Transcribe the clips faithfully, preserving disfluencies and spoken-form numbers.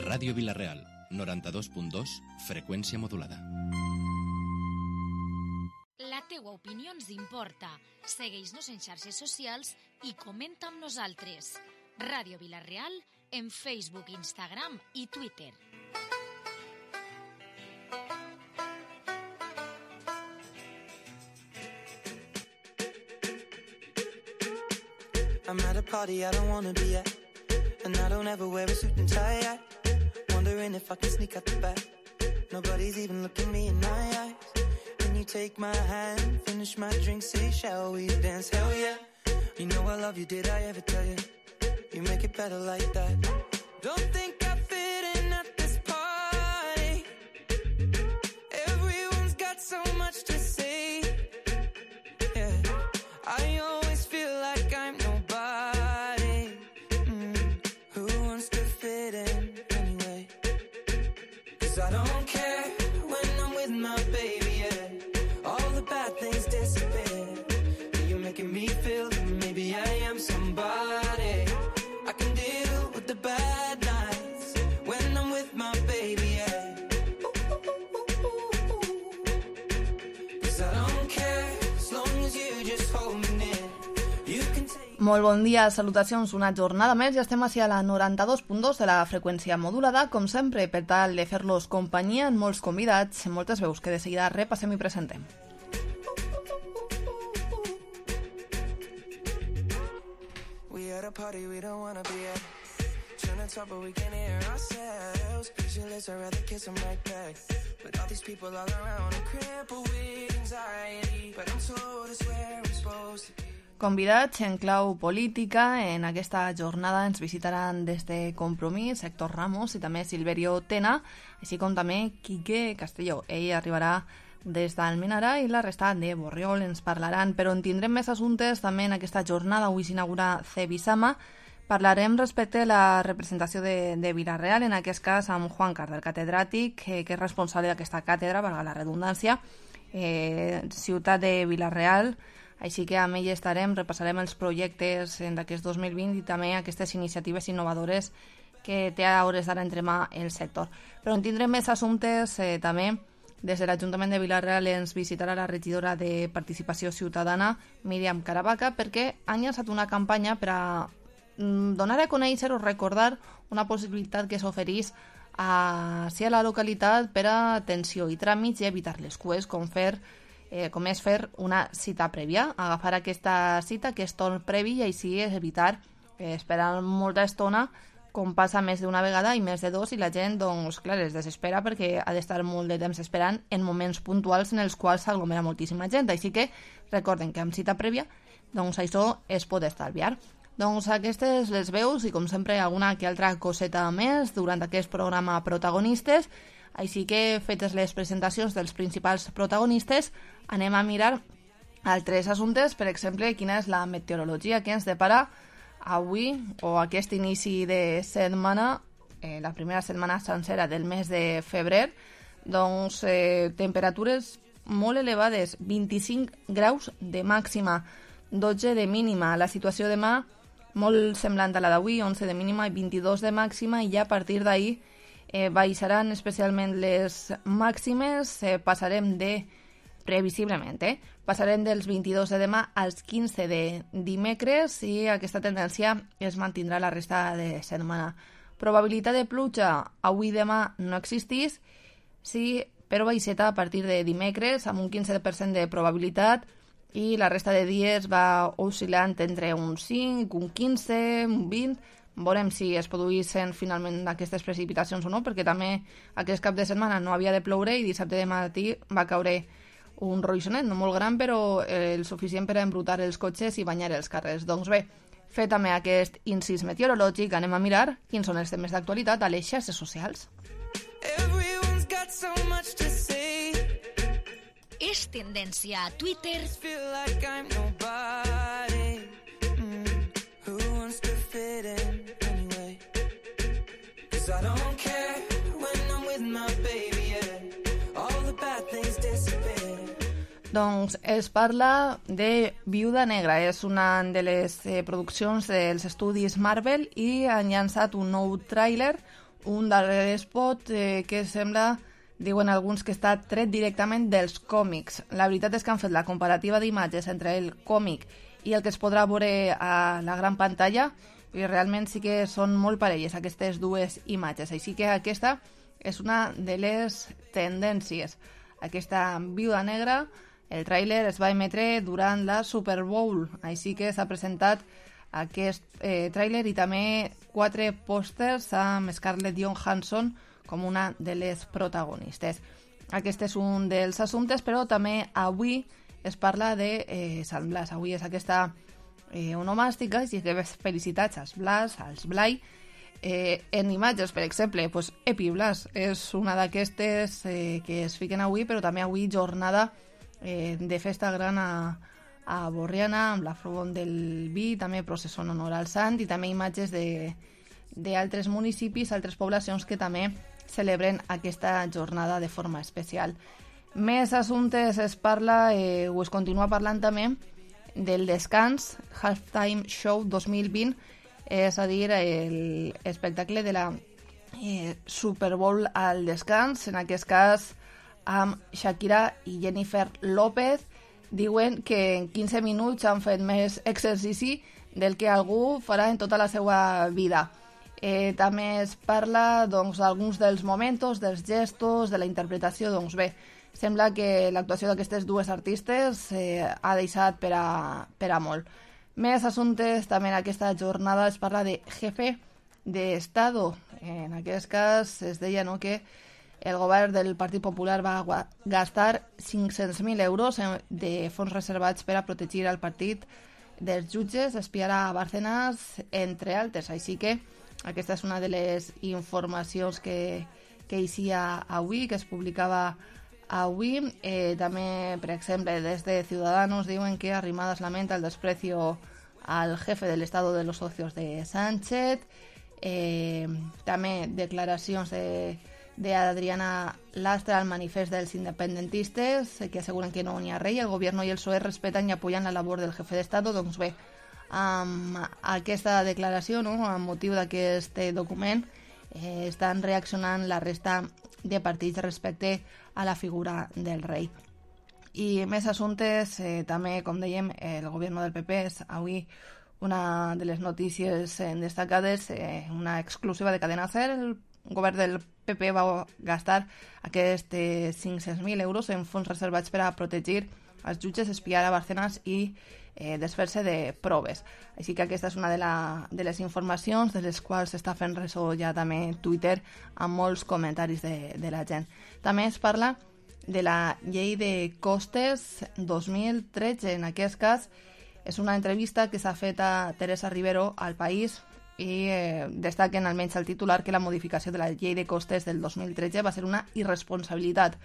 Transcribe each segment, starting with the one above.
Ràdio Vila-real, noranta-dos punt dos, freqüència modulada. La teua opinió ens importa. Segueix-nos en xarxes socials i comenta amb nosaltres. Ràdio Vila-real en Facebook, Instagram i Twitter. I'm at a party I don't wanna be at, and I don't ever wear a suit and tie yet. Wondering if I can sneak out the back. Nobody's even looking me in my eyes. Can you take my hand, finish my drink, say shall we dance? Hell yeah. You know I love you, did I ever tell you? You make it better like that. Don't think I fit in at this party. Everyone's got so much to say. Yeah, I always feel like I'm nobody. Mm. Who wants to fit in anyway? 'Cause I don't care when I'm with my baby, yeah. All the bad things disappear. You're making me feel that maybe I am somebody. I can deal with the bad nights when I'm with my baby, yeah. 'Cause I don't care as long as you just hold me near. You can take... Molt bon dia, salutacions, una jornada més, ja estem hacia la noranta-dos punt dos de la freqüència modulada, com sempre, per tal de fer-los companyia en molts convidats, en moltes veus que de seguida repassem i presentem. We at a party we don't wanna be at. Trying to talk but we can't hear ourselves. Pictureless, I'd rather kiss them right back. But all these people all around are crippled with anxiety. But I'm told it's where I'm supposed to be. Convidats en clau política, en aquesta jornada ens visitaran des de Compromís, Héctor Ramos i també Silverio Tena, així com també Quique Castelló. Ell arribarà des d'Almenara i la resta de Borriol ens parlaran, però en tindrem més assumptes també en aquesta jornada. Avui s'inaugura Cebisama. Parlarem respecte a la representació de, de Vila-real, en aquest cas amb Juan Cardel, catedràtic, eh, que és responsable d'aquesta càtedra, valga la redundància, eh, ciutat de Vila-real. Així que amb ell estarem, repassarem els projectes d'aquest dos mil vint i també aquestes iniciatives innovadores que té a hores d'ara entre mà el sector. Però en tindrem més assumptes eh, també. Des de l'Ajuntament de Vila-real ens visitarà la regidora de Participació Ciutadana, Míriam Caravaca, perquè han llançat una campanya per a donar a conèixer o recordar una possibilitat que s'oferís a, sí, a la localitat per a atenció i tràmits i evitar les cues, com fer Eh, com és fer una cita prèvia, agafar aquesta cita, aquest torn previ, i així és evitar eh, esperar molta estona, com passa més d'una vegada i més de dos, i la gent, doncs, clar, es desespera perquè ha d'estar molt de temps esperant en moments puntuals en els quals s'aglomera moltíssima gent. Així que recorden que amb cita prèvia, doncs això es pot estalviar. Doncs aquestes les veus i, com sempre, alguna que altra coseta més durant aquest programa Protagonistes. Així que, fetes les presentacions dels principals protagonistes, anem a mirar altres assumptes, per exemple, quina és la meteorologia que ens depara avui o aquest inici de setmana, eh, la primera setmana sencera del mes de febrer. Doncs eh, temperatures molt elevades, vint-i-cinc graus de màxima, dotze de mínima. La situació demà molt semblant a la d'avui, onze de mínima i vint-i-dos de màxima, i ja a partir d'ahir Eh, baixaran especialment les màximes, eh, passarem de, previsiblement, eh, passarem dels vint-i-dos de demà als quinze de dimecres, i aquesta tendència es mantindrà la resta de setmana. Probabilitat de pluja avui i demà no existís, sí, però baixeta a partir de dimecres amb un quinze per cent de probabilitat, i la resta de dies va oscil·lant entre un cinc, un quinze, un vint. Veurem si es produïssin finalment aquestes precipitacions o no, perquè també aquest cap de setmana no havia de ploure i dissabte de matí va caure un roixonet, no molt gran, però el suficient per a embrutar els cotxes i banyar els carrers. Doncs bé, fet també aquest incís meteorològic, anem a mirar quins són els temes d'actualitat a les xarxes socials. Everyone's got so much to say. És tendència a Twitter. Feel like I'm nobody. Mm. Who wants to fit in anyway? 'Cause I don't care when I'm with my baby, yeah. All the bad things disappear. Doncs es parla de Viuda Negra, és una de les eh, produccions dels estudis Marvel, i han llançat un nou tràiler, un darrer spot eh, que sembla, diuen alguns, que està tret directament dels còmics. La veritat és que han fet la comparativa d'imatges entre el còmic i el que es podrà veure a la gran pantalla i realment sí que són molt parelles aquestes dues imatges. Així que aquesta és una de les tendències. Aquesta Viuda Negra, el tràiler es va emetre durant la Super Bowl, així que s'ha presentat aquest eh, tràiler i també quatre pòsters amb Scarlett Johansson com una de les protagonistes. Aquest és un dels assumptes, però també avui es parla de eh, Sant Blas. Avui és aquesta eh, onomàstica, així que felicitats als Blas, als Blai. Eh, en imatges, per exemple, pues, Epi Blas és una d'aquestes eh, que es fiquen avui, però també avui jornada eh, de festa gran a, a Borriana, amb la Front del Vi, també processó en honor al sant, i també imatges d'altres municipis, altres poblacions que també celebren aquesta jornada de forma especial. Més assumptes es parla, eh, o es continua parlant també, del descans Halftime Show dos mil vint, és a dir, l'espectacle de la eh, Super Bowl al descans, en aquest cas amb Shakira i Jennifer López. Diuen que en quinze minuts han fet més exercici del que algú farà en tota la seva vida. Eh, també es parla doncs, d'alguns dels moments, dels gestos, de la interpretació. Doncs bé, sembla que l'actuació d'aquestes dues artistes eh, ha deixat per a, per a molt. Més assumptes també en aquesta jornada es parla de jefe de Estado. En aquest cas es deia, no, que el govern del Partit Popular va gastar cinc-cents mil euros de fons reservats per a protegir el partit dels jutges, espiar a Bárcenas, entre altres. Així que aquesta és una de les informacions que, que eixia avui, que es publicava avui. Eh, també, per exemple, des de Ciudadanos diuen que Arrimadas lamenta el desprecio al jefe del Estado de los socios de Sánchez. Eh, també declaracions de, de Adriana Lastra al manifest dels independentistes, que aseguren que no n'hi ha rei, el gobierno i el P S O E respeten i apoyen la labor del jefe d'Estado. Doncs bé, amb aquesta declaració, no, amb motiu d'aquest document, eh, estan reaccionant la resta de partits respecte a la figura del rei. I més assumptes, eh, també, com dèiem, el govern del P P és avui una de les notícies eh, destacades, eh, una exclusiva de Cadena SER. El govern del P P va gastar aquests eh, cinc-cents mil euros en fons reservats per a protegir els jutges, espiar a Bárcenas i eh, desfer-se de proves. Així que aquesta és una de, la, de les informacions de les quals s'està fent ressò ja també Twitter amb molts comentaris de, de la gent. També es parla de la llei de costes dos mil tretze. En aquest cas és una entrevista que s'ha fet a Teresa Rivero al País i eh, destaquen almenys el titular que la modificació de la llei de costes del dos mil tretze va ser una irresponsabilitat.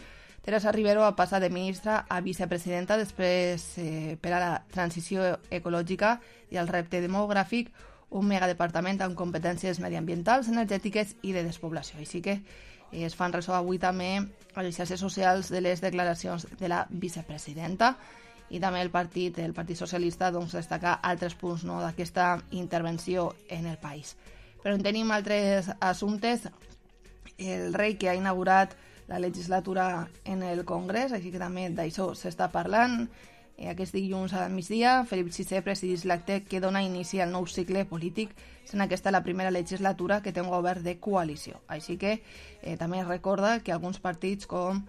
Teresa Rivero va passar de ministra a vicepresidenta després eh, per a la transició ecològica i el repte demogràfic, un megadepartament amb competències mediambientals, energètiques i de despoblació. Així que eh, es fan ressò avui també a les xarxes socials de les declaracions de la vicepresidenta, i també el partit, el Partit Socialista, doncs, destaca altres punts, no, d'aquesta intervenció en el país. Però en tenim altres assumptes. El rei que ha inaugurat la legislatura en el Congrés, així que també d'això s'està parlant. Eh, aquest dilluns al migdia, Felip sisè presidís l'acte que dona inici al nou cicle polític, sent aquesta la primera legislatura que té un govern de coalició. Així que eh, també recorda que alguns partits com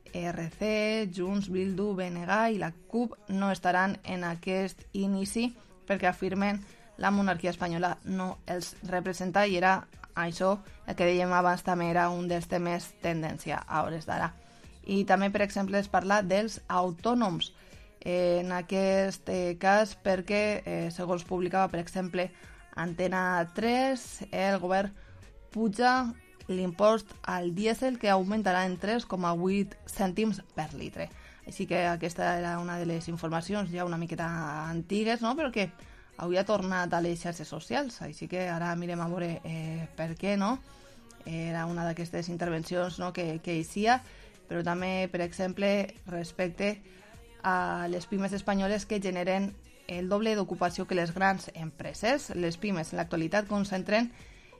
R C, Junts, Bildu, B N G i la CUP no estaran en aquest inici perquè afirmen la monarquia espanyola no els representa, i era això, el que dèiem abans, també era un dels temes tendència a hores d'ara. I també, per exemple, es parla dels autònoms, eh, en aquest eh, cas perquè, eh, segons publicava, per exemple, Antena tres, el govern puja l'impost al dièsel, que augmentarà en tres coma vuit cèntims per litre. Així que aquesta era una de les informacions ja una miqueta antigues, no? Però que avui ha tornat a les xarxes socials, així que ara mirem a veure eh, per què, no? Era una d'aquestes intervencions, no, que, que eixia, però també, per exemple, respecte a les pimes espanyoles que generen el doble d'ocupació que les grans empreses. Les pimes en l'actualitat concentren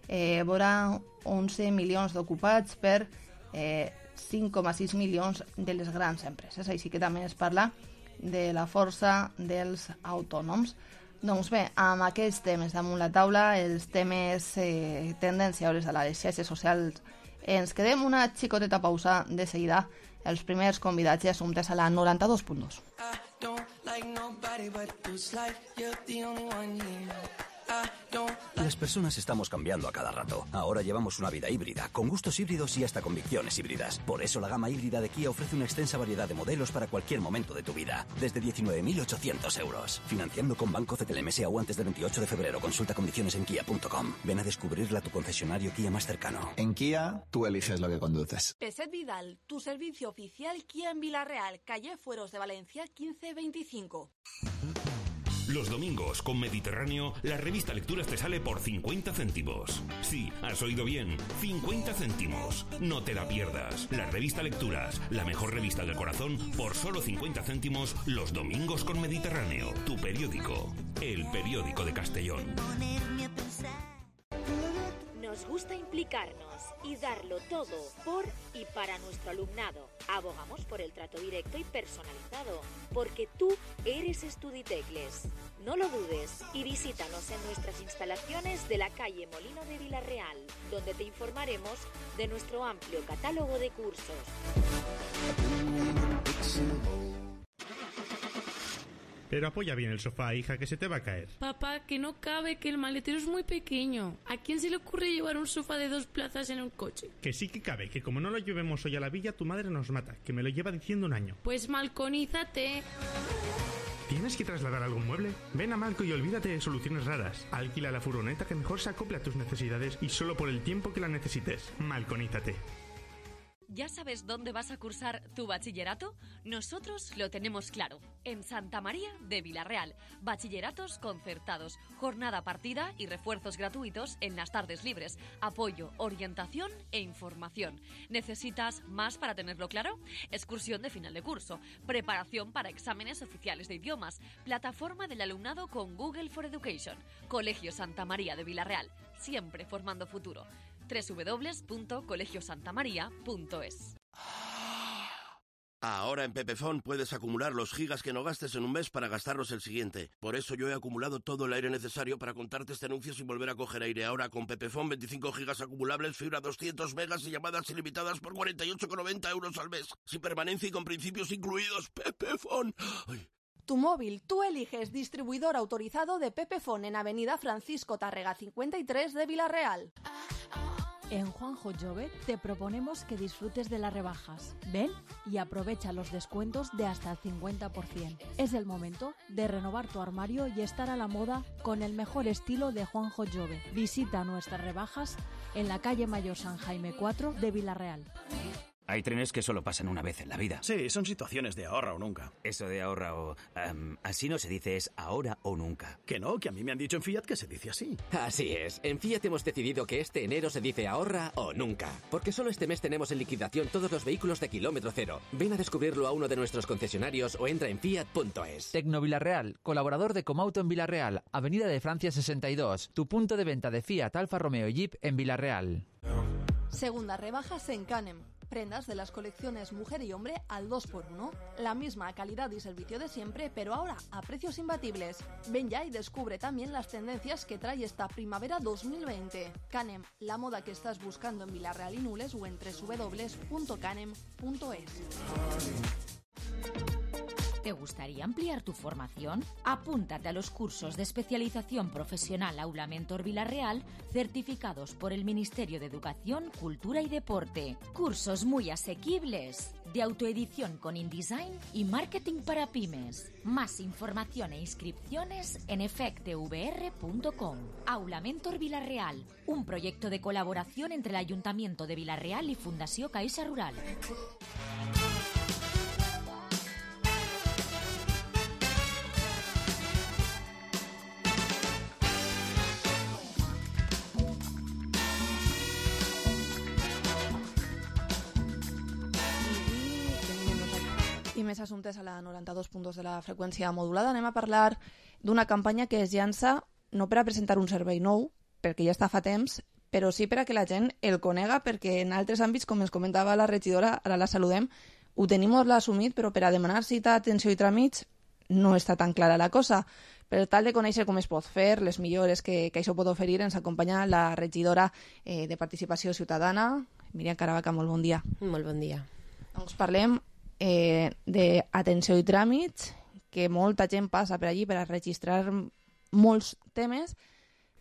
eh, vora onze milions d'ocupats per eh, cinc coma sis milions de les grans empreses. Així que també es parla de la força dels autònoms. Doncs bé, amb aquests temes damunt la taula, els temes eh, tendenciables a les xarxes socials, ens quedem una xicoteta pausa. De seguida, els primers convidats i assumptes a la noranta-dos punt dos. Las personas estamos cambiando a cada rato. Ahora llevamos una vida híbrida, con gustos híbridos y hasta convicciones híbridas. Por eso la gama híbrida de Kia ofrece una extensa variedad de modelos para cualquier momento de tu vida. Desde diecinueve mil ochocientos euros. Financiando con Banco C T L M S o antes del veintiocho de febrero. Consulta condiciones en kia punto com. Ven a descubrirla a tu concesionario Kia más cercano. En Kia, tú eliges lo que conduces. Peset Vidal, tu servicio oficial Kia en Villarreal, calle Fueros de Valencia quince veinticinco. Los domingos con Mediterráneo, la revista Lecturas te sale por cincuenta céntimos. Sí, has oído bien, cincuenta céntimos. No te la pierdas. La revista Lecturas, la mejor revista del corazón, por solo cincuenta céntimos los domingos con Mediterráneo. Tu periódico, el periódico de Castellón. Nos gusta implicarnos y darlo todo por y para nuestro alumnado. Abogamos por el trato directo y personalizado, porque tú eres Estuditecles. No lo dudes y visítanos en nuestras instalaciones de la calle Molino de Villarreal, donde te informaremos de nuestro amplio catálogo de cursos. Pero apoya bien el sofá, hija, que se te va a caer. Papá, que no cabe, que el maletero es muy pequeño. ¿A quién se le ocurre llevar un sofá de dos plazas en un coche? Que sí que cabe, que como no lo llevemos hoy a la villa, tu madre nos mata, que me lo lleva diciendo un año. Pues malconízate. ¿Tienes que trasladar algún mueble? Ven a Malco y olvídate de soluciones raras. Alquila la furgoneta que mejor se acople a tus necesidades y solo por el tiempo que la necesites. Malconízate. ¿Ya sabes dónde vas a cursar tu bachillerato? Nosotros lo tenemos claro. En Santa María de Villarreal. Bachilleratos concertados, jornada partida y refuerzos gratuitos en las tardes libres. Apoyo, orientación e información. ¿Necesitas más para tenerlo claro? Excursión de final de curso. Preparación para exámenes oficiales de idiomas. Plataforma del alumnado con Google for Education. Colegio Santa María de Villarreal. Siempre formando futuro. doble u doble u doble u punto colegio santa maría punto es. Ahora en Pepefon puedes acumular los gigas que no gastes en un mes para gastarlos el siguiente. Por eso yo he acumulado todo el aire necesario para contarte este anuncio sin volver a coger aire. Ahora con Pepefon veinticinco gigas acumulables, fibra doscientos megas y llamadas ilimitadas por cuarenta y ocho con noventa euros al mes. Sin permanencia y con principios incluidos. Pepefon. Ay. Tu móvil, tú eliges distribuidor autorizado de Pepefon en Avenida Francisco Tárrega cincuenta y tres de Villarreal. En Juanjo Jove te proponemos que disfrutes de las rebajas. Ven y aprovecha los descuentos de hasta el cincuenta por ciento. Es el momento de renovar tu armario y estar a la moda con el mejor estilo de Juanjo Jove. Visita nuestras rebajas en la calle Mayor San Jaime cuatro de Villarreal. Hay trenes que solo pasan una vez en la vida. Sí, son situaciones de ahorra o nunca. Eso de ahorra o... Um, así no se dice, es ahora o nunca. Que no, que a mí me han dicho en Fiat que se dice así. Así es. En Fiat hemos decidido que este enero se dice ahorra o nunca. Porque solo este mes tenemos en liquidación todos los vehículos de kilómetro cero. Ven a descubrirlo a uno de nuestros concesionarios o entra en fiat punto es. Tecno Villarreal, colaborador de Comauto en Villarreal, Avenida de Francia sesenta y dos. Tu punto de venta de Fiat, Alfa Romeo y Jeep en Villarreal. Segunda rebajas en Canem. Prendas de las colecciones mujer y hombre al dos por uno. La misma calidad y servicio de siempre, pero ahora a precios imbatibles. Ven ya y descubre también las tendencias que trae esta primavera dos mil veinte. Canem, la moda que estás buscando en Villarreal y Nules o en doble u doble u doble u punto canem punto es. ¿Te gustaría ampliar tu formación? Apúntate a los cursos de especialización profesional Aula Mentor Villarreal, certificados por el Ministerio de Educación, Cultura y Deporte. Cursos muy asequibles, de autoedición con InDesign y marketing para pymes. Más información e inscripciones en efectvr punto com. Aula Mentor Villarreal, un proyecto de colaboración entre el Ayuntamiento de Villarreal y Fundació Caixa Rural. I més assumptes a la noranta-dos punt dos de la freqüència modulada. Anem a parlar d'una campanya que es llança no per a presentar un servei nou, perquè ja està fa temps, però sí per a que la gent el conega, perquè en altres àmbits, com ens comentava la regidora, ara la saludem, ho tenim molt assumit, però per a demanar cita, atenció i tràmits no està tan clara la cosa. Per tal de conèixer com es pot fer, les millores que, que això pot oferir, ens acompanya la regidora eh, de Participació Ciutadana, Míriam Caravaca, molt bon dia. Molt bon dia. Doncs parlem eh, d'atenció i tràmits, que molta gent passa per allí per a registrar molts temes,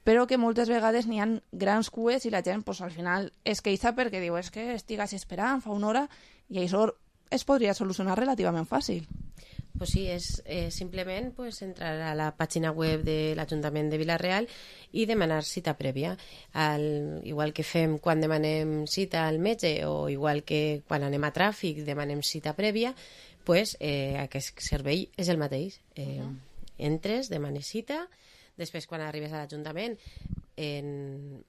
però que moltes vegades n'hi ha grans cues i la gent pues, al final es queixa perquè diu és que estigues esperant fa una hora i això es podria solucionar relativament fàcil. Pues sí, és eh, simplement pues, entrar a la pàgina web de l'Ajuntament de Vila-real i demanar cita prèvia. Al, igual que fem quan demanem cita al metge o igual que quan anem a tràfic demanem cita prèvia, pues, eh, aquest servei és el mateix. Eh, uh-huh. Entres, demanes cita, després quan arribes a l'Ajuntament en,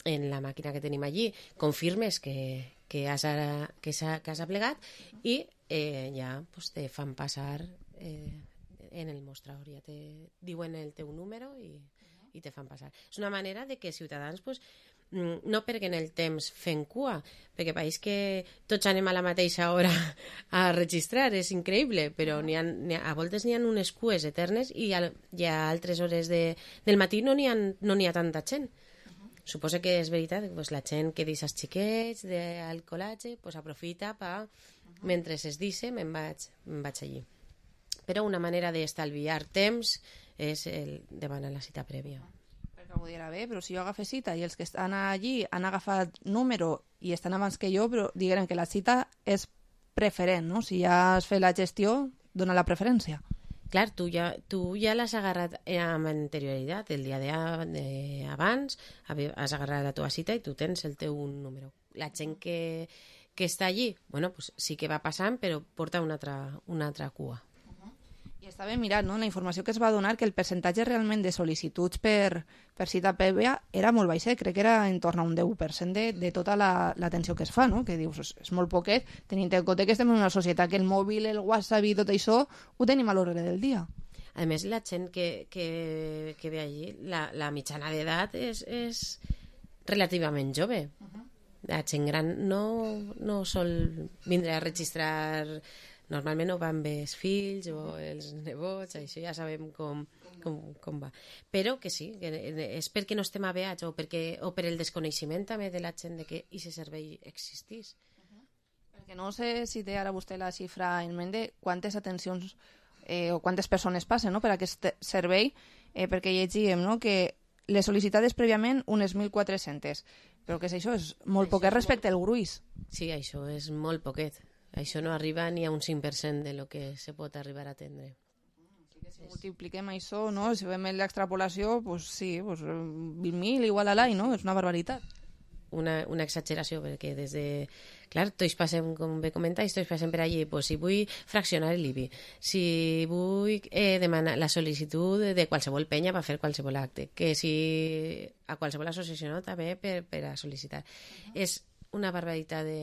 en la màquina que tenim allí confirmes que, que, has, ara, que, que has aplegat i eh, ja pues, te fan passar eh, en el mostrador, ja te diuen el teu número i, i te fan passar. És una manera de que Ciutadans pues, no perguen el temps fent cua, perquè pareix que tots anem a la mateixa hora a registrar, és increïble, però n'hi ha, n'hi ha, a voltes n'hi ha unes cues eternes i a, i a altres hores de, del matí no n'hi ha, no n'hi ha tanta gent. Suposo que és veritat que pues, la gent que deixa els xiquets del col·legi pues, aprofita per, mentre es deixa, me'n vaig, me'n vaig allí. Però una manera d'estalviar temps és el demanar la cita prèvia. Perquè ho dirà bé, però si jo agafé cita i els que estan allí han agafat número i estan abans que jo, però diguem que la cita és preferent, no? Si ja has fet la gestió, dona la preferència. Clar, tu ja, tu ja l'has agarrat amb anterioritat, el dia d'abans has agarrat la teva cita i tu tens el teu número. La gent que, que està allí, bueno, pues sí que va passant, però porta una altra, una altra cua. I estava mirant, no?, la informació que es va donar, que el percentatge realment de sol·licituds per, per cita prèvia era molt baixet, crec que era en torn a un deu per cent de, de tota l'atenció la, que es fa, no?, que dius, és, és molt poquet, tenint en compte que estem en una societat que el mòbil, el WhatsApp i tot això ho tenim a l'ordre del dia. A més, la gent que, que, que ve allí, la, la mitjana d'edat és, és relativament jove. Uh-huh. La gent gran no, no sol vindre a registrar. Normalment no van bé els fills o els nebots, això ja sabem com, com, com va. Però que sí, que és perquè no estem aveats o, perquè, o per el desconeixement també de la gent de que aquest servei existís. Uh-huh. Perquè no sé si té ara vostè la xifra en ment de quantes atencions eh, o quantes persones passen, no?, per aquest servei, eh, perquè llegíem, no?, que les sol·licitades prèviament unes mil quatre-centes, però que és això, és molt això poquet és respecte molt... al gruix. Sí, això és molt poquet. Això no arriba ni a un cinc per cent de lo que se pot arribar a atendre. Si multipliquem això, no? Si fem l'extrapolació, pues sí, pues vint mil igual a l'any, no? És una barbaritat. Una, una exageració, perquè des de... Clar, tots passem, com bé comentais, tots passem per allí, pues, si vull fraccionar l'I B I, si vull eh, demanar la sol·licitud de qualsevol penya per fer qualsevol acte, que si a qualsevol associació no, també per, per a sol·licitar. Uh-huh. És una barbaritat de...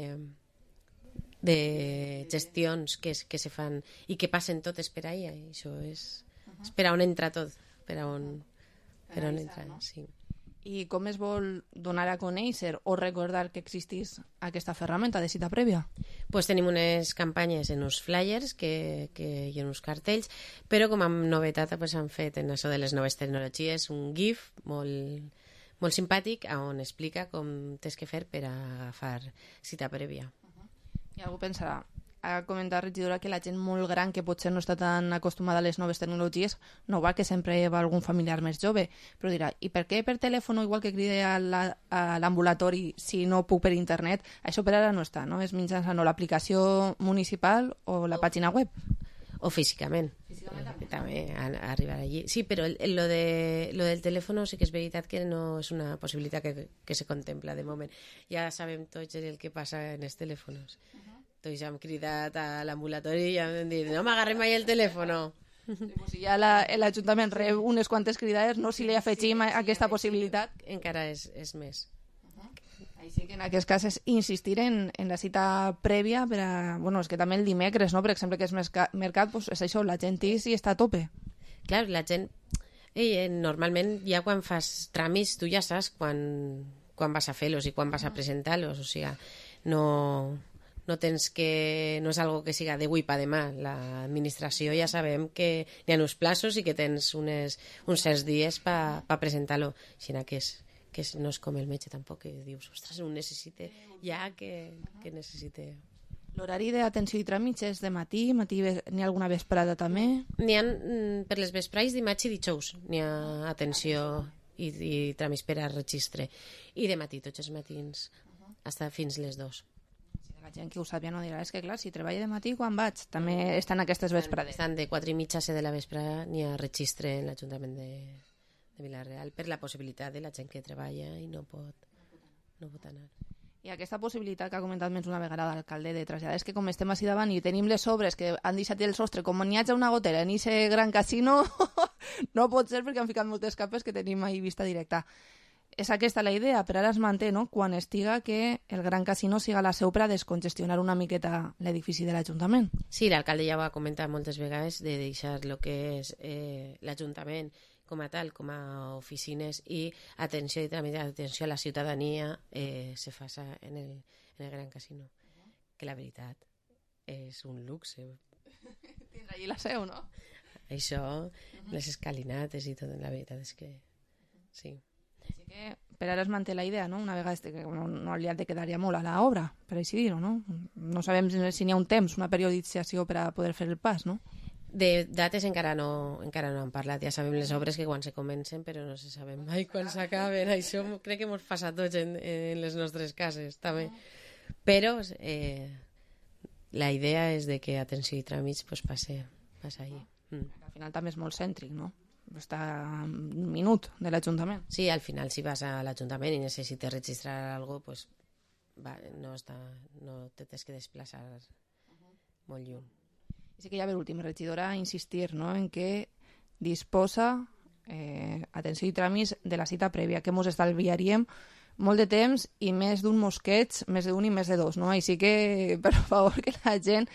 de gestions que, que se fan i que passen totes per ahí. Això és, uh-huh. és per on entra tot, per on, per on entra, no? Sí. I com es vol donar a conèixer o recordar que existís aquesta ferramenta de cita prèvia? Pues tenim unes campanyes en uns flyers que, que, i en uns cartells, però com a novetat pues, han fet en això de les noves tecnologies un GIF molt, molt simpàtic on explica com tens que fer per a agafar cita prèvia. I algú pensarà, ha comentat, regidora, que la gent molt gran que potser no està tan acostumada a les noves tecnologies no va que sempre va algun familiar més jove, però dirà, i per què per telèfon igual que cride a l'ambulatori si no puc per internet? Això per ara no està, no? És mitjançant o l'aplicació municipal o la pàgina web. O físicament. Físicament també. També a, a arribar allí. Sí, però el, lo, de, lo del telèfon sí que és veritat que no és una possibilitat que, que se contempla de moment. Ja sabem tots el que passa en els telèfons. Uh-huh. Tots ja hem cridat a l'ambulatori i ja hem dit no m'agarrem mai el telèfon. Sí, pues si ja l'Ajuntament rep unes quantes cridades, no, si li afegim sí, aquesta sí, possibilitat. Encara és, és més. Així que en aquest cas és insistir en, en la cita prèvia per a... Bueno, és que també el dimecres, no? Per exemple, que és mercat, pues és això, la gent hi està a tope. Clar, la gent... Eh, normalment ja quan fas tràmits tu ja saps quan, quan vas a fer-los i quan vas a presentar-los, o sigui, no, no tens que... no és algo que siga d'avui per demà. L'administració ja sabem que hi ha uns plaços i que tens unes, uns certs dies per pa presentar-lo, així que, és, que és, no és com el metge tampoc, que dius, ostres, ho necessite ja que, que necessite... L'horari d'atenció i tràmits és de matí, matí n'hi ha alguna vesprada també? N'hi ha, per les vesprades, dimarts i dijous, n'hi ha atenció i, i tràmits per a registre. I de matí, tots els matins, hasta fins les dos. Si la gent que ho sap ja no dirà, és que clar, si treballa de matí, quan vaig? També estan aquestes vesprades. Estan de quatre i mitja a set de la vesprada, n'hi ha registre en l'Ajuntament de, de Vila-real per la possibilitat de la gent que treballa i no pot, no pot anar. I aquesta possibilitat que ha comentat més una vegada l'alcalde de traslladar, és que com estem així davant i tenim les obres que han deixat el sostre, com n'hi hagi una gotera en aquest gran casino, no pot ser perquè han ficat moltes capes que tenim ahí vista directa. És aquesta la idea, però ara es manté, no?, quan estiga que el gran casino siga la seu per a descongestionar una miqueta l'edifici de l'Ajuntament. Sí, l'alcalde ja ho ha comentat moltes vegades de deixar el que és eh, l'Ajuntament com a tal, com a oficines i atenció i també atenció a la ciutadania eh, se fa en el, en el Gran Casino. Que la veritat és un luxe. Tindrà allí la seu, no? Això, les escalinates i tot, la veritat és que sí. Així que per ara es manté la idea, no? Una vegada que no, no li ha de quedar ja molt a l'obra, per així dir-ho, no? No sabem si n'hi ha un temps, una periodització per a poder fer el pas, no? De dates encara no, encara no han parlat. Ja sabem les obres que quan se comencen, però no se sabem mai quan s'acaben. Això crec que ens passa a tots en, en les nostres cases, també. Però eh, la idea és de que atenció i tràmits pues, passe, passe allí. Mm. Al final també és molt cèntric, no? Està a un minut de l'Ajuntament. Sí, al final si vas a l'Ajuntament i necessites registrar alguna cosa, pues, va, no, està, no te tens que desplaçar molt lluny. Sí que ja ve l'últim regidora a insistir, no?, en que disposa eh, atenció i tràmits de la cita prèvia, que ens estalviaríem molt de temps i més d'un mosqueig, més d'un i més de dos, no? Així que, per favor, que la gent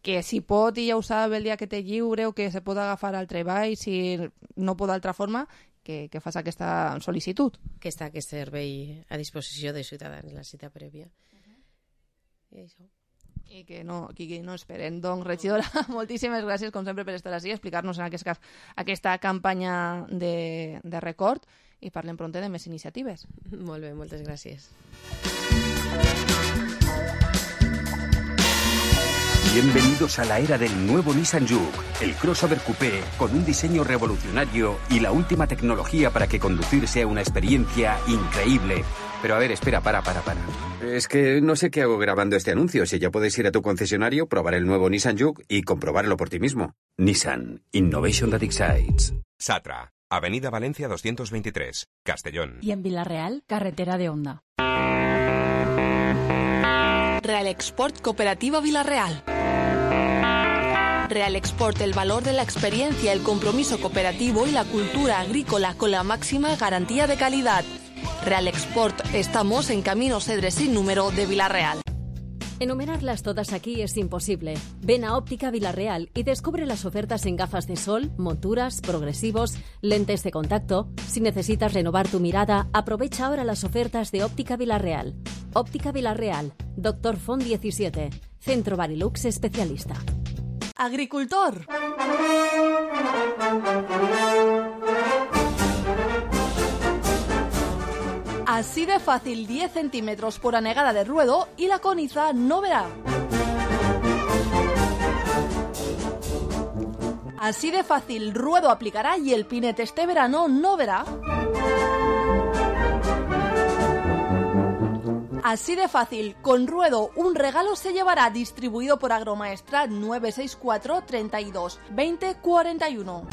que si pot i ja ho sap el dia que té lliure o que se pot agafar al treball, si no pot d'altra forma, que, que fas aquesta sol·licitud. Que està aquest servei a disposició de ciutadans, la cita prèvia. Uh-huh. I això. I que no, que no esperen. Doncs, regidora, moltíssimes gràcies, com sempre, per estar així, explicar-nos en aquest cas aquesta campanya de, de record i parlem pront de més iniciatives. Molt bé, moltes gràcies. Bienvenidos a la era del nuevo Nissan Juke, el crossover coupé con un diseño revolucionario y la última tecnología para que conducir sea una experiencia increíble. Pero a ver, espera, para, para, para. Es que no sé qué hago grabando este anuncio. Si ya puedes ir a tu concesionario, probar el nuevo Nissan Juke y comprobarlo por ti mismo. Nissan, Innovation that excites. Satra, Avenida Valencia doscientos veintitrés, Castellón. Y en Vila-real, carretera de Onda. Real Export Cooperativa Vila-real. Real Export, el valor de la experiencia, el compromiso cooperativo y la cultura agrícola con la máxima garantía de calidad. Real Export, estamos en Camino Cedre sin número de Vila-real. Enumerarlas todas aquí es imposible. Ven a Óptica Vila-real y descubre las ofertas en gafas de sol, monturas, progresivos, lentes de contacto. Si necesitas renovar tu mirada, aprovecha ahora las ofertas de Óptica Vila-real. Óptica Vila-real, Doctor Font diecisiete, Centro Barilux especialista. Agricultor. Así de fácil, diez centímetros por anegada de ruedo y la coniza no verá. Así de fácil, ruedo aplicará y el pinete este verano no verá. Así de fácil, con ruedo un regalo se llevará, distribuido por Agromaestrat nueve seis cuatro, treinta y dos, veinte, cuarenta y uno.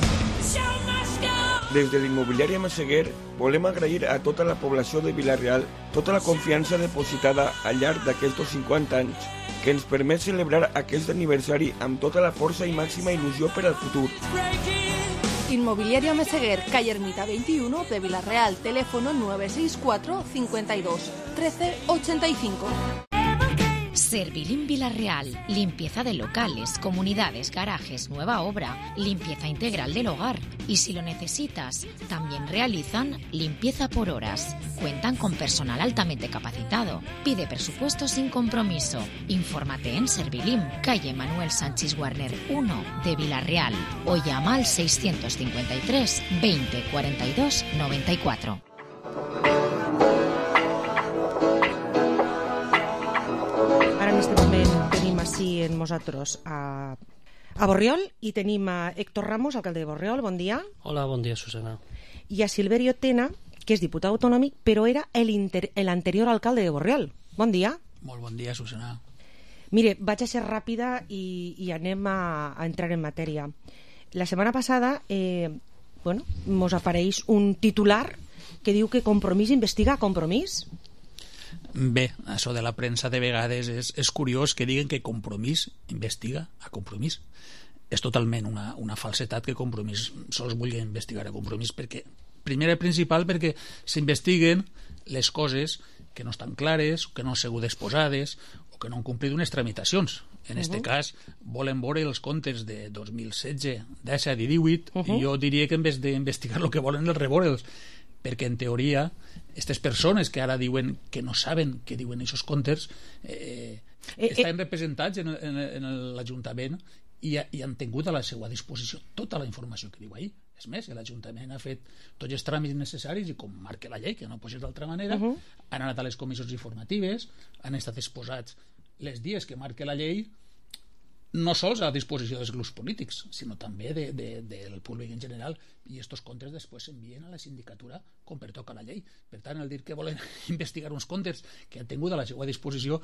Des de l'immobiliària Massaguer volem agrair a tota la població de Vila-real tota la confiança depositada al llarg d'aquests cinquanta anys que ens permet celebrar aquest aniversari amb tota la força i màxima il·lusió per al futur. Inmobiliaria Meseguer, calle Ermita veintiuno de Vila-real, teléfono nueve seis cuatro, cincuenta y dos, trece, ochenta y cinco. Servilim Villarreal. Limpieza de locales, comunidades, garajes, nueva obra, limpieza integral del hogar. Y si lo necesitas, también realizan limpieza por horas. Cuentan con personal altamente capacitado. Pide presupuesto sin compromiso. Infórmate en Servilim, calle Manuel Sánchez Warner uno de Villarreal, o llama al seiscientos cincuenta y tres veinte cuarenta y dos noventa y cuatro. Ara en este moment tenim així en nosaltres a, a Borriol i tenim a Héctor Ramos, alcalde de Borriol, bon dia. Hola, bon dia, Susana. I a Silverio Tena, que és diputat autonòmic, però era l'anterior alcalde de Borriol. Bon dia. Molt bon dia, Susana. Mire, vaig a ser ràpida i, i anem a, a entrar en matèria. La setmana passada eh, bueno, mos apareix un titular que diu que Compromís investiga Compromís. Bé, això de la premsa de vegades és, és curiós que diguen que Compromís investiga a Compromís. És totalment una, una falsetat que Compromís sols vulgui investigar a Compromís, perquè, primer i principal, perquè s'investiguen les coses que no estan clares, que no han sigut exposades o que no han complit unes tramitacions. En aquest uh -huh. cas, volen veure els comptes de dos mil setze, disset i divuit, uh -huh. i jo diria que en vez d'investigar el que volen és reveure'ls, perquè en teoria aquestes persones que ara diuen que no saben què diuen aquests comptes eh, eh, estan eh, representats en, en, en l'Ajuntament i, i han tingut a la seva disposició tota la informació que diu ahir. És més, l'Ajuntament ha fet tots els tràmits necessaris i com marca la llei, que no pot ser d'altra manera, uh -huh. han anat a les comissions informatives, han estat exposats les dies que marca la llei, no sols a disposició dels grups polítics, sinó també de, de, del públic en general, i aquests comptes després s'envien a la sindicatura com pertoca la llei. Per tant, el dir que volen investigar uns comptes que han tingut a la seva disposició,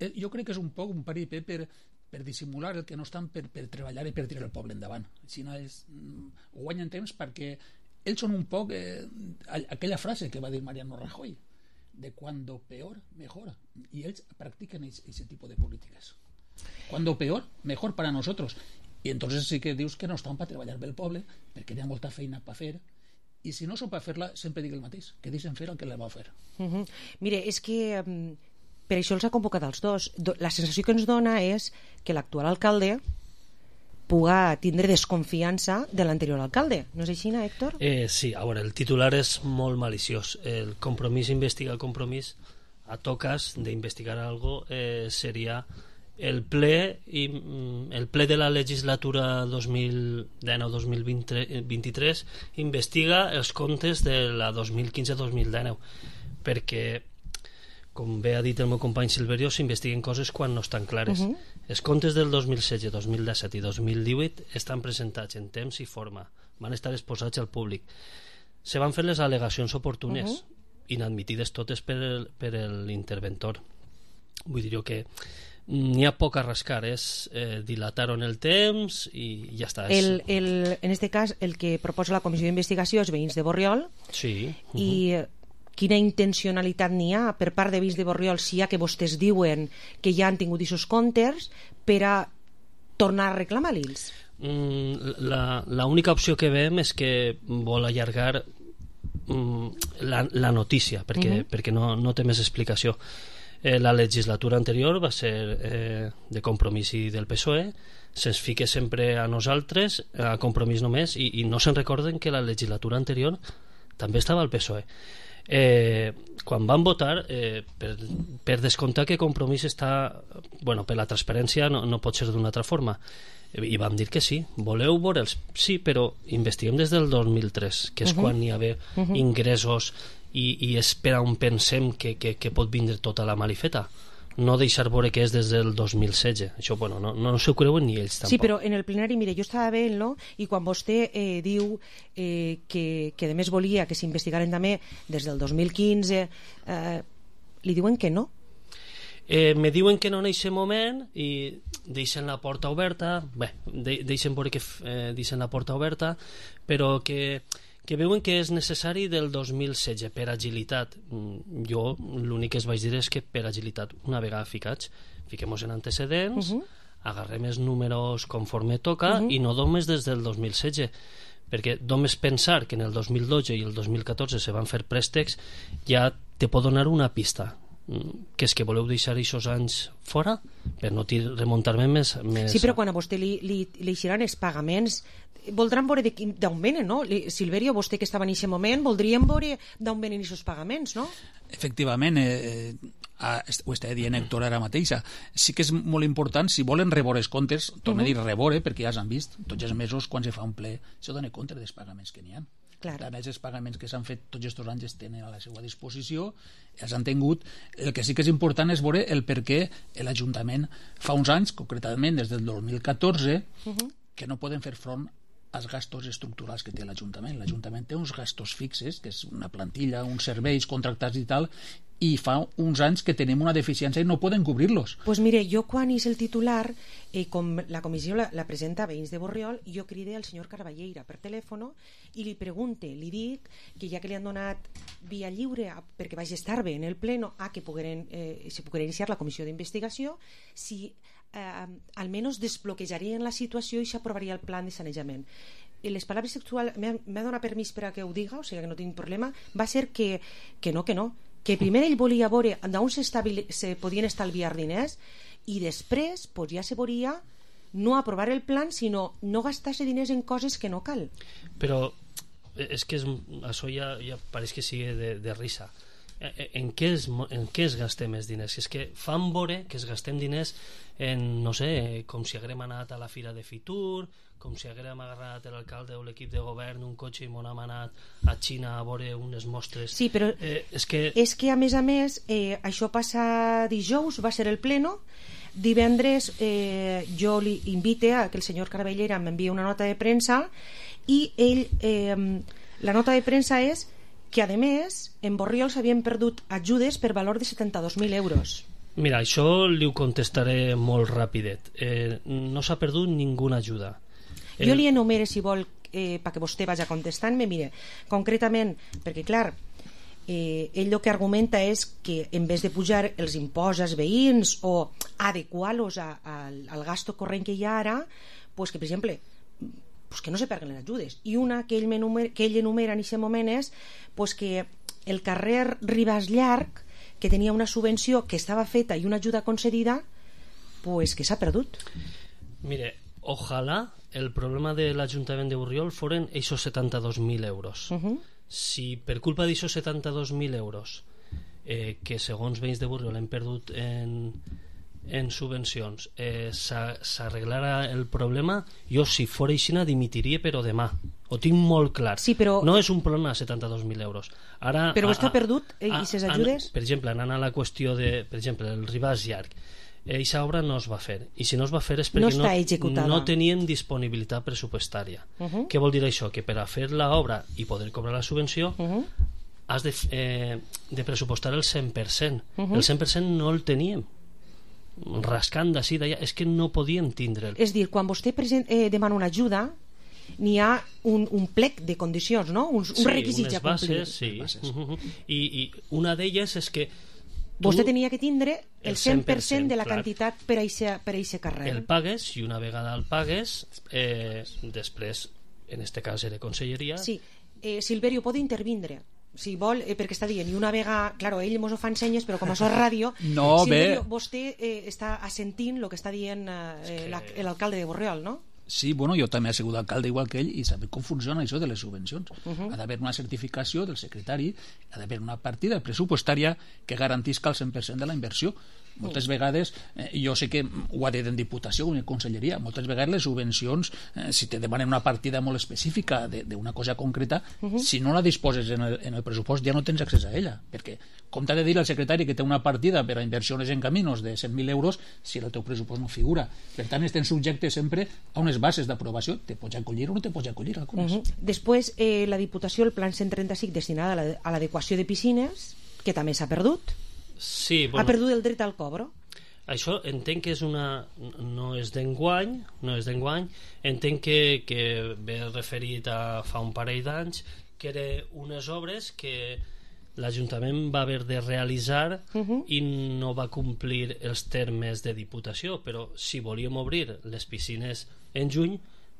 eh, jo crec que és un poc un paripé per, per dissimular el que no estan per, per treballar i per tirar el poble endavant. Si no és, ho guanyen temps perquè ells són un poc eh, aquella frase que va dir Mariano Rajoy, de cuando peor, mejor, i ells practiquen aquest tipus de polítiques. Cuando peor, mejor para nosotros. Y entonces sí que dius que no estan per treballar bé el poble, perquè hi ha molta feina per fer, i si no són per fer-la, sempre dic el mateix, que deixen fer el que la va fer. Uh -huh. Mire, és que um, per això els ha convocat els dos. La sensació que ens dona és que l'actual alcalde puga tindre desconfiança de l'anterior alcalde. No és així, Héctor? Eh, sí, a veure, el titular és molt maliciós. El Compromís investiga el Compromís, a toques d'investigar algo eh, seria el ple i el ple de la legislatura dos mil dinou dos mil vint-i-tres investiga els comptes de la dos mil quinze dos mil dinou, perquè com bé ha dit el meu company Silverio, s'investiguen coses quan no estan clares. Uh -huh. Els comptes del dos mil setze, dos mil disset i dos mil divuit estan presentats en temps i forma, van estar exposats al públic, se van fer les al·legacions oportunes, uh -huh. inadmitides totes per, per l'interventor. Vull dir que n'hi ha poc a rascar, és eh, dilatar en el temps i ja està. El, el, en este cas, el que proposa la comissió d'investigació és veïns de Borriol. Sí. Uh -huh. I quina intencionalitat n'hi ha per part de veïns de Borriol, si hi ha que vostès diuen que ja han tingut aquests comptes, per a tornar a reclamar-los? Mm, la única opció que veiem és que vol allargar mm, la, la notícia, perquè, uh -huh. perquè no, no té més explicació. Eh, la legislatura anterior va ser eh, de Compromís i del P S O E, se'ns fica sempre a nosaltres, a Compromís només, i, i no se'n recorden que la legislatura anterior també estava al P S O E. Eh, quan van votar, eh, per, per descomptar que Compromís està, bueno, per la transparència no, no pot ser d'una altra forma, i vam dir que sí, voleu veure'ls? Sí, però investiguem des del dos mil tres, que és uh -huh. quan hi ha uh -huh. ingressos i, i és per on pensem que, que, que pot vindre tota la malifeta, no deixar veure que és des del dos mil setze. Això, bueno, no, no s'ho creuen ni ells tampoc. Sí, però en el plenari, mire, jo estava veient, no? I quan vostè eh, diu eh, que, que a més volia que s'investigaren també des del dos mil quinze, eh, li diuen que no. Eh, me diuen que no en aquest moment i deixen la porta oberta, bé, de, deixen veure que eh, deixen la porta oberta, però que que veuen que és necessari del dos mil setze per agilitat. Jo l'únic que es vaig dir és que per agilitat, una vegada ficats, fiquem-nos en antecedents, uh -huh. agarrem els números conforme toca, uh -huh. i no només des del dos mil setze, perquè només pensar que en el dos mil dotze i el dos mil catorze se van fer préstecs ja te pot donar una pista. que és que voleu deixar aquests anys fora per no remuntar-me més, més... Sí, però quan a vostè li, li, li eixiran els pagaments voldran veure d'on venen, no? Silverio, vostè que estava en aquest moment, voldríem veure d'on venen aquests pagaments, no? Efectivament, eh, ho està dient Héctor ara mateixa. Sí que és molt important, si volen reveure els comptes, torno a dir reveure, perquè ja s'han vist tots els mesos quan se fa un ple, això dona compte dels pagaments que n'hi ha. Claro. A més, els pagaments que s'han fet tots aquests anys es tenen a la seva disposició, els han tingut. El que sí que és important és veure el per què l'Ajuntament fa uns anys, concretament des del dos mil catorze, uh-huh. que no poden fer front als gastos estructurals que té l'Ajuntament. L'Ajuntament té uns gastos fixes, que és una plantilla, uns serveis contractats i tal, i fa uns anys que tenim una deficiència i no poden cobrir-los. Pues mire, jo quan és el titular, eh, com la comissió la, la presenta a veïns de Borriol, jo cride al senyor Carballeira per telèfon i li pregunte, li dic que ja que li han donat via lliure a, perquè vaig estar bé en el pleno a que pogueren, eh, se poguera iniciar la comissió d'investigació, si eh, almenys desbloquejarien la situació i s'aprovaria el plan de sanejament. I les paraules sexuals m'ha donat permís per a que ho diga, o sigui que no tinc problema, va ser que, que no, que no, que primer ell volia veure d'on se podien estalviar diners i després pues, ja se veuria no aprovar el plan, sinó no gastar-se diners en coses que no cal. Però és que és, això ja, ja pareix que sigui de, de risa. En què, es, en què es gastem els diners? És que fan veure que es gastem diners en, no sé, com si haguem anat a la fira de Fitur, com si haguem agarrat l'alcalde o l'equip de govern un cotxe i m'on hem anat a Xina a veure unes mostres. Sí, però eh, és, que... és que a més a més eh, això passa dijous, va ser el pleno, divendres eh, jo li invite a que el senyor Carabellera m'envia una nota de premsa i ell, eh, la nota de premsa és que a més en Borriol s'havien perdut ajudes per valor de setanta-dos mil euros. Mira, això li ho contestaré molt ràpidet. Eh, no s'ha perdut ninguna ajuda. El... Jo li enumere, si vol, eh, perquè vostè vagi contestant-me, mire, concretament, perquè clar, eh, ell el que argumenta és que en vez de pujar els imposts als veïns o adequar-los a, a, al gasto corrent que hi ha ara, pues que, per exemple, pues que no se perden les ajudes. I una que ell, que ell enumera en aquest moment és pues que el carrer Ribas Llarg, que tenia una subvenció que estava feta i una ajuda concedida, pues que s'ha perdut. Mire, ojalà el problema de l'Ajuntament de Borriol foren aquests setanta-dos mil euros. Uh-huh. Si per culpa d'aquests setanta-dos mil euros eh, que segons veïns de Borriol hem perdut en, en subvencions eh, s'arreglara el problema, jo si fora aixina dimitiria però demà, ho tinc molt clar. Sí, però... no és un problema de setanta-dos mil euros. Ara, però està a, perdut eh, i ses ajudes? A, per exemple, anant a la qüestió de, per exemple, el Ribàs Llarg, aquesta obra no es va fer, i si no es va fer és perquè no, no, no tenien disponibilitat pressupostària. Uh-huh. Què vol dir això? Que per a fer l'obra i poder cobrar la subvenció uh-huh. has de, eh, de pressupostar el cent per cent. Uh-huh. El cent per cent no el teníem, rascant d'ací d'allà, és que no podíem tindre'l. És dir, quan vostè present, eh, demana una ajuda, n'hi ha un, un plec de condicions, no? uns, uns sí, requisits a complir. Bases, sí, bases. Uh-huh. I, i una d'elles és que vostè tenia que tindre el cent per cent de la clar. quantitat per a aquest carrer. El pagues, i una vegada el pagues, eh, després, en este cas era conselleria... Sí, eh, Silverio, pot intervindre, si vol, eh, perquè està dient, i una vegada, claro, ell mos ho fa en senyes, però com això és ràdio, no, Silverio, bé. vostè eh, està assentint el que està dient eh, que... l'alcalde de Borriol, no? Sí, bueno, jo també he sigut alcalde igual que ell i sabem com funciona això de les subvencions. Uh-huh. Ha d'haver una certificació del secretari, ha d'haver una partida pressupostària que garantisca el cent per cent de la inversió. Moltes vegades, eh, jo sé que ho ha dit en Diputació o en Conselleria, moltes vegades les subvencions, eh, si te demanen una partida molt específica d'una cosa concreta, uh-huh. si no la disposes en el, en el pressupost ja no tens accés a ella, perquè com t'ha de dir el secretari que té una partida per a inversions en caminos de cent mil euros si el teu pressupost no figura. Per tant, estem subjectes sempre a unes bases d'aprovació, te pots acollir o no te pots acollir algunes. Uh-huh. Després, eh, la Diputació, el plan cent trenta-cinc destinat a l'adequació de piscines, que també s'ha perdut. Sí, bueno, ha perdut el dret al cobro. Això entenc que és una... no és d'enguany, no és d'enguany, entenc que, que ve referit a fa un parell d'anys, que eren unes obres que l'Ajuntament va haver de realitzar uh-huh. i no va complir els termes de Diputació, però si volíem obrir les piscines en juny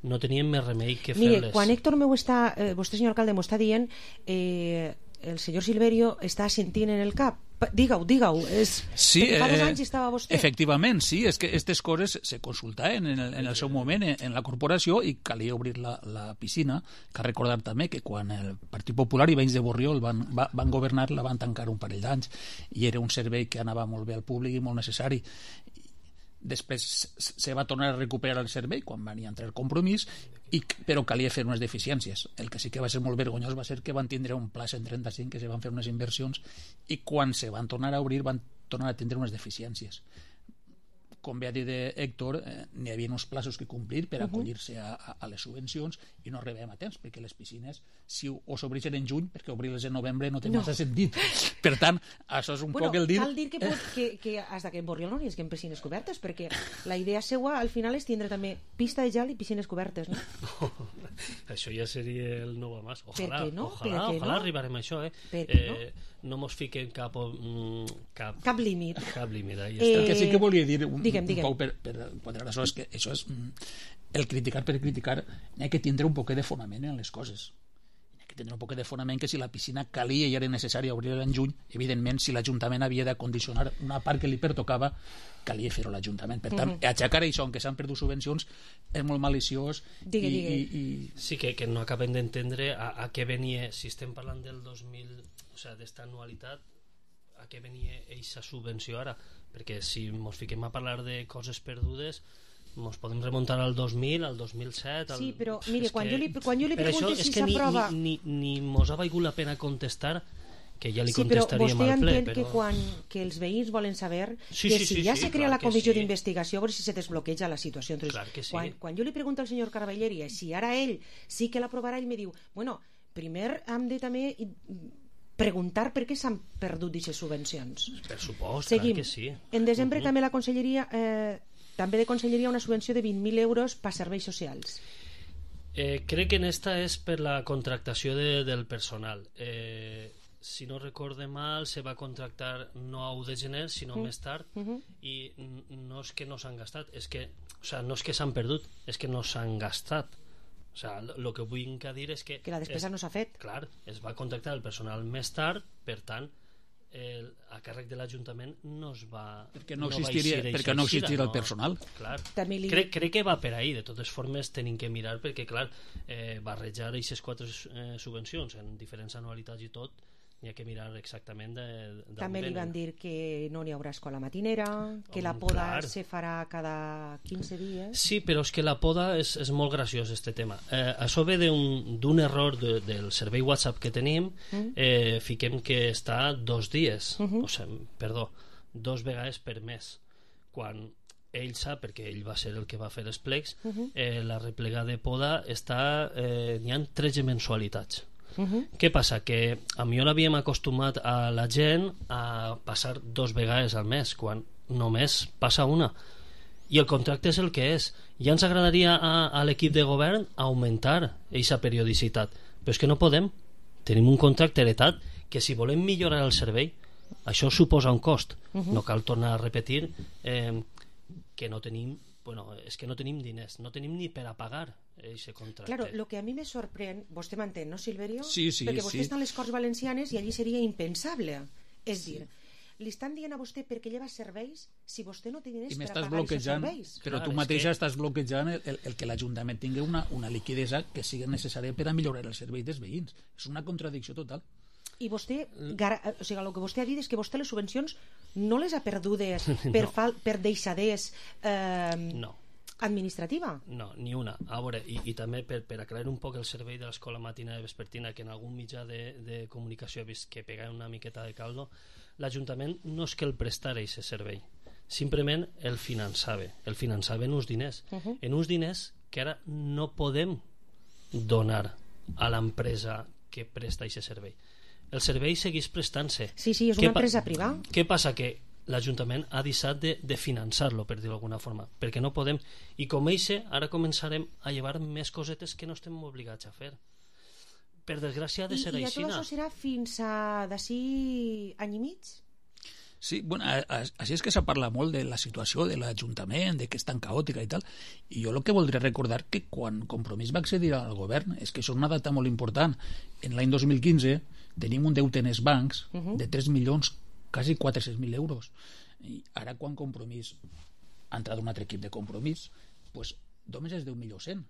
no teníem més remei que fer-les. Mire, quan Héctor m'ho està, eh, vostè senyor alcalde m'ho està dient, eh, el senyor Silverio està sentint en el cap Digue-ho, digue-ho. És... Sí, fa dos eh, anys estava vostè. Efectivament, sí, és que aquestes coses se consultaven en el, en el seu moment en, en la corporació i calia obrir la, la piscina. Cal recordar també que quan el Partit Popular i veïns de Borriol van, va, van governar la van tancar un parell d'anys i era un servei que anava molt bé al públic i molt necessari. Després se va tornar a recuperar el servei quan van entrar el compromís, i, però calia fer unes deficiències. El que sí que va ser molt vergonyós va ser que van tindre un pla cent trenta-cinc que se van fer unes inversions i quan se van tornar a obrir van tornar a tindre unes deficiències. Com bé ha dit Héctor, eh, n'hi havia uns plaços que complir per acollir-se a, a, a les subvencions i no arribem a temps, perquè les piscines si o s'obreixen en juny, perquè obrir-les en novembre no té no. massa sentit. Per tant, això és un bueno, poc el dir... Cal dir que, pot, que, que fins que en Borriol no hi hagi piscines cobertes, perquè la idea seua al final és tindre també pista de gel i piscines cobertes, no? no això ja seria el nou a més. Ojalà, no? ojalà, ojalà no? arribarem a això, eh? eh no? No mos fiquen cap... Cap, cap límit. Cap límit, ahí eh, està. El que sí que volia dir un, digue'm, un digue'm. poc per, per quadrar això és que això és el criticar per criticar, n'hi ha que tindre un poc de fonament en les coses. N'hi ha que tindre un poc de fonament que si la piscina calia i era necessari obrir-la en juny, evidentment si l'Ajuntament havia d'acondicionar una part que li pertocava, calia fer-ho l'Ajuntament. Per tant, uh -huh. aixecar això, que s'han perdut subvencions, és molt maliciós. Digue, i, digue. I, i... Sí, que, que no acabem d'entendre a, a què venia, si estem parlant del dos mil, o sigui, d'esta anualitat, a què venia aquesta subvenció ara, perquè si ens fiquem a parlar de coses perdudes ens podem remuntar al dos mil, al dos mil set al... Sí, però mire, quan, que... jo li, quan jo li pregunto si s'aprova ni, ni, ni mos ha valgut la pena contestar, que ja li sí, contestaríem al ple. Sí, però vostè entén que quan que els veïns volen saber sí, que sí, si sí, ja sí, se crea clar la comissió sí. d'investigació, a veure si se desbloqueja la situació. Entonces, clar que sí. quan, quan jo li pregunto al senyor Caravelleria si ara ell sí que l'aprovarà, ell me diu, bueno, primer hem de també preguntar per què s'han perdut aquestes subvencions. Per supost, Seguim. clar que sí. En desembre uh -huh. també la Conselleria eh, també de Conselleria una subvenció de vint mil euros per serveis socials. Eh, crec que en esta és per la contractació de, del personal. Eh, si no recorde mal, se va contractar no a u de gener, sinó uh -huh. més tard, uh -huh. i no és que no s'han gastat, és que, o sea, no és que s'han perdut, és que no s'han gastat. O sea, el que vull dir és que... Que la despesa és, no s'ha fet. Clar, es va contractar el personal més tard, per tant, el, a càrrec de l'Ajuntament no es va... Perquè no, no existiria, va perquè no existiria el personal. Clar, li... crec, crec que va per ahí. De totes formes, tenim que mirar, perquè, clar, eh, barrejar aquestes quatre eh, subvencions en diferents anualitats i tot, n'hi ha que mirar exactament de, de també li van dir que no n'hi haurà escola matinera, que oh, la poda clar. se farà cada quinze dies. Sí, però és que la poda és, és molt graciós, este tema. Eh, això ve d'un error de, del servei WhatsApp que tenim, mm. eh, fiquem que està dos dies, mm -hmm. o sigui, perdó, dos vegades per mes, quan ell sap, perquè ell va ser el que va fer els plecs, mm -hmm. eh, la replega de poda està, eh, n'hi ha tretze mensualitats. Uh -huh. Què passa? Que a mi l'havíem acostumat a la gent a passar dos vegades al mes, quan només passa una, i el contracte és el que és. Ja ens agradaria a, a l'equip de govern augmentar aquesta periodicitat, però és que no podem. Tenim un contracte heretat que si volem millorar el servei, això suposa un cost. Uh -huh. No cal tornar a repetir eh, que no tenim, bueno, és que no tenim diners, no tenim ni per a pagar ese contracte. Claro, lo que a mi me sorprèn, vostè m'entén, no, Silverio? Sí, sí, perquè vostè sí. està a les Corts Valencianes i allí seria impensable. És sí. dir, li estan dient a vostè perquè lleva serveis si vostè no té diners per a pagar aquests serveis. Però Clar, tu mateixa que... estàs bloquejant el, el, el que l'Ajuntament tingui una, una liquidesa que sigui necessària per a millorar el servei dels veïns. És una contradicció total. I vostè, o sigui, el que vostè ha dit és que vostè les subvencions no les ha perdudes per, no. fal, per deixadès eh, no. administrativa? No, ni una. A veure, i, i també per, per aclarir un poc el servei de l'escola matina i vespertina, que en algun mitjà de, de comunicació he vist que pega una miqueta de caldo, l'Ajuntament no és que el prestara aquest servei, simplement el finançava. El finançava en uns diners. Uh -huh. En uns diners que ara no podem donar a l'empresa que presta aquest servei. El servei segueix prestant-se. Sí, sí, és una empresa privada. Què passa? Que l'Ajuntament ha deixat de, de finançar-lo, per dir-ho d'alguna forma, perquè no podem. I com eixe, ara començarem a llevar més cosetes que no estem obligats a fer. Per desgràcia ha de ser I, així. I tot això serà fins a d'ací any i mig? Sí, bueno, així és que s'ha parlat molt de la situació de l'Ajuntament, de que és tan caòtica i tal, i jo el que voldria recordar que quan Compromís va accedir al govern, és que això és una data molt important. En l'any dos mil quinze tenim un deute en els bancs uh -huh. de tres milions quasi quatre-cents mil euros. I ara, quan Compromís ha entrat un altre equip de Compromís, pues, només és deu mil cent,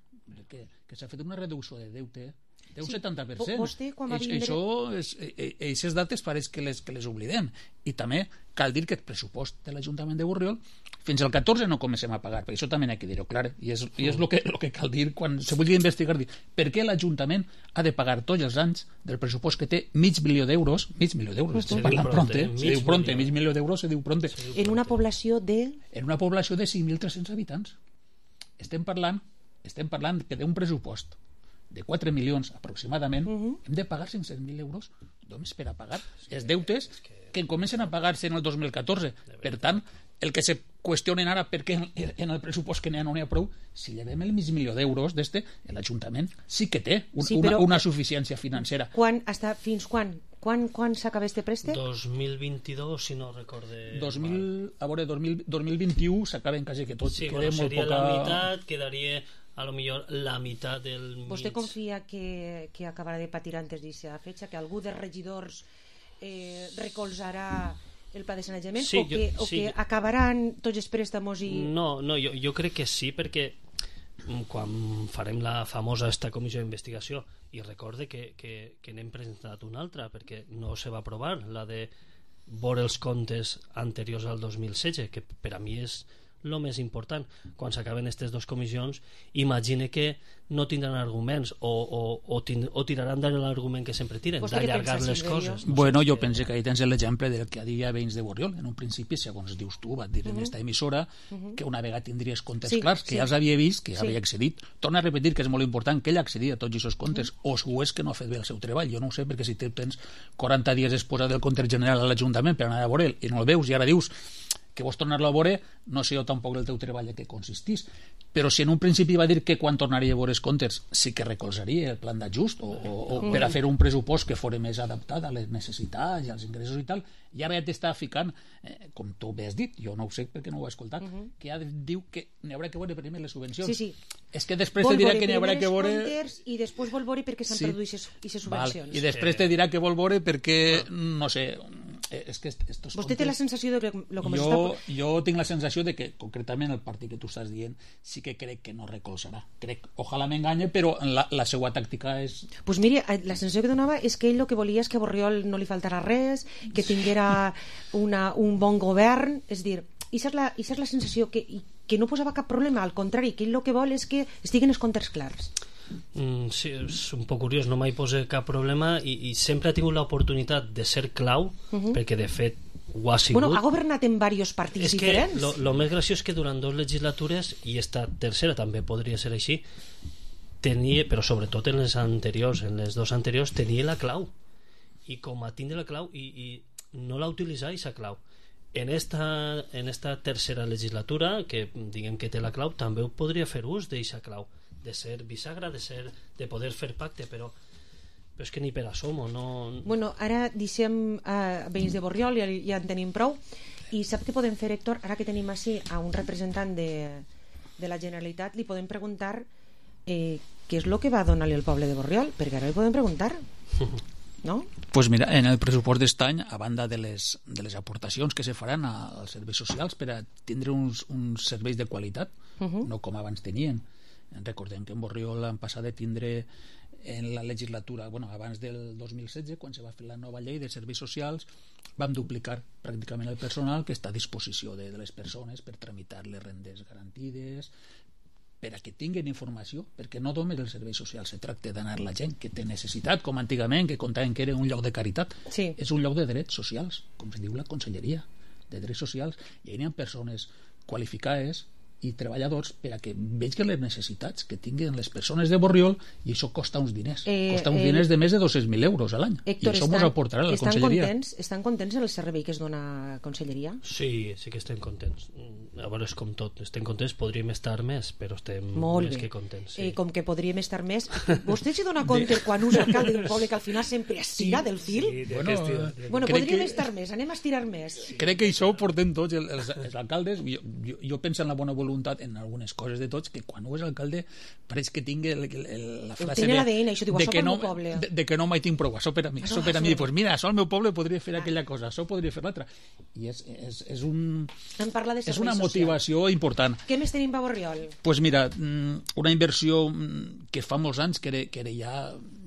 que, que s'ha fet una reducció de deute d'un Sí, setanta per cent. vostè, quan va Eix- vindre- Això, és, aquestes dates pareix que les, que les oblidem. I també cal dir que el pressupost de l'Ajuntament de Borriol fins al catorze no comencem a pagar, perquè això també n'hi ha que dir-ho clar, i és, i és el que, lo que cal dir quan se vulgui investigar, dir per què l'Ajuntament ha de pagar tots els anys del pressupost que té mig milió d'euros, mig milió d'euros, estem Se diu parlant pronte, pronte, se mig diu pronte, milió. mig milió d'euros se diu pronte. En una població de... En una població de cinc mil tres-cents habitants. Estem parlant, estem parlant que d'un pressupost de quatre milions aproximadament, uh-huh. hem de pagar cinc-cents mil euros només per a pagar els deutes que comencen a pagar-se en el dos mil catorze. Per tant, el que se qüestionen ara perquè en el pressupost que n'hi ha no n'hi ha prou, si llevem el mig milió d'euros d'este, l'Ajuntament sí que té un, Sí, una, però- una suficiència financera. Quan, hasta, fins quan? Quan, quan s'acaba este préstec? dos mil vint-i-dos, si no recorde... dos mil, a veure, dos mil, dos mil vint-i-u s'acaben quasi que tot. Sí, queda bueno, molt seria poca... la meitat, quedaria a lo millor la meitat del Vostè mig. confia que, que acabarà de patir antes d'aquesta fecha, que algú dels regidors eh, recolzarà el pla de sanejament, Sí, o, que, jo- o sí. que acabaran tots els préstamos i... No, no jo, jo crec que sí, perquè mm, quan farem la famosa esta comissió d'investigació, i recorde que, que, que n'hem presentat una altra, perquè no se va aprovar, la de veure els comptes anteriors al dos mil setze, que per a mi és el més important. Quan s'acaben aquestes dues comissions, imagine que no tindran arguments o, o, o, tin, o tiraran de l'argument que sempre tiren, Vostè què d'allargar pensa, les Silverio? coses. Bueno, jo penso que ahí tens l'exemple del que dia veïns de Borriol. En un principi, segons dius tu, va dir en Mhm. esta emissora Mhm. que una vegada tindries comptes Sí, clars, que sí. ja els havia vist, que ja Sí. havia accedit. Torna a repetir que és molt important que ell accedit a tots aquests comptes, o si ho és que no ha fet bé el seu treball. Jo no ho sé, perquè si te tens quaranta dies exposat del compte general a l'Ajuntament per anar a veure'l i no el veus i ara dius que vols tornar-lo a veure, no sé jo tampoc el teu treball en què consistís. Però si en un principi va dir que quan tornaria a veure els comptes sí que recolzaria el plan d'ajust o, o, o Mm. per a fer un pressupost que fos més adaptat a les necessitats i als ingressos i tal, i ara ja t'està ficant, eh, com tu bé has dit, jo no ho sé perquè no ho he escoltat, Mhm. que ja diu que n'hi haurà que veure primer les subvencions. Sí, sí. És que després Vol te dirà veure que n'hi haurà primer que els veure... comptes i després vol veure per què s'han Sí. perdut aquestes subvencions. Val. I després te dirà que vol veure perquè, no sé, eh, és que estos Vostè té la sensació de que lo que jo, està... jo tinc la sensació de que concretament el partit que tu estàs dient sí que crec que no recolzarà, crec, ojalà m'enganye, però la, la seva tàctica és Pues mire, eh, la sensació que donava és que ell el que volia és que a Borriol no li faltara res, que tinguera una, un bon govern, és dir, i és la, és la sensació que, i- que no posava cap problema, al contrari, que ell el que vol és que estiguen els comptes clars. Mm, sí, és un poc curiós, no mai posa cap problema i, i sempre ha tingut l'oportunitat de ser clau, Mhm. perquè de fet ho ha sigut. Bueno, ha governat en diversos partits És que diferents. lo, lo més graciós és que durant dues legislatures, i esta tercera també podria ser així, tenia, però sobretot en les anteriors, en les dues anteriors, tenia la clau. I com a tindre la clau, i, i no l'ha utilitzat, aquesta clau. En esta, en esta tercera legislatura, que diguem que té la clau, també ho podria fer ús d'aquesta clau, de ser bisagra, de, ser, de poder fer pacte, però, però és que ni per assomo, no... Bueno, ara deixem a veïns de Borriol, ja, ja en tenim prou, i sap què podem fer, Héctor? Ara que tenim així a un representant de, de la Generalitat, li podem preguntar eh, què és el que va donar-li al poble de Borriol, perquè ara li podem preguntar, no? Pues mira, en el pressupost d'est any, a banda de les, de les aportacions que se faran a, als serveis socials per a tindre uns, uns serveis de qualitat, Uh-huh. no com abans tenien. Recordem que en Borriol han passat de tindre en la legislatura, bueno, abans del dos mil setze, quan se va fer la nova llei de serveis socials, vam duplicar pràcticament el personal que està a disposició de, de les persones per tramitar les rendes garantides, per a que tinguin informació, perquè no només el servei social se tracta d'anar la gent que té necessitat, com antigament, que contaven que era un lloc de caritat. Sí. És un lloc de drets socials, com es diu la Conselleria de Drets Socials, i hi ha persones qualificades i treballadors per a que vegin les necessitats que tinguin les persones de Borriol, i això costa uns diners, Eh, costa uns eh, diners de més de dos-cents mil euros a l'any, i Héctor, això mos aportarà la estan Conselleria. contents, estan contents el servei que es dona a Conselleria? Sí, sí que estem contents. Mm, A veure, és com tot. Estem contents, podríem estar més, però estem Molt més bé. que contents. Sí. Eh, com que podríem estar més... Vostè se dona compte quan un alcalde d'un poble que al final sempre es tira del fil? Sí, de Bueno, aquest estil. eh, Bueno, crec podríem que- estar més, anem a estirar més. Crec que això ho portem tots els, els alcaldes. Jo, jo, jo penso en la bona voluntat voluntat en algunes coses de tots, que quan ho és alcalde pareix que tingui el, el, el, la frase Tiene de, l'A D N, això diu, de, això que pel no, meu poble. de, de que no mai tinc prou, això per a mi, això per a mi, pues mira, això al meu poble podria fer aquella cosa, això podria fer l'altra, i és, és, és, un, Em parla de és una servei social. motivació important. Què més tenim a Borriol? Pues mira, una inversió que fa molts anys que era, que era ja,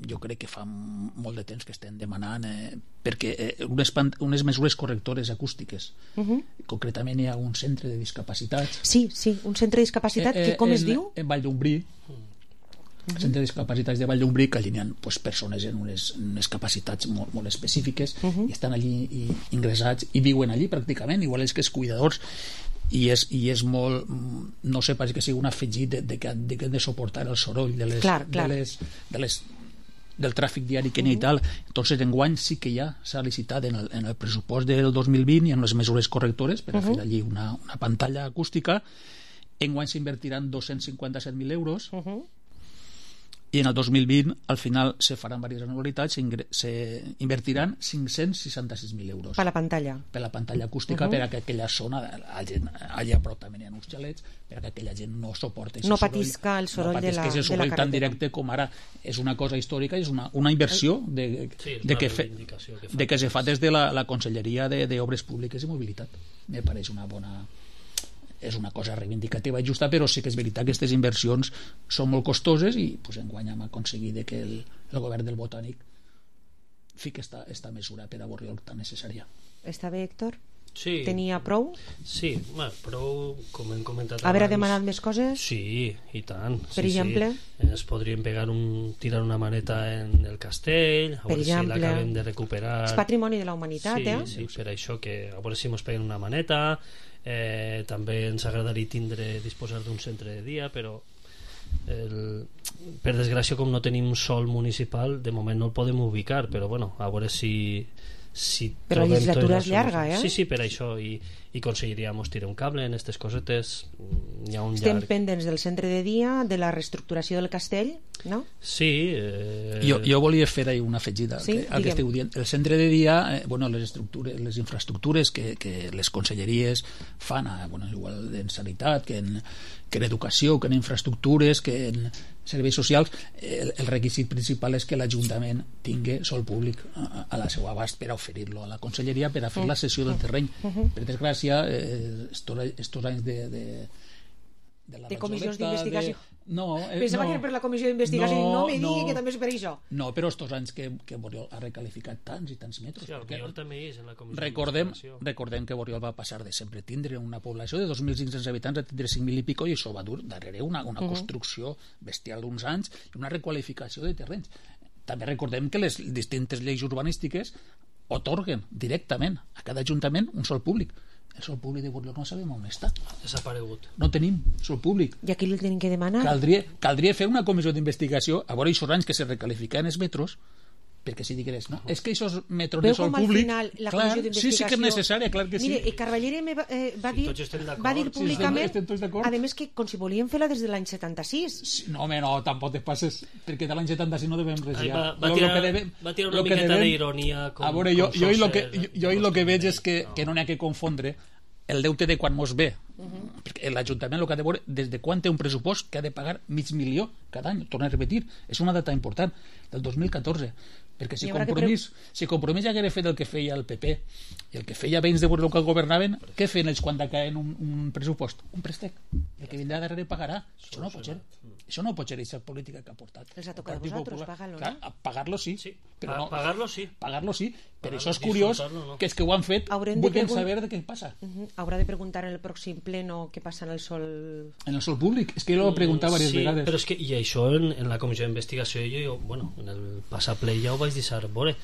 jo crec que fa molt de temps que estem demanant, eh, perquè eh, unes, unes mesures correctores acústiques. Uh -huh. Concretament hi ha un centre de discapacitats. Sí, sí, un centre de discapacitat, eh, eh, que com en, es diu? En Vall d'Umbrí. Uh -huh. El centre de discapacitats de Vall d'Umbrí, que allí hi ha pues, persones en unes, unes capacitats molt, molt específiques, uh -huh. i estan allí i, ingressats i viuen allí pràcticament, igual és que els cuidadors, i és, i és molt, no sé, pareix que sigui un afegit de, de, que, de que han de suportar el soroll de les, clar, clar. De les, de les del tràfic diari que n'hi ha i tal. Entonces enguany sí que ja s'ha licitat en el, en el pressupost del dos mil vint i en les mesures correctores per a uh -huh. fer allí una, una pantalla acústica. Enguany s'invertiran dos-cents cinquanta-set mil euros uh -huh. i en el dos mil vint al final se faran diverses anualitats, se invertiran cinc-cents seixanta-sis mil euros per la pantalla per la pantalla acústica, uh -huh. per a que aquella zona allà a prop també hi ha uns xalets, per a que aquella gent no suporti no patisca el soroll, no de, la, el de soroll la tan directe com ara. És una cosa històrica, és una, una inversió de, sí, de, que, fe, que, de que se fa des de la, la Conselleria d'Obres Públiques i Mobilitat. Me pareix una bona... és una cosa reivindicativa i justa, però sí que és veritat que aquestes inversions són molt costoses i pues, enguany hem aconseguit que el, el govern del Botànic fiqui esta, esta mesura per a Borriol tan necessària. Està bé, Héctor? Sí. Tenia prou? Sí, bueno, prou, com hem comentat Haver abans... demanat més coses? Sí, i tant. Per sí, exemple? Sí. Ens podríem pegar un, tirar una maneta en el castell, a veure si l'acabem de recuperar. És patrimoni de la humanitat, sí, eh? Sí, per això que a veure si ens peguen una maneta. Eh, també ens agradaria tindre disposar d'un centre de dia, però el, per desgràcia com no tenim sol municipal de moment no el podem ubicar, però bueno, a veure si, si però la legislatura és llarga, eh? Sí, sí, per això i, i aconseguiríem tirar un cable en aquestes cosetes. Hi ha un Estem llarg... pendents del centre de dia, de la reestructuració del castell, no? Sí. Eh... Jo, jo volia fer ahí una afegida sí, que, al que esteu dient. El centre de dia, eh, bueno, les estructures, les infraestructures que, que les conselleries fan, a, bueno, igual en sanitat, que en, que en educació, que en infraestructures, que en serveis socials, el, el requisit principal és que l'Ajuntament tingui sol públic a, a la seva abast per a oferir-lo a la conselleria per a fer la cessió del terreny. Per desgràcia, eh, estos, estos anys de, de de, la de comissions d'investigació. No, eh, pensava no, que era per la comissió d'investigació no, i no me digui no, que també és per això. No, però estos anys que, que Borriol ha recalificat tants i tants metres. Sí, Borriol també és en la comissió recordem, d'investigació. recordem que Borriol va passar de sempre tindre una població de dos mil cinc-cents habitants a tindre cinc mil i pico, i això va dur darrere una, una uh -huh. construcció bestial d'uns anys i una requalificació de terrenys. També recordem que les distintes lleis urbanístiques otorguen directament a cada ajuntament un sol públic. El sol públic de Borriol no sabem on està. Desaparegut. No tenim sol públic. I aquí el tenim que demanar? Caldria, caldria fer una comissió d'investigació a veure aquests anys que se recalifiquen els metros, perquè si digués, no, és que aquests metros Veu de sol com al públic... final la clar, comissió d'investigació... sí, sí que és necessària, clar que sí. Mire, Carballere me va, eh, va, dir, sí, va dir públicament, sí, estem, estem a més que com si volien fer-la des de l'any setanta-sis. Sí, no, home, no, tampoc te passes, perquè de l'any setanta-sis no devem res ja. Va, va, tirar, devem, va tirar una miqueta d'ironia. A veure, jo, jo, jo, que, jo, jo el que veig és que, no. que no n'hi ha que confondre el deute de quan mos ve. Uh -huh. Perquè l'Ajuntament el que ha de veure des de quan té un pressupost que ha de pagar mig milió cada any, torna a repetir, és una data important, del dos mil catorze, perquè si Compromís, pre... si Compromís ja hagués fet el que feia el P P i el que feia veïns de Borriol que governaven, què feien ells quan decaen un, un pressupost? Un préstec, el que vindrà darrere pagarà. Això no pot ser, això no pot ser aquesta política que ha portat. Els ha tocat a vosaltres, pagar-lo, clar, no? Pagar-lo sí, sí. però no, pagar-lo sí, pagar-lo sí, però això és curiós, no. que és que ho han fet, vull pregun... saber de què passa. Uh -huh. Haurà de preguntar en el pròxim pleno què passa en el sol... En el sol públic, és que jo l'he preguntat diverses sí, vegades. Però és que, i això en, en la comissió d'investigació jo, jo, bueno, en el passaple ja ho vaig deixar veure,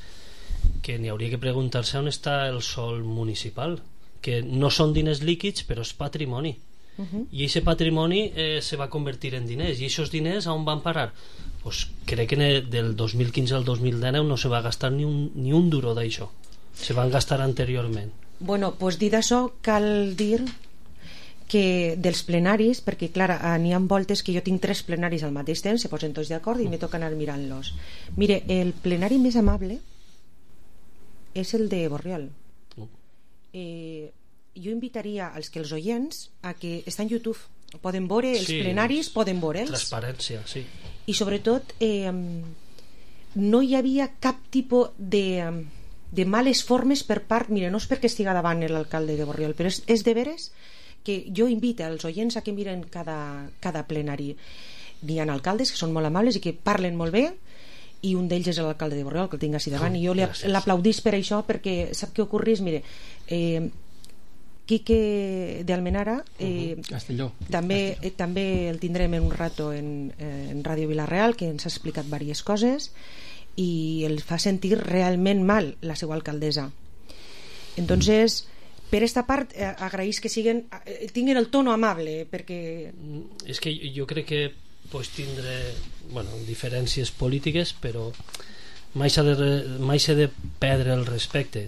que n'hi hauria que preguntar-se on està el sol municipal, que no són diners líquids però és patrimoni. Uh -huh. I aquest patrimoni eh, se va convertir en diners, i aquests diners on van parar? Pues crec que del dos mil quinze al dos mil dinou no se va gastar ni un, ni un duro d'això, se van gastar anteriorment. Bueno, pues dit això, cal dir que dels plenaris, perquè clar, n'hi ha voltes que jo tinc tres plenaris al mateix temps, se posen tots d'acord i me toca anar mirant-los. Mire, el plenari més amable és el de Borriol. Uh. Eh, jo invitaria als que els oients a que està en YouTube poden veure els sí, plenaris, poden veure'ls. Transparència, sí. I sobretot eh, no hi havia cap tipus de, de males formes per part, mira, no és perquè estiga davant l'alcalde de Borriol, però és, és de veres que jo invito als oients a que miren cada, cada plenari. N'hi ha alcaldes que són molt amables i que parlen molt bé, i un d'ells és l'alcalde de Borriol, que el tinc així davant, oh, i jo l'aplaudís per això, perquè sap què ocorrís? Mire, eh, Quique de Almenara eh, uh-huh. Castelló. També, eh, també el tindrem en un rato en, eh, en Ràdio Vila-real, que ens ha explicat diverses coses i el fa sentir realment mal la seva alcaldessa. Entonces, per esta part eh, agraïs que siguen, eh, tinguin el tono amable, perquè... És que jo crec que pues, tindré bueno, diferències polítiques, però mai s'ha de, mai s'ha de perdre el respecte,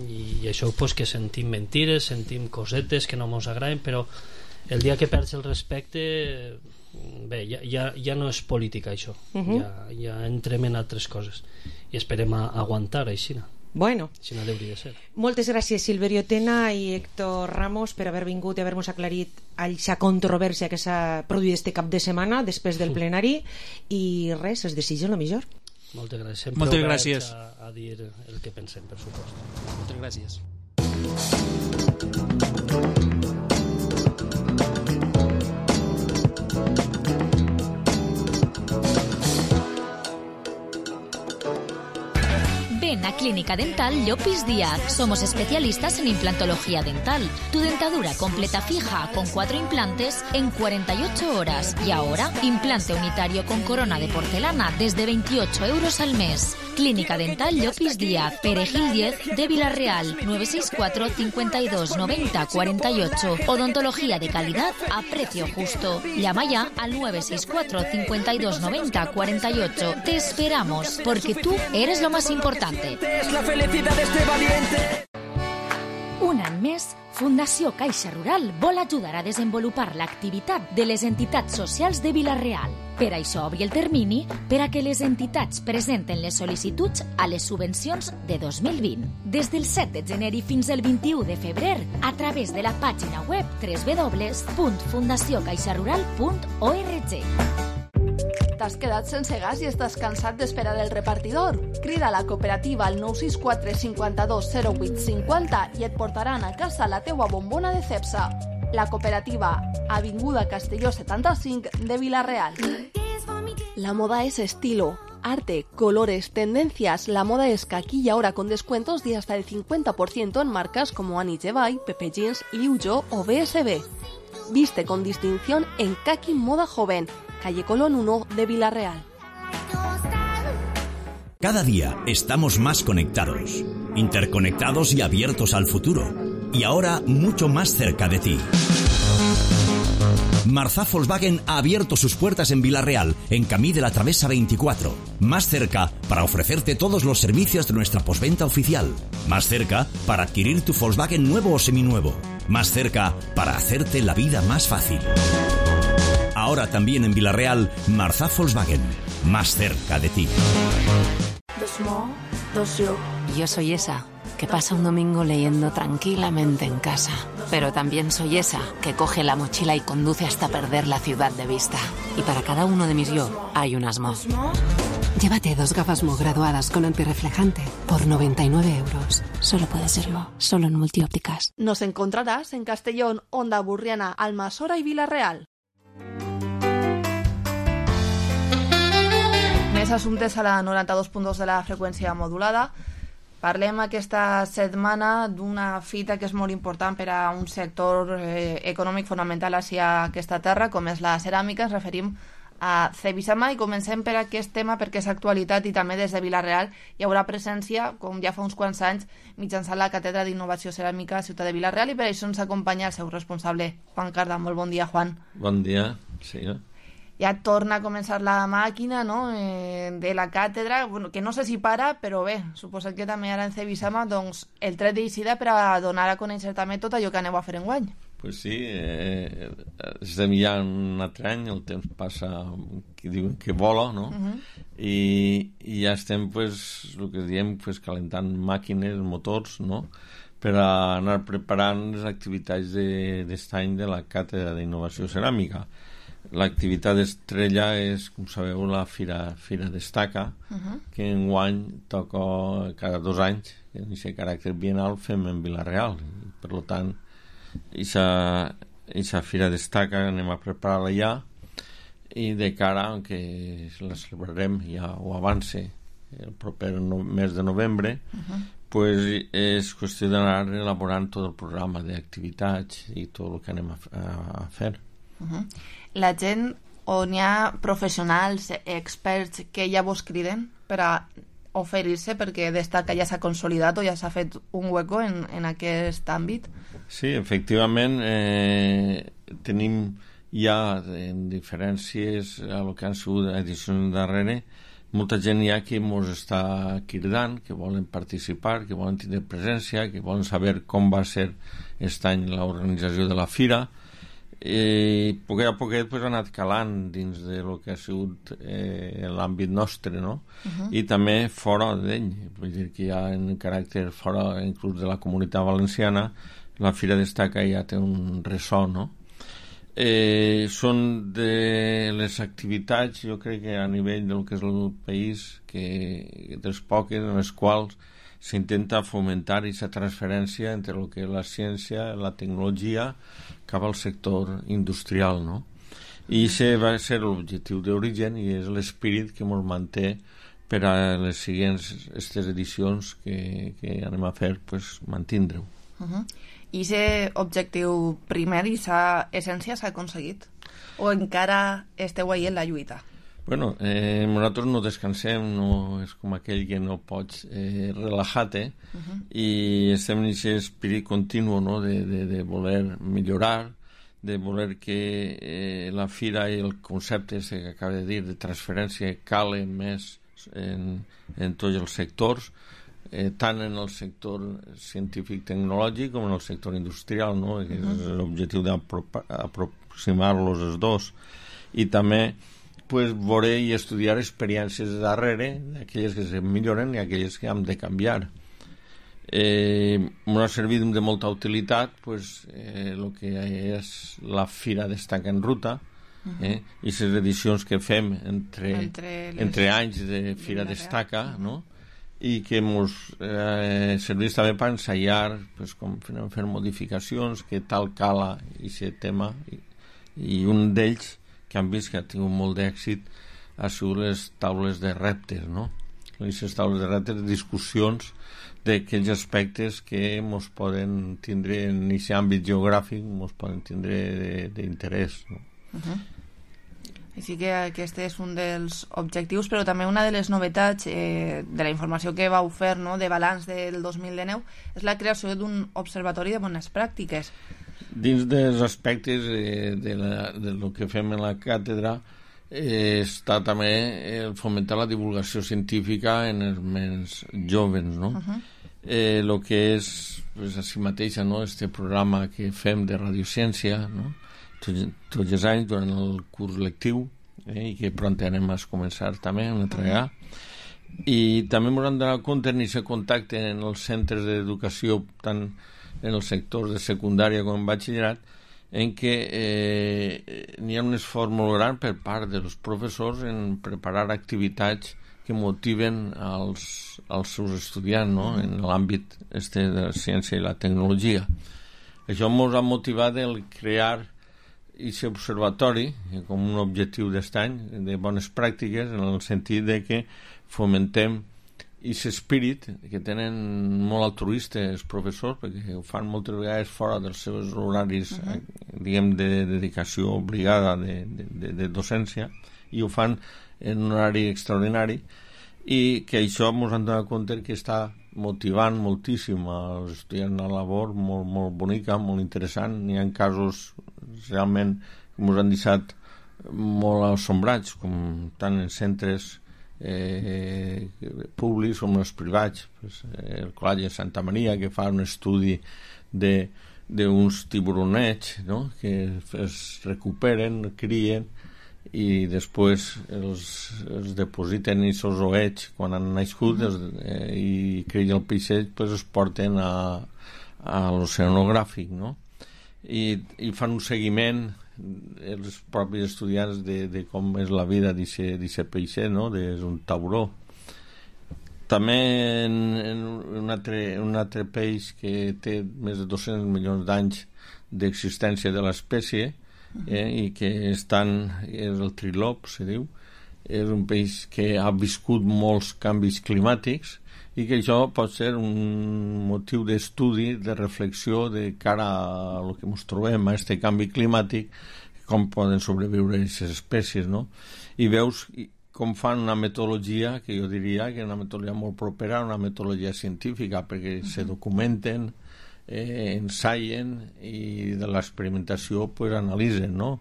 i, i això pues, que sentim mentires, sentim cosetes que no ens agraden, però el dia que perds el respecte, bé, ja, ja, ja no és política això, uh-huh. ja, ja entrem en altres coses i esperem a, a aguantar així. Bueno, així no hauria de ser. Moltes gràcies Silverio Tena i Héctor Ramos per haver vingut i haver-nos aclarit aquesta controvèrsia que s'ha produït este cap de setmana després del plenari, i res, es desitja el millor. Moltes gràcies. Sempre Moltes gràcies. A, a dir el que pensem, per supost. Moltes gràcies. Ven a Clínica Dental Llopis Díaz. Somos especialistas en implantología dental. Tu dentadura completa fija con cuatro implantes en cuarenta y ocho horas. Y ahora, implante unitario con corona de porcelana desde veintiocho euros al mes. Clínica Dental Llopis Díaz, Perejil diez de Vila-real, nueve seis cuatro, cincuenta y dos, noventa, cuarenta y ocho. Odontología de calidad a precio justo. Llama ya al nueve seis cuatro, cincuenta y dos, noventa, cuarenta y ocho. Te esperamos, porque tú eres lo más importante. Es la felicidad de este valiente. Un any més, Fundació Caixa Rural vol ajudar a desenvolupar l'activitat de les entitats socials de Vila-real. Per això obri el termini per a que les entitats presenten les sol·licituds a les subvencions de dos mil vint. Des del set de gener i fins al vint-i-u de febrer, a través de la pàgina web w w w punt fundació caixa rural punt org. T'has quedat sense gas i estàs cansat d'esperar el repartidor? Crida a la cooperativa al nou sis quatre, cinquanta-dos, zero vuit, cinquanta i et portaran a casa la teua bombona de Cepsa. La cooperativa, Avinguda Castelló setanta-cinc de Vila-real. La moda es estilo, arte, colores, tendencias. La moda es que aquí y ahora con descuentos de hasta el cincuenta por ciento en marcas como Annie Jevay, Pepe Jeans, Liu Jo o B S B. Viste con distinción en Kaki Moda Joven, calle Colón uno de Vila-real. Cada día estamos más conectados, interconectados y abiertos al futuro. Y ahora mucho más cerca de ti. Marzá Volkswagen ha abierto sus puertas en Vila-real, en Camí de la Travesa veinticuatro. Más cerca para ofrecerte todos los servicios de nuestra postventa oficial. Más cerca para adquirir tu Volkswagen nuevo o seminuevo. Más cerca para hacerte la vida más fácil. Ahora también en Vila-real, Marzá Volkswagen. Más cerca de ti. Dos mo, dos yo. Yo soy esa que pasa un domingo leyendo tranquilamente en casa. Pero también soy esa que coge la mochila y conduce hasta perder la ciudad de vista. Y para cada uno de mis yo hay unas mo. Llévate dos gafas Mo graduadas con antirreflejante por noventa y nueve euros. Solo puede ser Mo, solo en Multiópticas. Nos encontrarás en Castellón, Onda Burriana, Almasora y Vila-real. Més assumptes a la noranta-dos punt dos de la freqüència modulada. Parlem aquesta setmana d'una fita que és molt important per a un sector eh, econòmic fonamental hacia aquesta terra, com és la ceràmica. Ens referim a Cebisama i comencem per aquest tema perquè és actualitat i també des de Vila-real hi haurà presència, com ja fa uns quants anys, mitjançant la Càtedra d'Innovació Ceràmica a Ciutat de Vila-real, i per això ens acompanya el seu responsable, Juan Carda. Molt bon dia, Juan. Bon dia, sí. Ja torna a començar la màquina, no?, eh, de la càtedra, bueno, que no sé si para, però bé, suposo que també ara en Cebisama, doncs, el tret d'eixida per a donar a conèixer també tot allò que aneu a fer enguany. Pues sí, eh, estem ja un altre any, el temps passa, que diuen que vola, no? Uh-huh. I, i ja estem, pues, el que diem, pues, calentant màquines, motors, no?, per a anar preparant les activitats d'aquest de, any de la Càtedra d'Innovació Ceràmica. L'activitat estrella és, com sabeu, la Fira, Fira Destaca, uh-huh. que enguany toca cada dos anys, que en aquest caràcter bienal fem en Vila-real. Per tant, aquesta Fira Destaca anem a preparar-la ja, i de cara, que la celebrarem ja o avance el proper no, mes de novembre, uh-huh. pues és qüestió d'anar elaborant tot el programa d'activitats i tot el que anem a, a, a fer. Uh-huh. La gent, on hi ha professionals, experts que ja vos criden per a oferir-se perquè Destaca ja s'ha consolidat o ja s'ha fet un hueco en, en aquest àmbit? Sí, efectivament, eh, tenim ja en diferències a lo que han sigut edicions darrere, molta gent ja que ens està cridant, que volen participar, que volen tenir presència, que volen saber com va ser aquest any l'organització de la fira, i a poquet a poquet pues, ha anat calant dins de lo que ha sigut eh, l'àmbit nostre, no? Uh-huh. I també fora d'ell, vull dir que ja en caràcter fora inclús de la Comunitat Valenciana, la Fira Destaca ja té un ressò, no? Eh, són de les activitats, jo crec que a nivell del que és el país, que dels poques en les quals s'intenta fomentar aquesta transferència entre el que és la ciència, la tecnologia, cap al sector industrial, no? I aquest va ser l'objectiu d'origen i és l'esperit que ens manté per a les següents aquestes edicions que, que anem a fer, pues, mantindre-ho. Uh-huh. I aquest objectiu primer i aquesta essència s'ha aconseguit? O encara esteu ahí en la lluita? Bueno, eh, nosaltres no descansem, no és com aquell que no pots eh, relajar-te, uh-huh. i estem en aquest espírit continu, no? de, de, de voler millorar, de voler que eh, la fira i el concepte que acaba de dir de transferència cale més en, en tots els sectors, eh, tant en el sector científic-tecnològic com en el sector industrial, no? Que és l'objectiu d'aproximar-los els dos, i també pues, veure i estudiar experiències de darrere, aquelles que se milloren i aquelles que hem de canviar. Eh, m'ha servit de molta utilitat pues, eh, el que és la Fira Destaca en Ruta, eh, i les edicions que fem entre, entre, les... entre anys de Fira de Destaca, no? I que ens eh, serveix també per ensaiar pues, com fer modificacions, que tal cala aquest tema, i, i un d'ells que han vist que ha tingut molt d'èxit ha sigut les taules de reptes, no? Les taules de reptes, discussions d'aquells aspectes que ens poden tindre en aquest àmbit geogràfic, ens poden tindre d'interès, no? Uh-huh. Així que aquest és un dels objectius, però també una de les novetats eh, de la informació que vau fer, no?, de balanç del dos mil dinou és la creació d'un observatori de bones pràctiques. Dins dels aspectes eh, de, la, de lo que fem en la càtedra eh, està també el fomentar la divulgació científica en els més joves, no? Uh-huh. eh, lo que és pues, a si mateixa, no?, este programa que fem de radiociència, no?, tots els anys durant el curs lectiu, eh, i que pront anem a començar també a entregar, i també ens hem de donar compte en aquest contacte en els centres d'educació, tant en els sectors de secundària com en batxillerat, en què eh, n'hi ha un esforç molt gran per part dels professors en preparar activitats que motiven als, als seus estudiants, no?, en l'àmbit este de la ciència i la tecnologia. Això ens ha motivat el crear i aquest observatori com un objectiu d'aquest any de bones pràctiques, en el sentit de que fomentem aquest espírit que tenen molt altruista els professors, perquè ho fan moltes vegades fora dels seus horaris, uh-huh. diguem, de dedicació obligada de, de, de, de docència, i ho fan en un horari extraordinari, i que això ens hem donat compte que està motivant moltíssim als estudiants a la labor, molt, molt bonica, molt interessant. N'hi ha casos realment que ens han deixat molt assombrats, com tant en centres eh, públics com els privats. Pues, eh, el Col·legi de Santa Maria, que fa un estudi d'uns tiburonets, no?, que es recuperen, crien, i després els, els depositen i els oets quan han nascut, uh-huh. els, eh, i creix el peixet, pues es porten a, a l'oceanogràfic, no? I, i fan un seguiment els propis estudiants de, de com és la vida d'aquest peixet, no? És un tauró. També en, en un, altre, un altre peix que té més de dos-cents milions d'anys d'existència de l'espècie, eh, i que estan, és el trilop, se diu, és un peix que ha viscut molts canvis climàtics i que això pot ser un motiu d'estudi, de reflexió de cara a el que ens trobem, a aquest canvi climàtic, com poden sobreviure aquestes espècies, no? I veus com fan una metodologia que jo diria que és una metodologia molt propera a una metodologia científica, perquè uh-huh. se documenten, eh, ensaien i de l'experimentació pues, analitzen, no?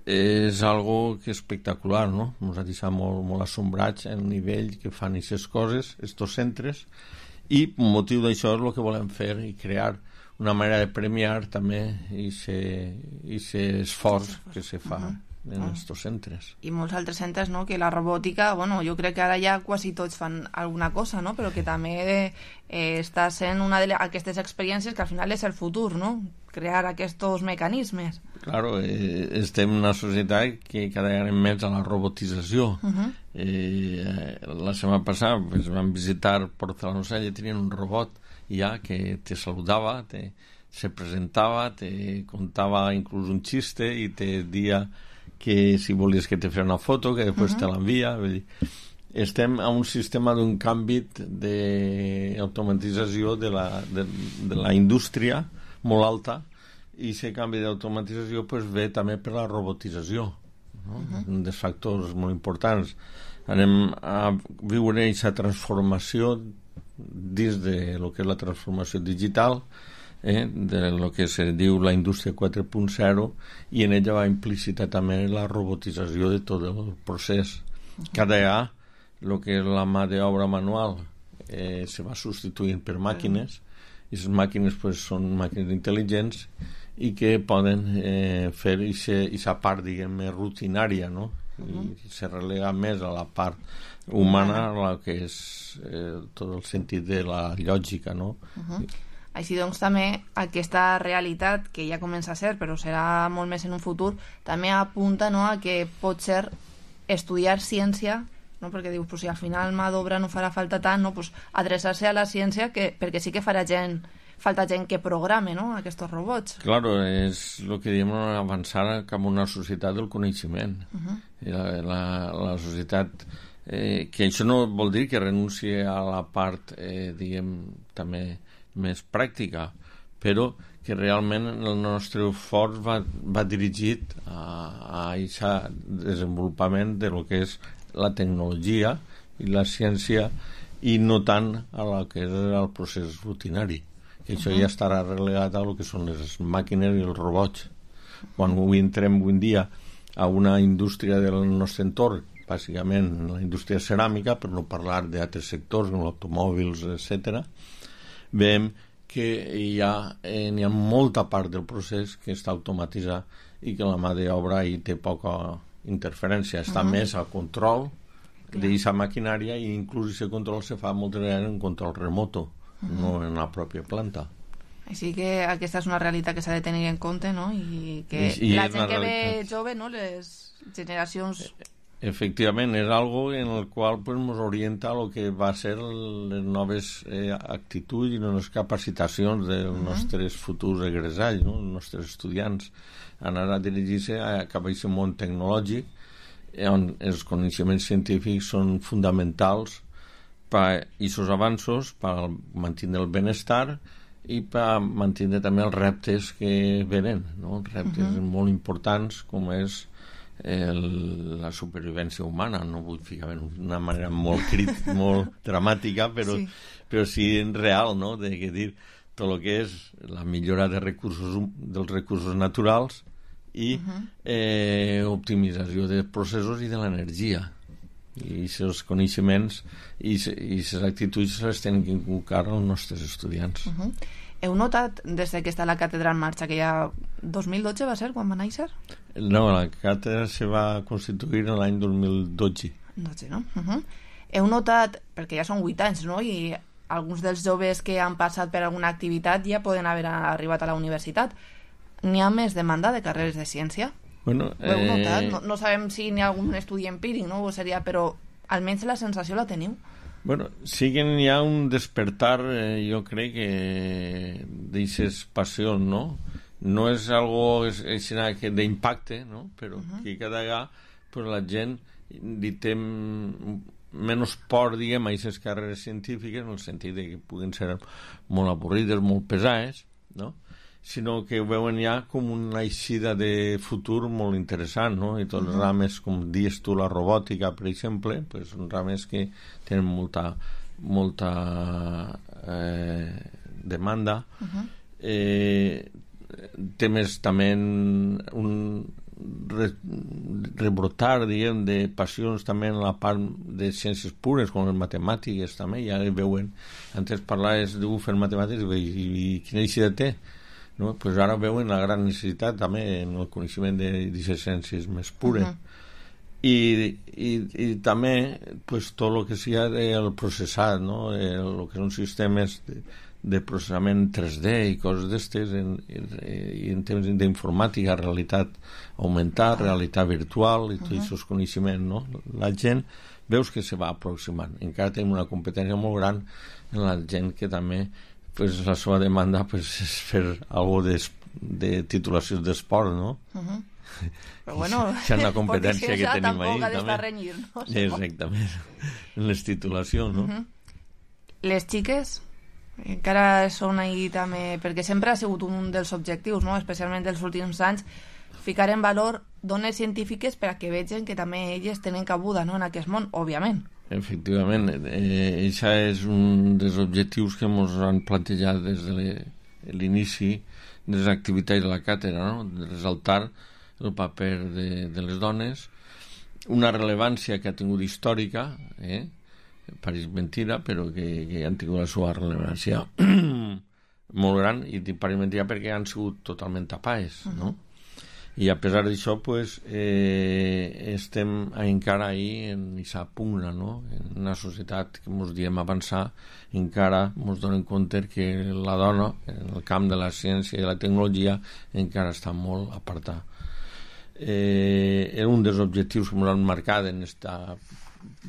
És algo que és espectacular, no? Ens ha deixat molt, molt assombrats el nivell que fan aquestes coses, estos centres, i un motiu d'això és el que volem fer i crear una manera de premiar també aquest esforç que se fa uh-huh. en aquests centres. I molts altres centres, no?, que la robòtica, bueno, jo crec que ara ja quasi tots fan alguna cosa, no?, però que també eh, està sent una d'aquestes experiències que al final és el futur, no?, crear aquests mecanismes. Claro, eh, estem en una societat que cada vegada més a la robotització. Uh-huh. eh, la setmana passada pues, vam visitar Porcelanocell i tenien un robot ja que te saludava, te, se presentava, te contava inclús un xiste i te dia que si volies que te fes una foto, que després uh-huh. te l'envia. Vull dir, estem a un sistema d'un canvi d'automatització de la, de, de la indústria molt alta, i aquest canvi d'automatització pues, ve també per la robotització, no? Uh-huh. Un dels factors molt importants. Anem a viure aquesta transformació dins de lo que és la transformació digital, eh, de lo que se diu la indústria quatre punt zero, i en ella va implícita també la robotització de tot el procés. Cada vegada el que és la mà d'obra manual eh, se va substituint per màquines, i les màquines pues, són màquines intel·ligents i que poden eh, fer aquesta part, diguem, més rutinària, no? Uh-huh. I se relega més a la part humana, la que és eh, tot el sentit de la lògica, no? Uh-huh. Així doncs també aquesta realitat que ja comença a ser, però serà molt més en un futur, també apunta, no, a que pot ser estudiar ciència, no? Perquè dius, pues, si al final mà d'obra no farà falta tant, no? Pues, adreçar-se a la ciència, que, perquè sí que farà gent, falta gent que programe, no?, aquests robots. Claro, és el que diem avançar cap a una societat del coneixement. Uh-huh. la, la, la societat eh, que això no vol dir que renunci a la part eh, diguem també més pràctica, però que realment el nostre esforç va, va dirigit a aquest desenvolupament de lo que és la tecnologia i la ciència, i no tant a la que és el procés rutinari, que això uh-huh. ja estarà relegat a lo que són les màquines i els robots. Quan avui entrem avui en dia a una indústria del nostre entorn, bàsicament la indústria ceràmica, per no parlar d'altres sectors com automòbils, etcètera, veiem que hi ha, eh, hi ha molta part del procés que està automatitzat i que la mà d'obra hi té poca interferència, està uh-huh. més al control d'aquesta maquinària, i inclús aquest control se fa moltes vegades en control remoto, uh-huh. no en la pròpia planta. Així que aquesta és una realitat que s'ha de tenir en compte, no? I que I, i la gent que ve jove, no?, les generacions... Efectivament, és algo en el qual pues, ens orienta a lo que va ser les noves eh, actituds i les capacitacions dels uh-huh. nostres futurs egressats, no?, els nostres estudiants, anar a dirigir-se a cap a aquest món tecnològic, on els coneixements científics són fonamentals per aquests avanços, per mantenir el benestar i per mantenir també els reptes que venen, no? Reptes uh-huh. molt importants, com és el, la supervivència humana. No vull ficar d'una manera molt crit, molt dramàtica, però sí, però sí real, no? De que dir tot el que és la millora de recursos, dels recursos naturals i uh-huh. eh, optimització de processos i de l'energia. I aquests coneixements i aquestes actituds les tenen que inculcar als nostres estudiants. Uh-huh. Heu notat, des que està la càtedra en marxa, que ja dos mil dotze va ser quan va néixer? No, la càtedra se va constituir en l'any dos mil dotze. dotze, no? Uh-huh. Heu notat, perquè ja són vuit anys, no?, i alguns dels joves que han passat per alguna activitat ja poden haver arribat a la universitat. N'hi ha més demanda de carreres de ciència? Bueno, Ho heu notat? eh, No, no sabem si n'hi ha algun estudi empíric, no? O seria, però almenys la sensació la teniu. Bueno, sí que hi ha un despertar, eh, jo crec que d'aixes passions, no? No és algo és, és que d'impacte, no? Però uh-huh. que cada vegada pues, la gent li té menys por, diguem, a aquestes carreres científiques, en el sentit de que puguin ser molt avorrides, molt pesades, no? Sinó que ho veuen ja com una eixida de futur molt interessant, no? I tots els Uh-huh. rames, com dius tu, la robòtica, per exemple, pues, són rames que tenen molta, molta eh, demanda. Uh-huh. Eh, temes també un re, rebrotar, diguem, de passions també en la part de ciències pures, com les matemàtiques també, ja veuen, antes parlaves de fer matemàtiques i, i, i quina eixida té, no? Pues ara veuen la gran necessitat també en el coneixement de d'aquestes ciències més pures. Uh-huh. I, i, i també pues, tot el que sigui el processat, no? El, el que són sistemes de, de processament tres D i coses d'estes en, en, en temps d'informàtica, realitat augmentada, realitat virtual i tots Uh-huh. aquests coneixements, no? La gent veus que se va aproximant. Encara tenim una competència molt gran en la gent que també pues, la seva demanda pues, és fer alguna de, de titulacions d'esport, no? Uh-huh. Però bueno, és una competència que tenim ahí tampoc ha d'estar també. renyir, no? Exactament, en les titulacions, no? Uh-huh. Les xiques encara són ahí també, perquè sempre ha sigut un dels objectius, no? Especialment dels últims anys, ficar en valor dones científiques per a que vegin que també elles tenen cabuda, no?, en aquest món, òbviament. Efectivament, eh, això és un dels objectius que ens han plantejat des de l'inici de les activitats de la càtedra, no? De resaltar el paper de, de les dones, una rellevància que ha tingut històrica, eh? pareix mentira, però que, que han tingut la seva rellevància molt gran, i pareix mentira perquè han sigut totalment tapades, no? I a pesar d'això, pues, eh, estem encara ahí en aquesta pugna, no? En una societat que ens diem avançar, encara ens donem compte que la dona, en el camp de la ciència i la tecnologia, encara està molt apartada. Eh, era un dels objectius que ens han marcat en esta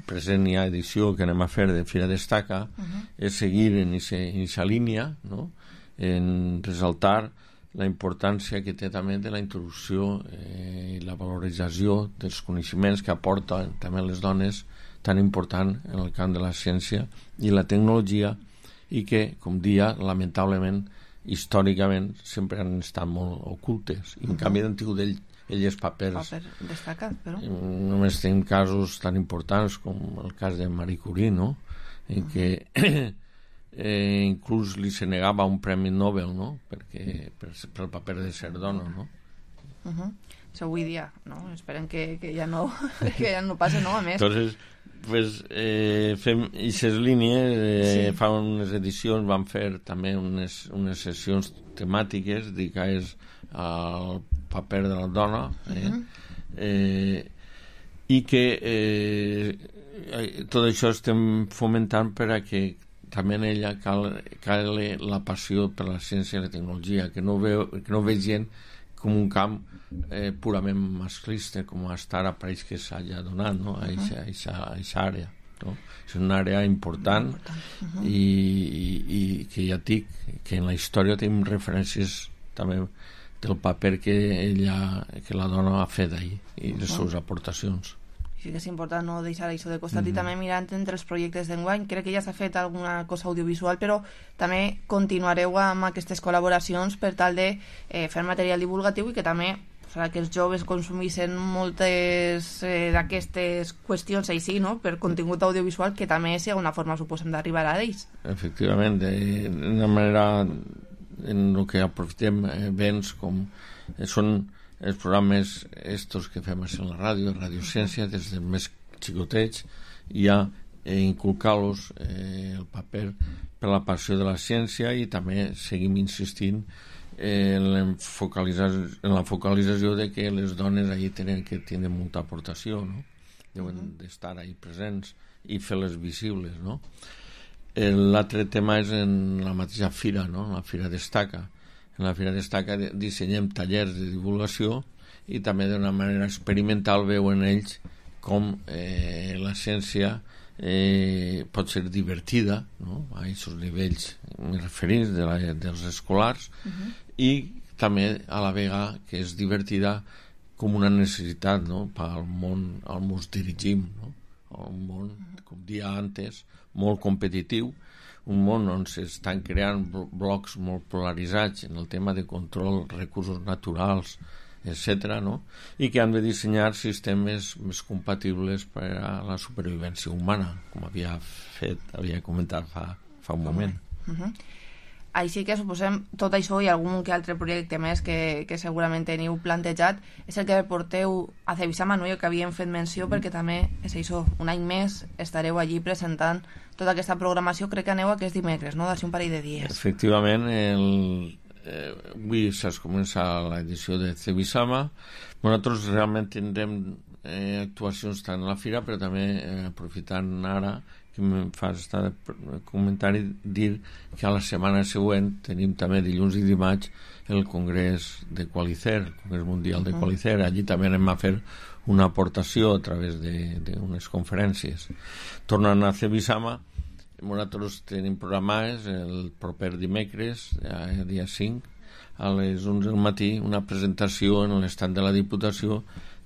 present ja edició que anem a fer de Fira Destaca, uh-huh. és seguir en aquesta línia, no? En resaltar la importància que té també de la introducció eh, i la valorització dels coneixements que aporten també les dones, tan important en el camp de la ciència i la tecnologia, i que, com dia, lamentablement, històricament, sempre han estat molt ocultes. I, en uh-huh. canvi, han tingut ell, elles papers Paper destacat, però... Només tenim casos tan importants com el cas de Marie Curie, no? En què eh, inclús li se negava un premi Nobel, no? Perquè, per, per el paper de ser dona, no? Uh-huh. Això avui dia, no? Esperem que, que ja no que ja no passi, no? A més... Entonces, pues, eh, fem aquestes línies, eh, sí. Fa unes edicions vam fer també unes, unes sessions temàtiques dedicades al paper de la dona, eh? Uh-huh. eh, i que eh, tot això estem fomentant per a que també en ella cal, cal la passió per la ciència i la tecnologia, que no, veu, que no vegin com un camp eh, purament masclista, com hasta ara pareix que s'hagi donat, no? A aquesta àrea, no? És una àrea important, important. Uh-huh. i, i, i que ja dic que en la història tenim referències també del paper que ella, que la dona ha fet ahir i les uh-huh. seves aportacions. Sí que és important no deixar això de costat. Mm-hmm. I també mirant entre els projectes d'enguany, crec que ja s'ha fet alguna cosa audiovisual, però també continuareu amb aquestes col·laboracions per tal de eh, fer material divulgatiu i que també farà que els joves consumissin moltes eh, d'aquestes qüestions així, no?, per contingut audiovisual, que també sigui una forma, suposem, d'arribar a ells. Efectivament, d'una manera en el que aprofitem eh, béns com eh, són els programes estos que fem en la ràdio, Radiociència, des dels més xicotets, ja eh, inculcar-los eh, el paper per la passió de la ciència, i també seguim insistint eh, en, la en la focalització de que les dones ahí tenen que tindre molta aportació, no? Deuen d'estar ahí presents i fer-les visibles, no? L'altre tema és en la mateixa fira, no? La Fira Destaca. En la Fira Destaca dissenyem tallers de divulgació i també d'una manera experimental veuen ells com eh, la ciència eh, pot ser divertida, no? A aquests nivells referits de la, dels escolars, uh-huh. i també a la vegada que és divertida com una necessitat, no? Pel món al on ens dirigim, no? Un món, com dia antes, molt competitiu, un món on s'estan creant blocs molt polaritzats en el tema de control, recursos naturals, etcètera, no? I que han de dissenyar sistemes més compatibles per a la supervivència humana, com havia fet, havia comentat fa, fa un moment. Uh-huh. Així que suposem tot això i algun que altre projecte més que, que segurament teniu plantejat és el que porteu a Cebisama, no? Que havíem fet menció, perquè també és això, un any més estareu allí presentant tota aquesta programació. Crec que aneu aquest dimecres, no? D'ací un parell de dies. Efectivament, el, eh, avui s'ha començat l'edició de Cebisama. Nosaltres realment tindrem eh, actuacions tant a la fira, però també eh, aprofitant ara que em fa estar comentari dir que a la setmana següent tenim també dilluns i dimarts el Congrés de Qualicer, el Congrés Mundial de Qualicer. Allí també anem a fer una aportació a través d'unes conferències. Tornant a Cebisama, nosaltres tenim programades el proper dimecres, el dia cinc, a les onze del matí, una presentació en l'estat de la Diputació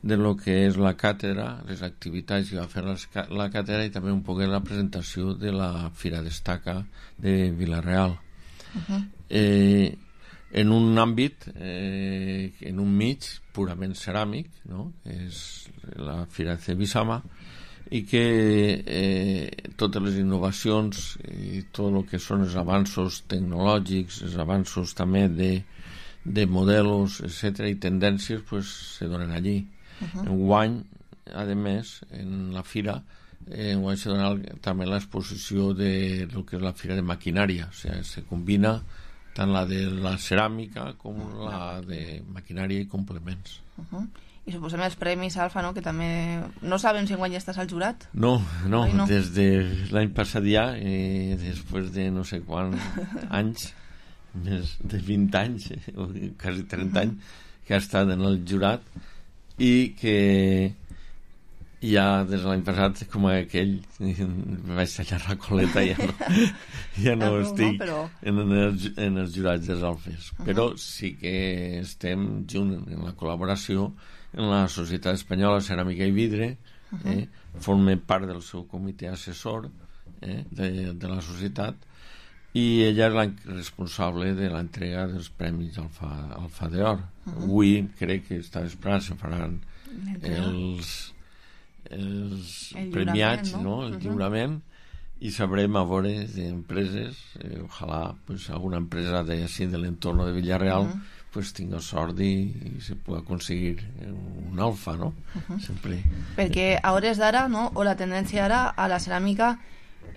de lo que és la càtedra, les activitats que va fer la càtedra i també un poc la presentació de la Fira Destaca de Vila-real. Uh-huh. Eh, en un àmbit, eh, en un mig purament ceràmic, no? És la Fira de Cebisama, i que eh, totes les innovacions i tot el que són els avanços tecnològics, els avanços també de, de modelos, etcètera, i tendències, pues, se donen allí. Uh-huh. Enguany, a més, en la fira eh, enguany se dona també l'exposició de lo que és la fira de maquinària, o sigui, se combina tant la de la ceràmica com la de maquinària i complements. Uh-huh. I suposem els premis Alfa, no? Que també no sabem si enguany ja estàs al jurat? No, no, Ai, no. Des de l'any passat ja, eh, després de no sé quants anys, més de vint anys, eh, o quasi trenta uh-huh. anys, que ha estat en el jurat, i que ja des de l'any passat, com aquell, vaig tallar la coleta i ja no, ja no estic no, però... en, els, en els jurats dels Alfes. Uh-huh. Però sí que estem junt en la col·laboració en la Societat Espanyola Ceràmica i Vidre, uh-huh. eh, forme part del seu comitè assessor eh, de, de la societat, i ella és la responsable de l'entrega dels premis Alfa, Alfa d'Or. Uh-huh. Avui crec que està esperant, se faran els, els el premiats, no? No? El uh-huh. lliurament, i sabrem a veure d'empreses, eh, ojalà pues, alguna empresa de, així, de l'entorn de Villarreal uh-huh. pues, tinga sort i, i se pugui aconseguir un alfa, no? Uh-huh. Sempre. Perquè a hores d'ara, no? O la tendència ara a la ceràmica,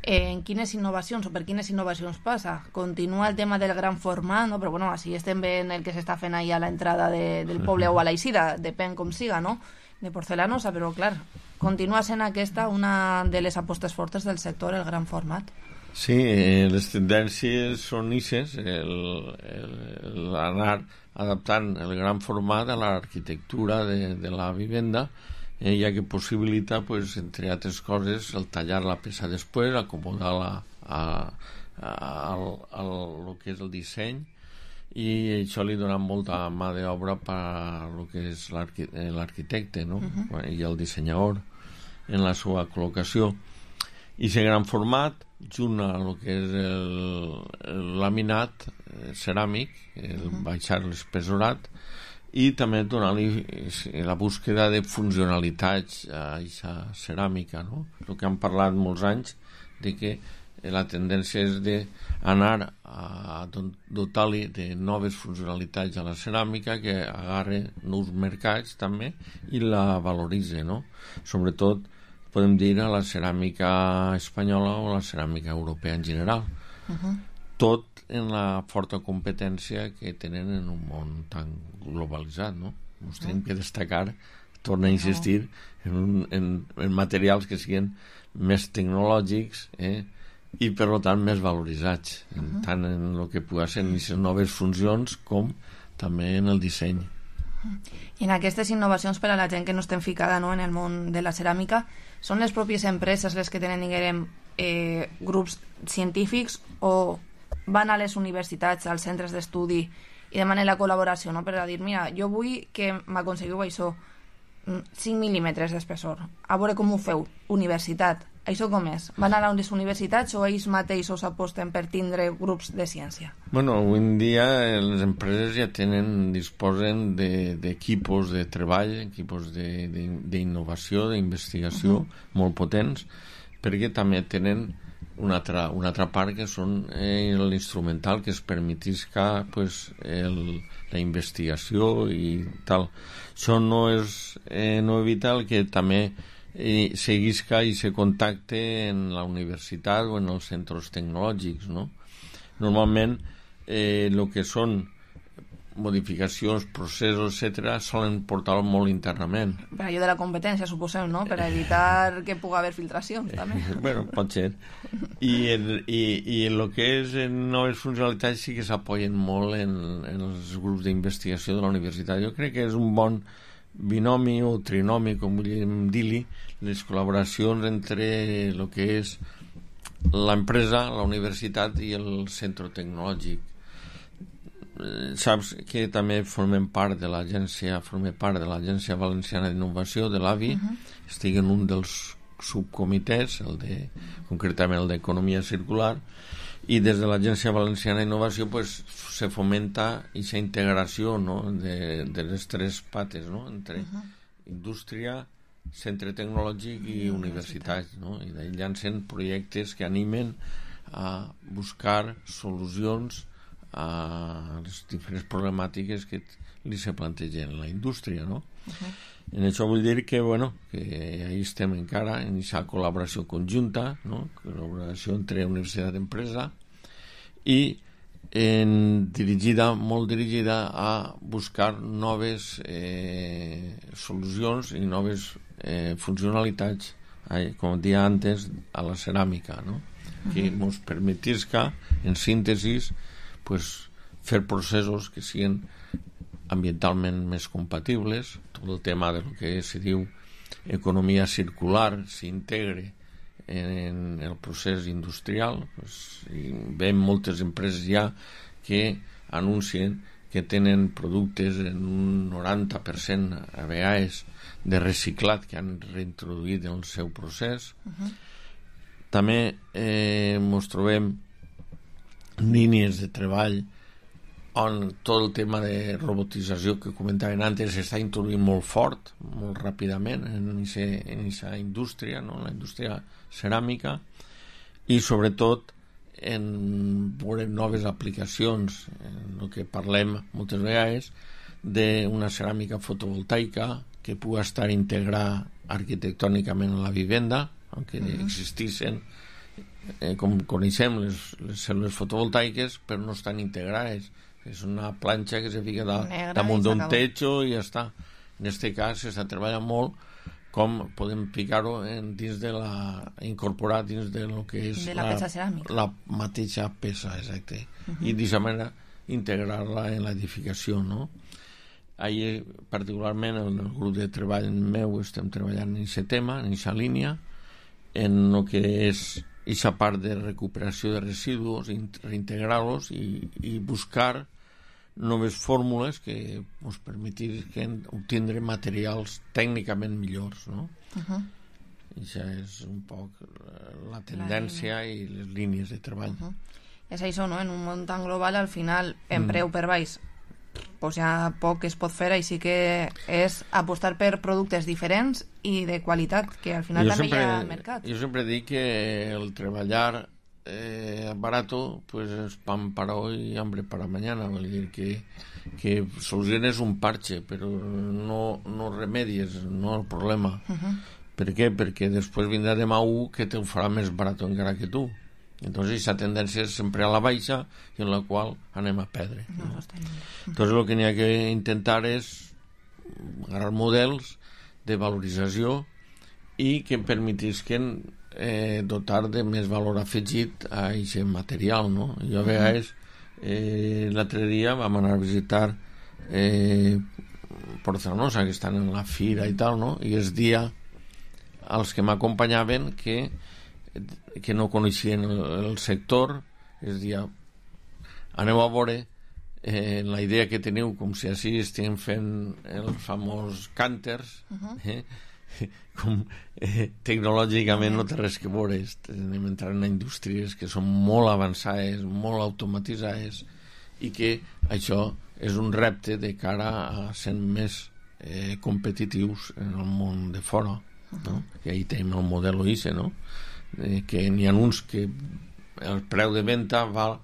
en quines innovacions o per quines innovacions passa? Continua el tema del gran format, no? Però bueno, així estem veient el que s'està fent ahí a l'entrada de, del poble o a l'eixida, depèn com siga, no? De porcelanosa, però clar, continua sent aquesta una de les apostes fortes del sector, el gran format. Sí, eh, les tendències són ixes, l'anar adaptant el gran format a l'arquitectura de, de la vivenda, Eh, ja que possibilita, pues, entre altres coses, el tallar la peça després, acomodar-la a, a, a, a lo que és el disseny, i això li dona molta mà d'obra per a lo que és l'arquitecte, no? Uh-huh. I el dissenyador en la seva col·locació. I aquest gran format, junt a lo que és el, el laminat eh, ceràmic, el uh-huh. baixar l'espesorat, i també donar-li la búsqueda de funcionalitats a aquesta ceràmica, no? El que han parlat molts anys de que la tendència és d'anar a dotar-li de noves funcionalitats a la ceràmica, que agarre nous mercats també i la valoritze, no? Sobretot podem dir a la ceràmica espanyola o a la ceràmica europea en general. Uh-huh. Tot en la forta competència que tenen en un món tan globalitzat, no? Ens tenim que destacar, torna a insistir, en, un, en, en materials que siguin més tecnològics, eh? i per tant més valoritzats, uh -huh. tant en el que pugui ser en les noves funcions com també en el disseny. I en aquestes innovacions per a la gent que no estem ficada, no, en el món de la ceràmica, són les pròpies empreses les que tenen, diguem, eh, grups científics o van a les universitats, als centres d'estudi i demanen la col·laboració, no? Per a dir, mira, jo vull que m'aconseguiu això, cinc mil·límetres d'espessor, a veure com ho feu, universitat, això com és? Van a les universitats o ells mateixos aposten per tindre grups de ciència? Bueno, avui en dia les empreses ja tenen, disposen d'equipos de, de treball, equipos d'innovació, d'investigació uh -huh. molt potents, perquè també tenen una altra, una altra part que són eh, l'instrumental que es permetisca pues, el, la investigació i tal. Això no és eh, no evita el que també eh, seguisca i se contacte en la universitat o en els centres tecnològics, no? Normalment eh, el que són modificacions, processos, etcètera, solen portar molt internament. Per allò de la competència, suposem, no? Per evitar que pugui haver filtracions, també. Bueno, pot ser. I, el, i, i el que és en noves funcionalitats sí que s'apoyen molt en, en els grups d'investigació de la universitat. Jo crec que és un bon binomi o trinomi, com vulguem dir-li, les col·laboracions entre el que és l'empresa, la universitat i el centre tecnològic. Saps que també formem part de l'agència, formem part de l'Agència Valenciana d'Innovació, de l'A V I, uh-huh. estic en un dels subcomitès, el de, concretament el d'Economia Circular, i des de l'Agència Valenciana d'Innovació pues, se fomenta aquesta integració, no? de, de les tres pates, no? Entre uh-huh. indústria, centre tecnològic i, i universitats, no? I d'ahí llancen projectes que animen a buscar solucions a les diferents problemàtiques que li se plantegen a la indústria, no? Uh-huh. En això vull dir que, bueno, que ahí estem encara en aquesta col·laboració conjunta, no? Col·laboració entre universitat i empresa i en dirigida, molt dirigida a buscar noves eh, solucions i noves eh, funcionalitats, eh, com dia antes, a la ceràmica, no? Uh-huh. Que ens permetisca, en síntesis, pues, fer processos que siguin ambientalment més compatibles, tot el tema de lo que se diu economia circular s'integre en el procés industrial. Pues, veiem moltes empreses ja que anuncien que tenen productes en un noranta per cent a vegades de reciclat que han reintroduït en el seu procés. Uh-huh. També eh, ens trobem línies de treball on tot el tema de robotització que comentaven antes s'està introduint molt fort, molt ràpidament en aquesta indústria, no? La indústria ceràmica, i sobretot en veure noves aplicacions, en el que parlem moltes vegades d'una ceràmica fotovoltaica que pugui estar integrada arquitectònicament a la vivenda, aunque uh-huh. existissin Eh, com coneixem les, les cèl·lules fotovoltaiques, però no estan integrades. És una planxa que se fica da, damunt d'un techo i ja està. En aquest cas s'està treballant molt com podem ficar-ho dins de la... incorporar dins de lo que és de la, la peça ceràmica, la mateixa peça, exacte. Uh-huh. I d'aquesta manera integrar-la en l'edificació, no? Ahir, particularment, en el grup de treball meu estem treballant en aquest tema, en aquesta línia, en el que és aquesta part de recuperació de residus, reintegrar-los i, i buscar noves fórmules que ens permetisquen obtindre materials tècnicament millors, no? Uh-huh. Això és un poc la tendència la i les línies de treball. Uh-huh. És això, no? En un món tan global, al final, en preu mm. per baix, pues ja poc es pot fer, així que és apostar per productes diferents i de qualitat, que al final jo també sempre, hi ha al mercat. Jo sempre dic que el treballar eh, barato pues es pan para hoy y hambre para mañana, vol dir que, que soluciones un parche, però no, no remedies, no el problema. Uh-huh. Per què? Perquè després vindrà demà un que te ho farà més barat encara que tu. Entonces esa tendencia es sempre a la baixa i en la qual anem a perdre. No, no? Entonces lo que n'hi ha que intentar és agarrar models de valorització i que permetisquen eh, dotar de més valor afegit a aquest material, no? Jo a vegades eh, l'altre dia vam anar a visitar eh, Porcelanosa, que estan en la fira i tal, no? I es dia als que m'acompanyaven que, que no coneixien el, el sector, es dia aneu a veure eh, la idea que teniu, com si així estiguem fent els famós cànters, eh? Com eh, tecnològicament no té res que veure, anem entrant en indústries que són molt avançades, molt automatitzades, i que això és un repte de cara a ser més eh, competitius en el món de fora, no? I ahí tenim el model O I S E, no? Eh, que n'hi ha uns que el preu de venda val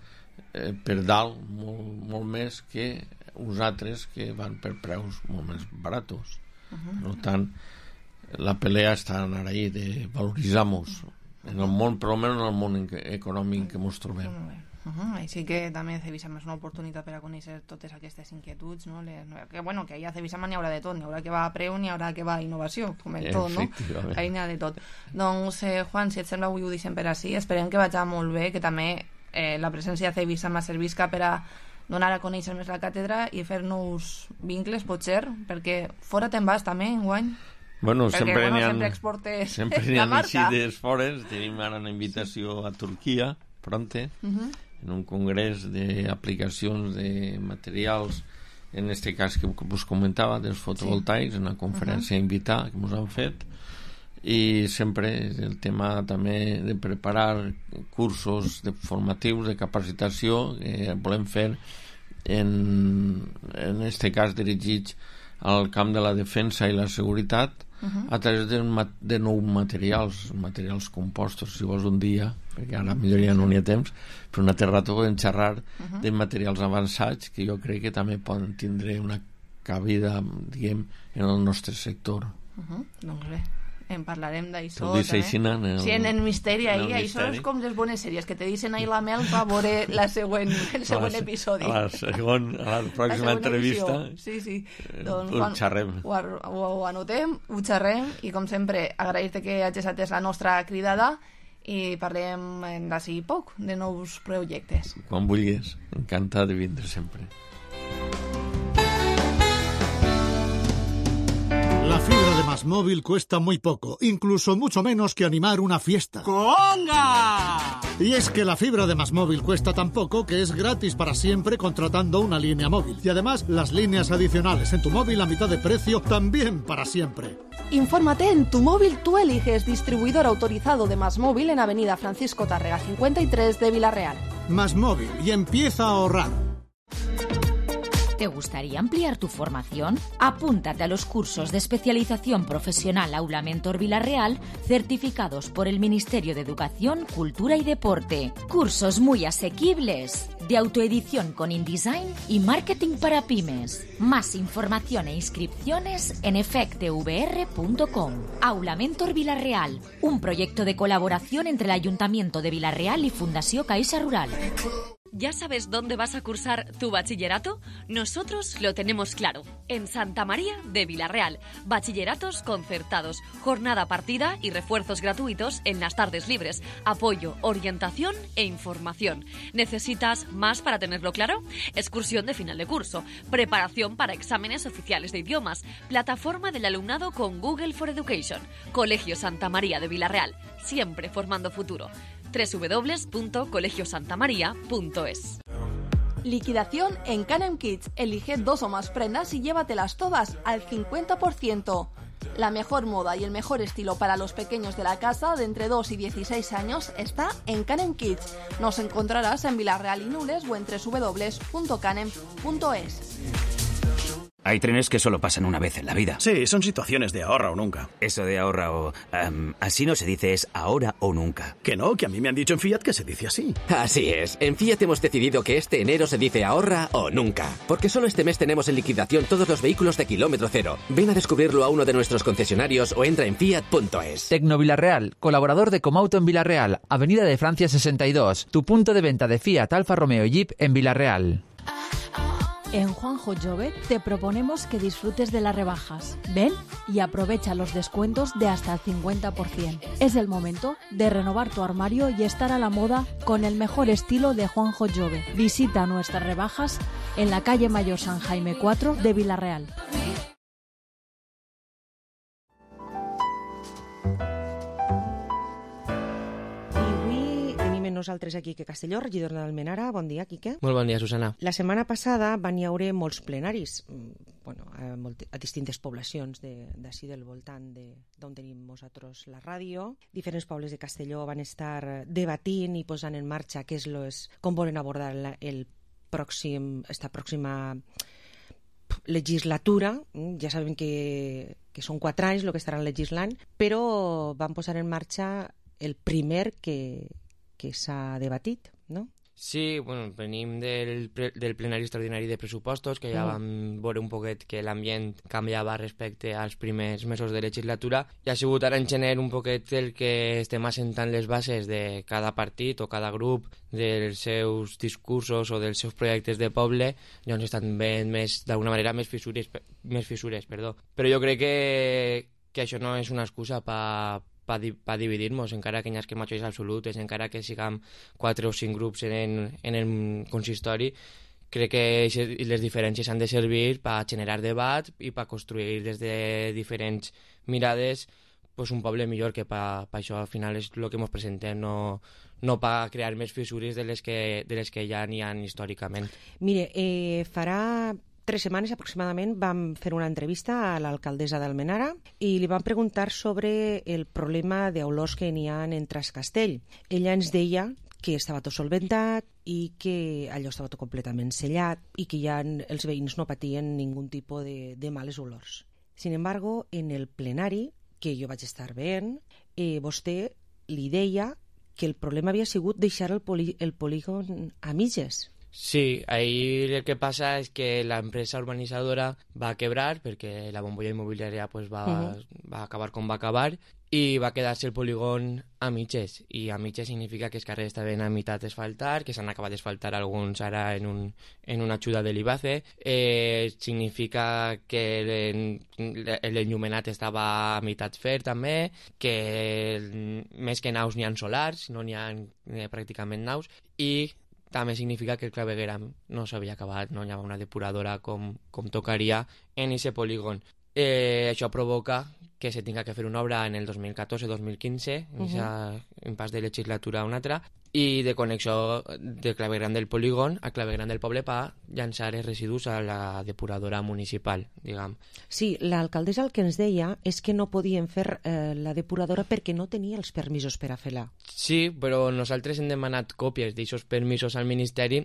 eh, per dalt molt, molt més que uns altres que van per preus molt més baratos. Uh-huh. Per tant, la pelea està anar ahí de valoritzar-nos en el món, però almenys en el món econòmic que ens trobem. Uh-huh. Així que també Cebisama és una oportunitat per a conèixer totes aquestes inquietuds, no? Les, que, bueno, que allà a Cebisama n'hi haurà de tot, n'hi haurà que va a preu, n'hi haurà que va a innovació, com en tot, no? Ahí n'hi ha de tot. Doncs, eh, Juan, si et sembla, avui ho deixem per així, esperem que vagi molt bé, que també eh, la presència de Cebisama servisca per a donar a conèixer més la càtedra i fer-nos vincles, potser, perquè fora te'n vas també, enguany? Bueno, perquè, sempre bueno, n'hi ha, sempre exportes sempre n'hi la ha marca. eixides fores, tenim ara una invitació a Turquia, pronte, uh-huh. en un congrés d'aplicacions de materials, en este cas que us comentava, dels fotovoltaics, sí. Una conferència uh-huh. invitada que ens han fet, i sempre el tema també de preparar cursos de formatius de capacitació que volem fer en, en este cas dirigits al camp de la defensa i la seguretat uh-huh. a través de, de nous materials, materials compostos. Si vols un dia, perquè ara millor ja no n'hi ha temps, però un altre rato podem xerrar uh-huh. de materials avançats que jo crec que també poden tindre una cabida, diguem, en el nostre sector. Uh-huh. Doncs bé, en parlarem d'això també. En el, sí, en el misteri ahí, això és com les bones sèries que te dicen ahí la Mel va veure la següent, el següent a la, episodi a la, segon, a la pròxima la entrevista sí, sí. Eh, doncs, ho xerrem ho, ho, ho anotem, ho xerrem i com sempre agrair-te que hagis atès la nostra cridada i parlem d'ací poc de nous projectes. Quan vulguis, encantat de vindre sempre. La fibra de Más Móvil cuesta muy poco, incluso mucho menos que animar una fiesta. ¡Conga! Y es que la fibra de Más Móvil cuesta tan poco que es gratis para siempre contratando una línea móvil. Y además, las líneas adicionales en tu móvil a mitad de precio también para siempre. Infórmate en Tu Móvil Tú Eliges, distribuidor autorizado de Más Móvil en Avenida Francisco Tárrega cincuenta y tres de Villarreal. Más Móvil, y empieza a ahorrar. ¿Te gustaría ampliar tu formación? Apúntate a los cursos de especialización profesional Aula Mentor Villarreal, certificados por el Ministerio de Educación, Cultura y Deporte. Cursos muy asequibles, de autoedición con InDesign y marketing para pymes. Más información e inscripciones en efecte v r punto com. Aula Mentor Villarreal, un proyecto de colaboración entre el Ayuntamiento de Villarreal y Fundació Caixa Rural. ¿Ya sabes dónde vas a cursar tu bachillerato? Nosotros lo tenemos claro. En Santa María de Villarreal. Bachilleratos concertados, jornada partida y refuerzos gratuitos en las tardes libres. Apoyo, orientación e información. ¿Necesitas más para tenerlo claro? Excursión de final de curso. Preparación para exámenes oficiales de idiomas. Plataforma del alumnado con Google for Education. Colegio Santa María de Villarreal. Siempre formando futuro. doble u doble u doble u punto colegio santa maría punto es. Liquidación en Canem Kids. Elige dos o más prendas y llévatelas todas al cincuenta por ciento. La mejor moda y el mejor estilo para los pequeños de la casa de entre dos y dieciséis años está en Canem Kids. Nos encontrarás en Villarreal y Nules o en doble u doble u doble u punto canem punto es. Hay trenes que solo pasan una vez en la vida. Sí, son situaciones de ahorra o nunca. Eso de ahorra o... Um, así no se dice, es ahora o nunca. Que no, que a mí me han dicho en Fiat que se dice así. Así es. En Fiat hemos decidido que este enero se dice ahorra o nunca. Porque solo este mes tenemos en liquidación todos los vehículos de kilómetro cero. Ven a descubrirlo a uno de nuestros concesionarios o entra en fiat punto es. Tecno Villarreal, colaborador de Comauto en Villarreal, Avenida de Francia sesenta y dos, tu punto de venta de Fiat, Alfa Romeo y Jeep en Villarreal. En Juanjo Jove te proponemos que disfrutes de las rebajas. Ven y aprovecha los descuentos de hasta el cincuenta por ciento. Es el momento de renovar tu armario y estar a la moda con el mejor estilo de Juanjo Jove. Visita nuestras rebajas en la calle Mayor San Jaime cuatro de Vila-real. Nosaltres aquí a Castelló, regidor d'Almenara. Bon dia, Quique. Molt bon dia, Susana. La setmana passada van hi haure molts plenaris, bueno, a, molt, a distintes poblacions d'ací de, del voltant d'on tenim nosaltres la ràdio. Diferents pobles de Castelló van estar debatint i posant en marxa què és, lo, és com volen abordar la, el pròxim, esta pròxima legislatura. Ja sabem que, que són quatre anys el que estaran legislant, però van posar en marxa el primer que que s'ha debatit, no? Sí, bueno, venim del, del plenari extraordinari de pressupostos, que ja mm. vam veure un poquet que l'ambient canviava respecte als primers mesos de legislatura, i ha sigut ara en gener un poquet el que estem assentant les bases de cada partit o cada grup dels seus discursos o dels seus projectes de poble, doncs estan veient més, d'alguna manera, més fissures, més fissures, perdó. Però jo crec que, que això no és una excusa per per di pa dividir-nos, encara que hi hagi majories absolutes, encara que siguem quatre o cinc grups en, en el consistori, crec que les diferències han de servir per generar debat i per construir des de diferents mirades pues, un poble millor, que per això al final és el que ens presentem, no, no per crear més fissures de les que, de les que ja n'hi ha històricament. Mire, eh, farà tres setmanes aproximadament vam fer una entrevista a l'alcaldessa d'Almenara i li vam preguntar sobre el problema d'olors que n'hi ha en Trascastell. Ella ens deia que estava tot solventat i que allò estava tot completament sellat i que ja els veïns no patien ningun tipus de, de males olors. Sin embargo, en el plenari, que jo vaig estar veient, eh, vostè li deia que el problema havia sigut deixar el, poli, el polígon a mitges. Sí, ahí el que pasa es que la empresa urbanizadora va a quebrar porque la bombolla inmobiliaria pues va, uh-huh. va a acabar com va acabar i va quedar-se el polígon a mitges, i a mitges significa que els carrers estaven a meitat d'asfaltar, que s'han acabat d'asfaltar alguns ara en, un, en una ajuda de l'Ibace, eh, significa que l'enllumenat estava a meitat fer també, que més que naus n'hi ha solars, no n'hi ha eh, pràcticament naus, i també significa que el clavegueram no s'havia acabat, no hi havia una depuradora com, com tocaria en aquest polígon. Eh, això provoca que se tinga que fer una obra en el dos mil catorze dos mil quinze, en uh-huh. en pas de legislatura a una altra, i de connexió del clavegueram del polígon al clavegueram del poble per llançar els residus a la depuradora municipal, diguem. Sí, l'alcaldessa el que ens deia és que no podien fer eh, la depuradora perquè no tenia els permisos per a fer-la. Sí, però nosaltres hem demanat còpies d'aixòs permisos al Ministeri.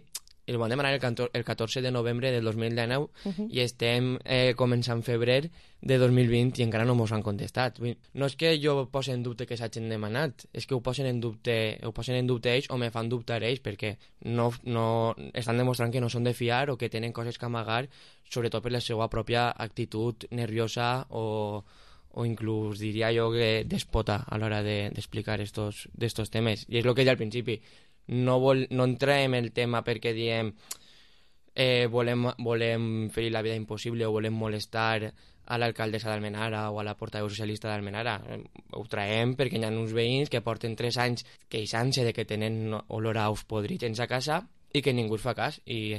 El vam demanar el catorze de novembre del dos mil dinou uh-huh. i estem eh, començant febrer de dos mil vint i encara no mos han contestat. No és que jo posi en dubte que s'hagin demanat, és que ho posen en dubte, ho posen en dubte ells o me fan dubtar ells, perquè no, no, estan demostrant que no són de fiar o que tenen coses que amagar, sobretot per la seva pròpia actitud nerviosa o, o inclús diria jo que despota a l'hora d'explicar de, estos, d'estos temes. I és el que deia al principi. No, vol, no entrem en el tema perquè diem eh, volem, volem fer la vida impossible o volem molestar a l'alcaldessa d'Almenara o a la portaveu socialista d'Almenara. Ho traiem perquè hi ha uns veïns que porten tres anys queixant-se de que tenen olor a ous podrits en sa casa i que ningú es fa cas. I,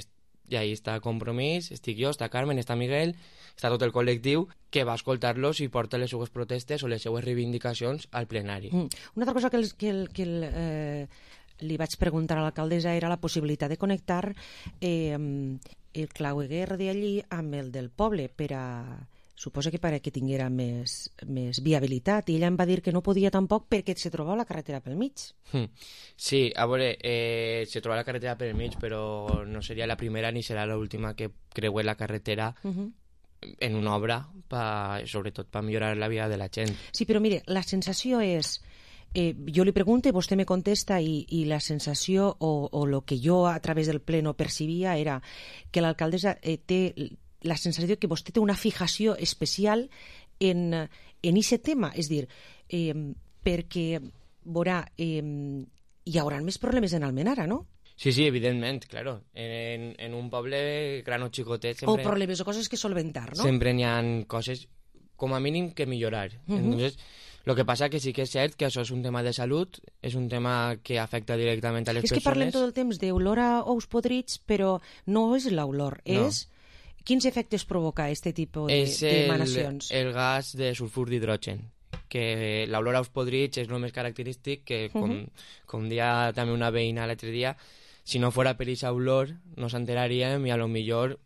i ahí està Compromís, estic jo, està Carmen, està Miguel, està tot el col·lectiu que va escoltar-los i porta les seues protestes o les seues reivindicacions al plenari. Mm. Una altra cosa que el, que el, que el eh... li vaig preguntar a l'alcaldessa era la possibilitat de connectar eh, el claveguer d'allí amb el del poble per a, suposa que per a que tinguera més, més viabilitat, i ella em va dir que no podia tampoc perquè se trobava la carretera pel mig. Sí, a veure, eh, se troba la carretera pel mig, però no seria la primera ni serà l'última que creue la carretera uh-huh. en una obra, pa, sobretot per millorar la vida de la gent. Sí, però mire, la sensació és... Eh, jo li pregunto i vostè me contesta i, i la sensació o, o lo que jo a través del pleno percibia era que l'alcaldessa eh, té la sensació que vostè té una fijació especial en, en aquest tema, és dir, eh, perquè veurà, eh, hi haurà més problemes en Almenara, no? Sí, sí, evidentment, claro. En, en un poble gran o xicotet sempre... O problemes o coses que solventar, no? Sempre n'hi ha coses, com a mínim, que millorar. Uh -huh. Entonces, lo que passa que sí que és cert que això és un tema de salut, és un tema que afecta directament a les és persones. És que parlem tot el temps d'olor a ous podrits, però no és l'olor, no. És... Quins efectes provoca aquest tipus d'emanacions? És el, el gas de sulfur d'hidrogen, que l'olor a ous podrits és el més característic, que com, uh -huh. com dia també una veïna l'altre dia, si no fora per aquesta olor no s'enteraríem i a lo millor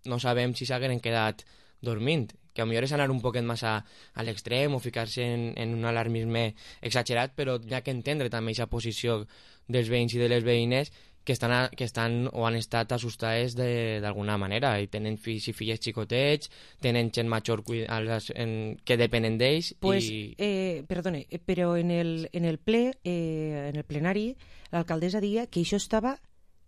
no sabem si s'hagueren quedat dormint, que a lo millor és anar un poquet massa a l'extrem o ficar-se en, en un alarmisme exagerat, però hi ha que entendre també aquesta posició dels veïns i de les veïnes que estan, a, que estan o han estat assustades d'alguna manera i tenen fills i filles xicotets, tenen gent major en, que depenen d'ells. Pues, i... eh, perdone, però en el, en el ple, eh, en el plenari, l'alcaldessa deia que això estava,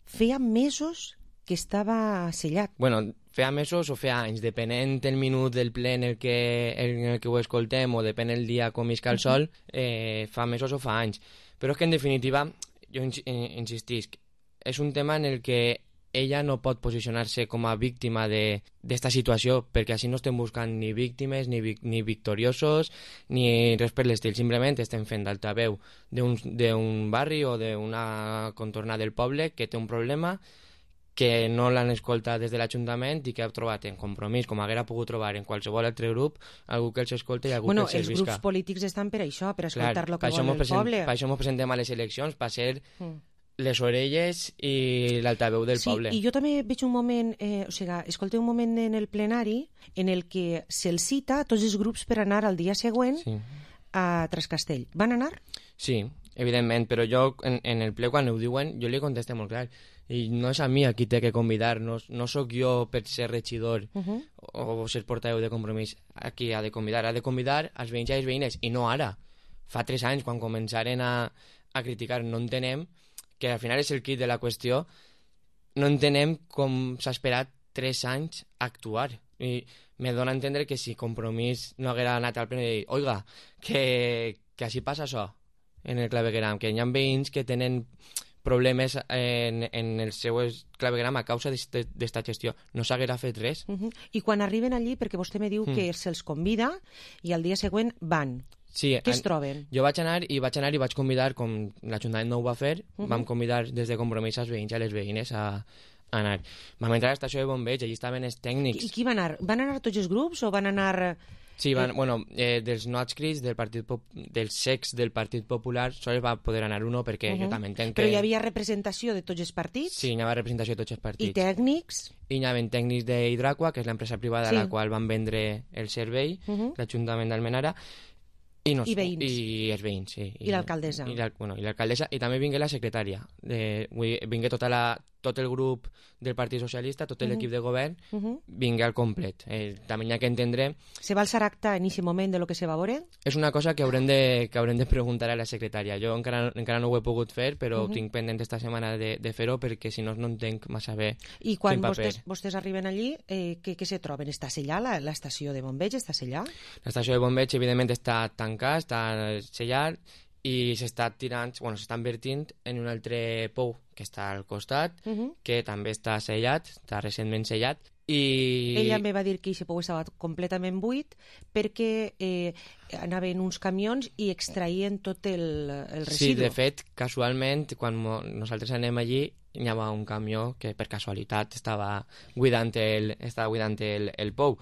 feia mesos que estava sellat. Bueno, feia mesos o feia anys, depenent el minut del ple en el que, en el que ho escoltem o depèn el dia com isca el sol, eh, fa mesos o fa anys. Però és que en definitiva, jo insistisc, és un tema en el que ella no pot posicionar-se com a víctima d'esta situació, perquè així no estem buscant ni víctimes, ni, vi ni victoriosos, ni res per l'estil. Simplement estem fent d'altaveu d'un barri o d'una contorna del poble que té un problema, que no l'han escoltat des de l'Ajuntament i que ha trobat en Compromís, com haguera pogut trobar en qualsevol altre grup, algú que els escolta i algú bueno, que els servisca. Els grups polítics estan per això, per escoltar el que vol el present, poble. Per això ens presentem a les eleccions, per ser... Mm. les orelles i l'altaveu del sí, poble. Sí, i jo també veig un moment, eh, o sigui, escolteu un moment en el plenari en el que se'ls cita a tots els grups per anar al dia següent sí. a Trascastell. Van anar? Sí, evidentment, però jo en, en el ple quan ho diuen jo li contesté molt clar i no és a mi a qui té que convidar, no, no sóc jo per ser regidor uh -huh. o, o ser portaveu de Compromís a qui ha de convidar, ha de convidar als veïns i a les veïnes, i no ara, fa tres anys quan començaren a, a criticar. No entenem que al final és el kit de la qüestió, no entenem com s'ha esperat tres anys a actuar. I me dona a entendre que si Compromís no haguera anat al pleno i dit, oiga, que, que així passa això en el clavegueram, que hi ha veïns que tenen problemes en, en el seu clavegueram a causa d'esta gestió. No s'haguera fet res. Uh -huh. I quan arriben allí, perquè vostè me diu mm. que se'ls convida i al dia següent van. Sí, què es troben? Jo vaig anar i vaig anar i vaig convidar, com l'Ajuntament no ho va fer, uh -huh. vam convidar des de Compromís als veïns i a les veïnes a, a anar. Vam entrar a l'estació de bombeig, allí estaven els tècnics. I qui va anar? Van anar tots els grups o van anar... Sí, van, eh... bueno, eh, dels no adscrits, del partit Pop... dels secs del Partit Popular, sols va poder anar uno, perquè uh -huh. jo també entenc que... Però hi havia representació de tots els partits? Sí, hi havia representació de tots els partits. I tècnics? I hi havia tècnics d'Hidraqua, que és l'empresa privada sí. a la qual van vendre el servei, uh -huh. l'Ajuntament d'Almenara. I, no, I veïns. I els veïns, sí. I, I l'alcaldessa. I l'alcaldessa, bueno, i també vingué la secretària. De, vingué tota la, tot el grup del Partit Socialista, tot l'equip uh -huh. de govern, uh -huh. vingué al complet. Eh, també hi ha que entendre... Se va alçar acta en aquest moment de lo que se va veure? És una cosa que haurem de, que haurem de preguntar a la secretària. Jo encara, encara no ho he pogut fer, però uh -huh. tinc pendent esta setmana de, de fer-ho, perquè si no, no entenc massa bé. I quan vostès, vostès arriben allí, eh, què, què se troben? Està sellada l'estació de bombeig? Està sellada? L'estació de bombeig, evidentment, està tancada, està sellat, i s'està tirant, bueno, s'està invertint en un altre pou que està al costat, uh -huh. que també està sellat, està recentment sellat, i... Ella me va dir que aquest pou estava completament buit perquè eh, anaven uns camions i extraïen tot el, el residu. Sí, de fet, casualment, quan nosaltres anem allí, hi havia un camió que per casualitat estava buidant el, estava buidant el, el pou.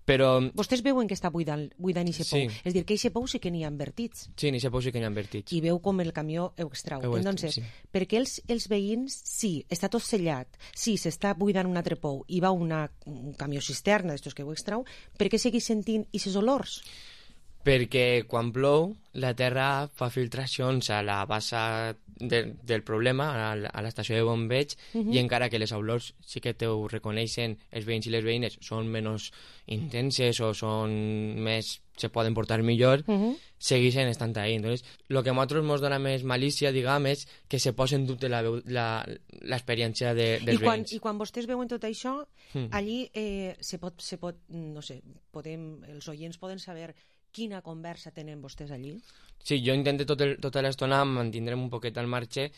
Però... Vostès veuen que està buidant, buidant aquest pou. Sí. És dir, que aquest pou sí que n'hi ha invertits. Sí, en aquest pou sí que n'hi ha invertits. I veu com el camió ho extrau. Heu Entonces, sí. perquè els, els veïns, sí, està tot sellat, sí, s'està buidant un altre pou i va una, un camió cisterna d'estos que ho extrau, per què seguís sentint aquests olors? Perquè quan plou la terra fa filtracions a la base de, del problema, a, a l'estació de bombeig, uh -huh. i encara que les olors sí que ho reconeixen els veïns i les veïnes, són menys intenses o són més, se poden portar millor, uh -huh. segueixen estant ahí. Entonces, lo que a nosaltres ens dona més malícia, diguem, és que se posa en dubte l'experiència de, dels I quan, veïns. I quan vostès veuen tot això, hmm. allí eh, se pot, se pot, no sé, podem, els oients poden saber quina conversa tenen vostès allí? Sí, jo intento tot el, tota l'estona mantindre'm un poquet al marge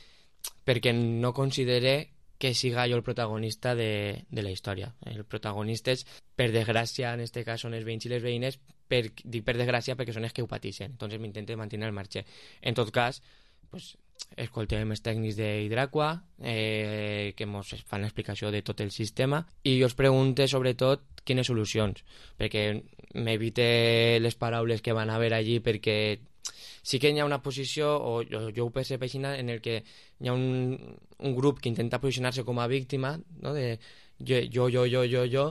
perquè no considere que siga jo el protagonista de, de la història. El protagonista és, per desgràcia, en aquest cas són els veïns i les veïnes, per, dic per desgràcia perquè són els que ho pateixen, entonces m'intento mantenir al marge. En tot cas, pues, escoltem els tècnics d'Hidraqua, eh, que ens fan l'explicació de tot el sistema, i jo us pregunto sobretot quines solucions, perquè m'evite les paraules que van haver allí, perquè sí que hi ha una posició, o jo, jo ho percep així, en el que hi ha un, un grup que intenta posicionar-se com a víctima, no? De jo, jo, jo, jo, jo, jo,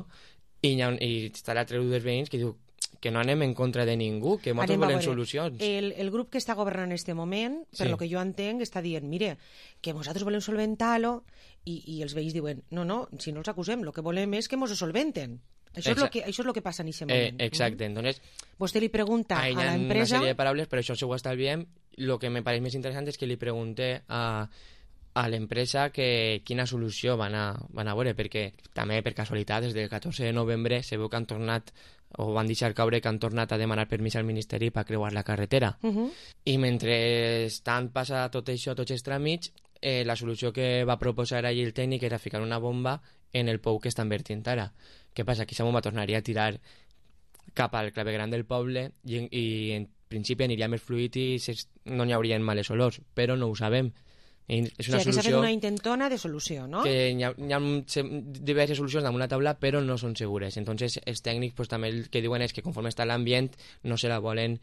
i, hi ha, i està l'altre grup dels veïns que diu que no anem en contra de ningú, que nosaltres volem solucions. El, el grup que està governant en aquest moment, per sí. lo que jo entenc, està dient, mire, que nosaltres volem solventar-lo, i, i els veïns diuen, no, no, si no els acusem, el que volem és que ens ho solventen. Això és, lo que, això és el que passa en aquest moment. Eh, exacte, entonces... Vostè li pregunta a l'empresa... Hi ha una sèrie de paraules, però això si ho estalviem, el que me pareix més interessant és que li pregunté a, a l'empresa que quina solució van a, van a veure, perquè també, per casualitat, des del catorze de novembre se veu que han tornat, o van deixar caure que han tornat a demanar permís al Ministeri per creuar la carretera. Uh -huh. I mentre tant passa tot això, tots els tràmits, eh, la solució que va proposar allí el tècnic era ficar una bomba en el pou que estan vertint ara. Què passa? Que aquesta bomba tornaria a tirar cap al clavegueram del poble i, i en principi aniria més fluid i no n'hi haurien males olors, però no ho sabem. I és una o sigui, solució... que s'ha fet una intentona de solució, no? Que hi ha, hi ha diverses solucions damunt la taula, però no són segures. Entonces, els tècnics pues, també el que diuen és que conforme està l'ambient no se la volen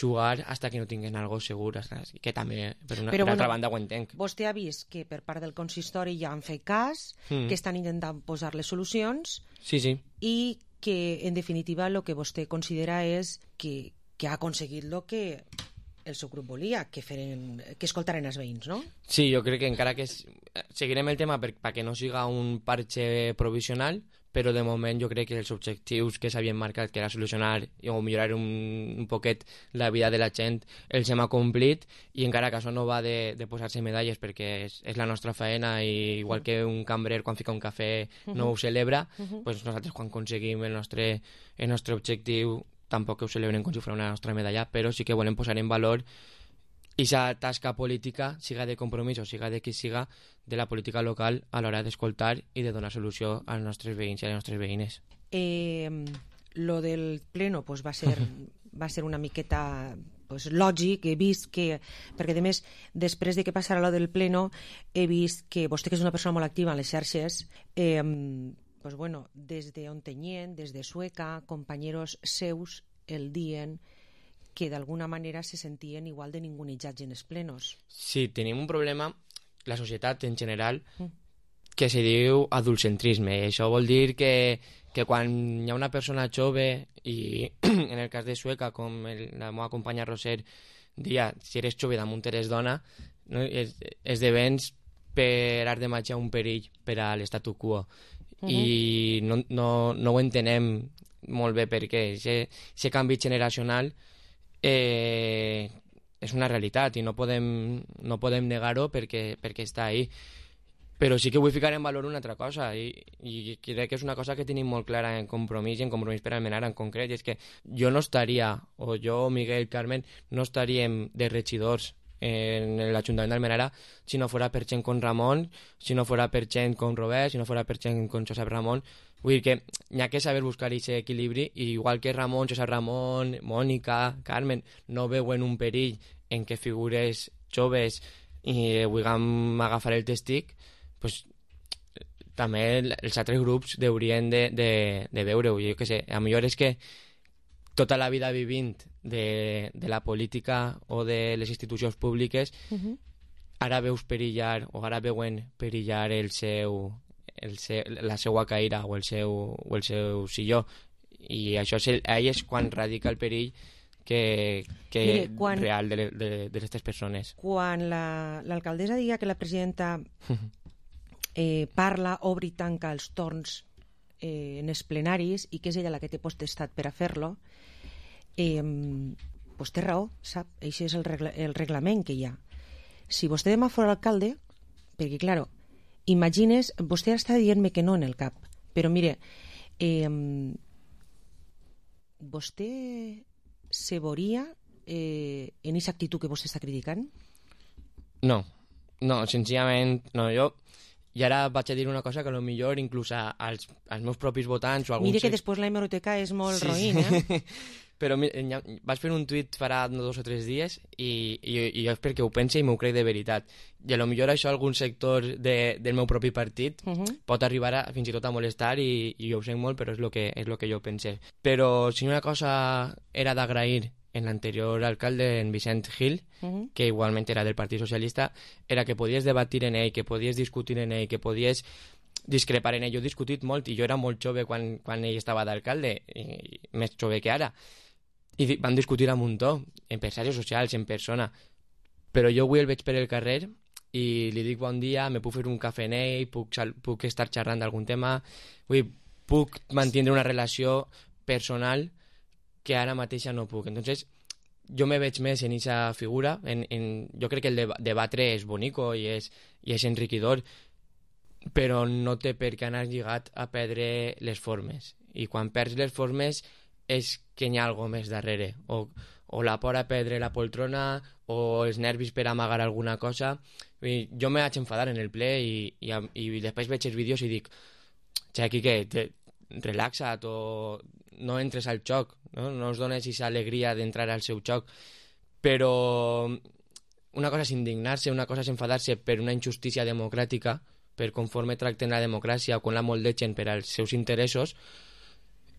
jugar hasta que no tinguin algo segur, que també, per una, però, per bueno, altra banda, ho entenc. Vostè ha vist que per part del consistori ja han fet cas, mm. que estan intentant posar les solucions, sí, sí. i que, en definitiva, el que vostè considera és que, que ha aconseguit el que el seu grup volia, que, feren, que escoltaren els veïns, no? Sí, jo crec que encara que es, seguirem el tema perquè per no siga un parche provisional, però de moment jo crec que els objectius que s'havien marcat, que era solucionar o millorar un, un poquet la vida de la gent, els hem acomplit, i encara que això no va de, de posar-se medalles perquè és, és la nostra feina, i igual que un cambrer quan fica un cafè no ho celebra, uh-huh. pues nosaltres quan aconseguim el nostre, el nostre objectiu tampoc ho celebren com si fos una nostra medalla, però sí que volem posar en valor aquesta tasca política, siga de compromís o siga de qui siga, de la política local a l'hora d'escoltar i de donar solució als nostres veïns i a les nostres veïnes. Eh, lo del pleno pues, va, ser, va ser una miqueta pues, lògic, he vist que, perquè a més, després de que passara lo del pleno, he vist que vostè, que és una persona molt activa en les xarxes, eh, pues bueno, des de Ontinyent, des de Sueca, companyeros seus el dien que d'alguna manera se sentien igual de ningunejats en els plenos. Sí, tenim un problema, la societat en general, que se diu adultcentrisme. I això vol dir que, que quan hi ha una persona jove, i en el cas de Sueca, com el, la meva companya Roser dia, si eres jove damunt eres dona, no? es, esdevens per art de màgia un perill per a l'estatu quo. Uh-huh. I no, no, no ho entenem molt bé perquè aquest canvi generacional eh, és una realitat i no podem, no podem negar-ho perquè, perquè està ahí. Però sí que vull ficar en valor una altra cosa, i, i crec que és una cosa que tenim molt clara en Compromís, i en Compromís per Almenara en concret, i és que jo no estaria, o jo, Miguel, Carmen, no estaríem de regidors en l'Ajuntament d'Almenara si no fora per gent com Ramon, si no fora per gent com Robert, si no fora per gent com Josep Ramon. Vull dir que hi ha que saber buscar aquest equilibri, i igual que Ramon, Josep Ramon, Mònica, Carmen no veuen un perill en què figures joves i vulguem agafar el testic, pues, també els altres grups haurien de, de, de veure-ho. Jo què sé, a millor és que tota la vida vivint de, de la política o de les institucions públiques, uh-huh. ara veus perillar o ara veuen perillar el seu, el seu, la seva caïra o el seu, o el seu silló, i això és, el, ahí és quan radica el perill que, que Mire, quan, real de, de, de aquestes persones. Quan la, l'alcaldessa diga que la presidenta eh, parla, obre i tanca els torns eh, en els plenaris, i que és ella la que té potestat per a fer-lo, eh, pues té raó, sap? Això és el, regla, el reglament que hi ha. Si vostè demà fos alcalde, perquè, claro, imagines, vostè està dient-me que no en el cap, però mire, eh, vostè se veuria eh, en aquesta actitud que vostè està criticant? No, No, senzillament, no, jo... I ara vaig a dir una cosa que potser inclús als, als meus propis votants o alguns... Mira que després la hemeroteca és molt sí, roïn, eh? Però vaig fer un tuit farà dos o tres dies i, i, i jo és perquè ho pense i m'ho crec de veritat. I potser això algun sector de, del meu propi partit uh -huh. pot arribar a, fins i tot a molestar i, i jo ho sé molt, però és el que, és lo que jo pense. Però si una cosa era d'agrair en l'anterior alcalde, en Vicent Gil, uh-huh. que igualment era del Partit Socialista, era que podies debatir en ell, que podies discutir en ell, que podies discrepar en ell. Jo he discutit molt i jo era molt jove quan, quan ell estava d'alcalde, i més jove que ara. I van discutir a un muntó, empresaris socials, en persona. Però jo avui el veig per el carrer i li dic bon dia, me puc fer un cafè en ell, puc, puc estar xerrant d'algun tema, vull, puc mantenir una relació personal que ara mateixa no puc. Entonces, jo me veig més en aquesta figura. En, en, jo crec que el de, debatre és bonico i és, i és enriquidor, però no té per què anar lligat a perdre les formes. I quan perds les formes és que hi ha alguna més darrere. O, o la por a perdre la poltrona, o els nervis per amagar alguna cosa. I jo me vaig enfadar en el ple i, i, i després veig els vídeos i dic, xe, Quique, te, relaxa't o no entres al xoc, no, no us dones aquesta alegria d'entrar al seu xoc. Però una cosa és indignar-se, una cosa és enfadar-se per una injustícia democràtica, per conforme tracten la democràcia o quan la moldegen per als seus interessos,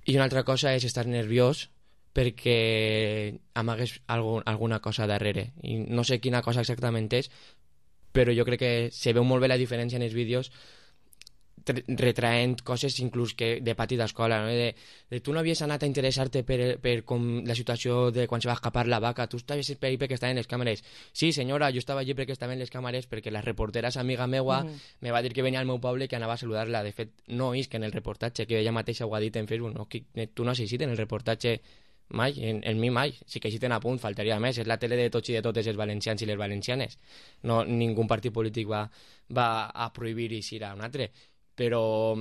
i una altra cosa és estar nerviós perquè amagues algun, alguna cosa darrere. I no sé quina cosa exactament és, però jo crec que se veu molt bé la diferència en els vídeos retraent coses inclús que de pati d'escola, no? de, de tu no havies anat a interessar-te per, per com la situació de quan se va escapar la vaca, tu estaves per ahí perquè estaven les càmeres. Sí, senyora, jo estava allí perquè estaven les càmeres, perquè la reportera és amiga meua, mm. me va dir que venia al meu poble i que anava a saludar-la. De fet, no és que en el reportatge, que ella mateixa ho ha dit en Facebook, no, que tu no assistit en el reportatge mai, en, en mi mai, sí que assisten a punt, faltaria més, és la tele de tots i de totes els valencians i les valencianes. No, ningú partit polític va, va a prohibir i ir a un altre. Però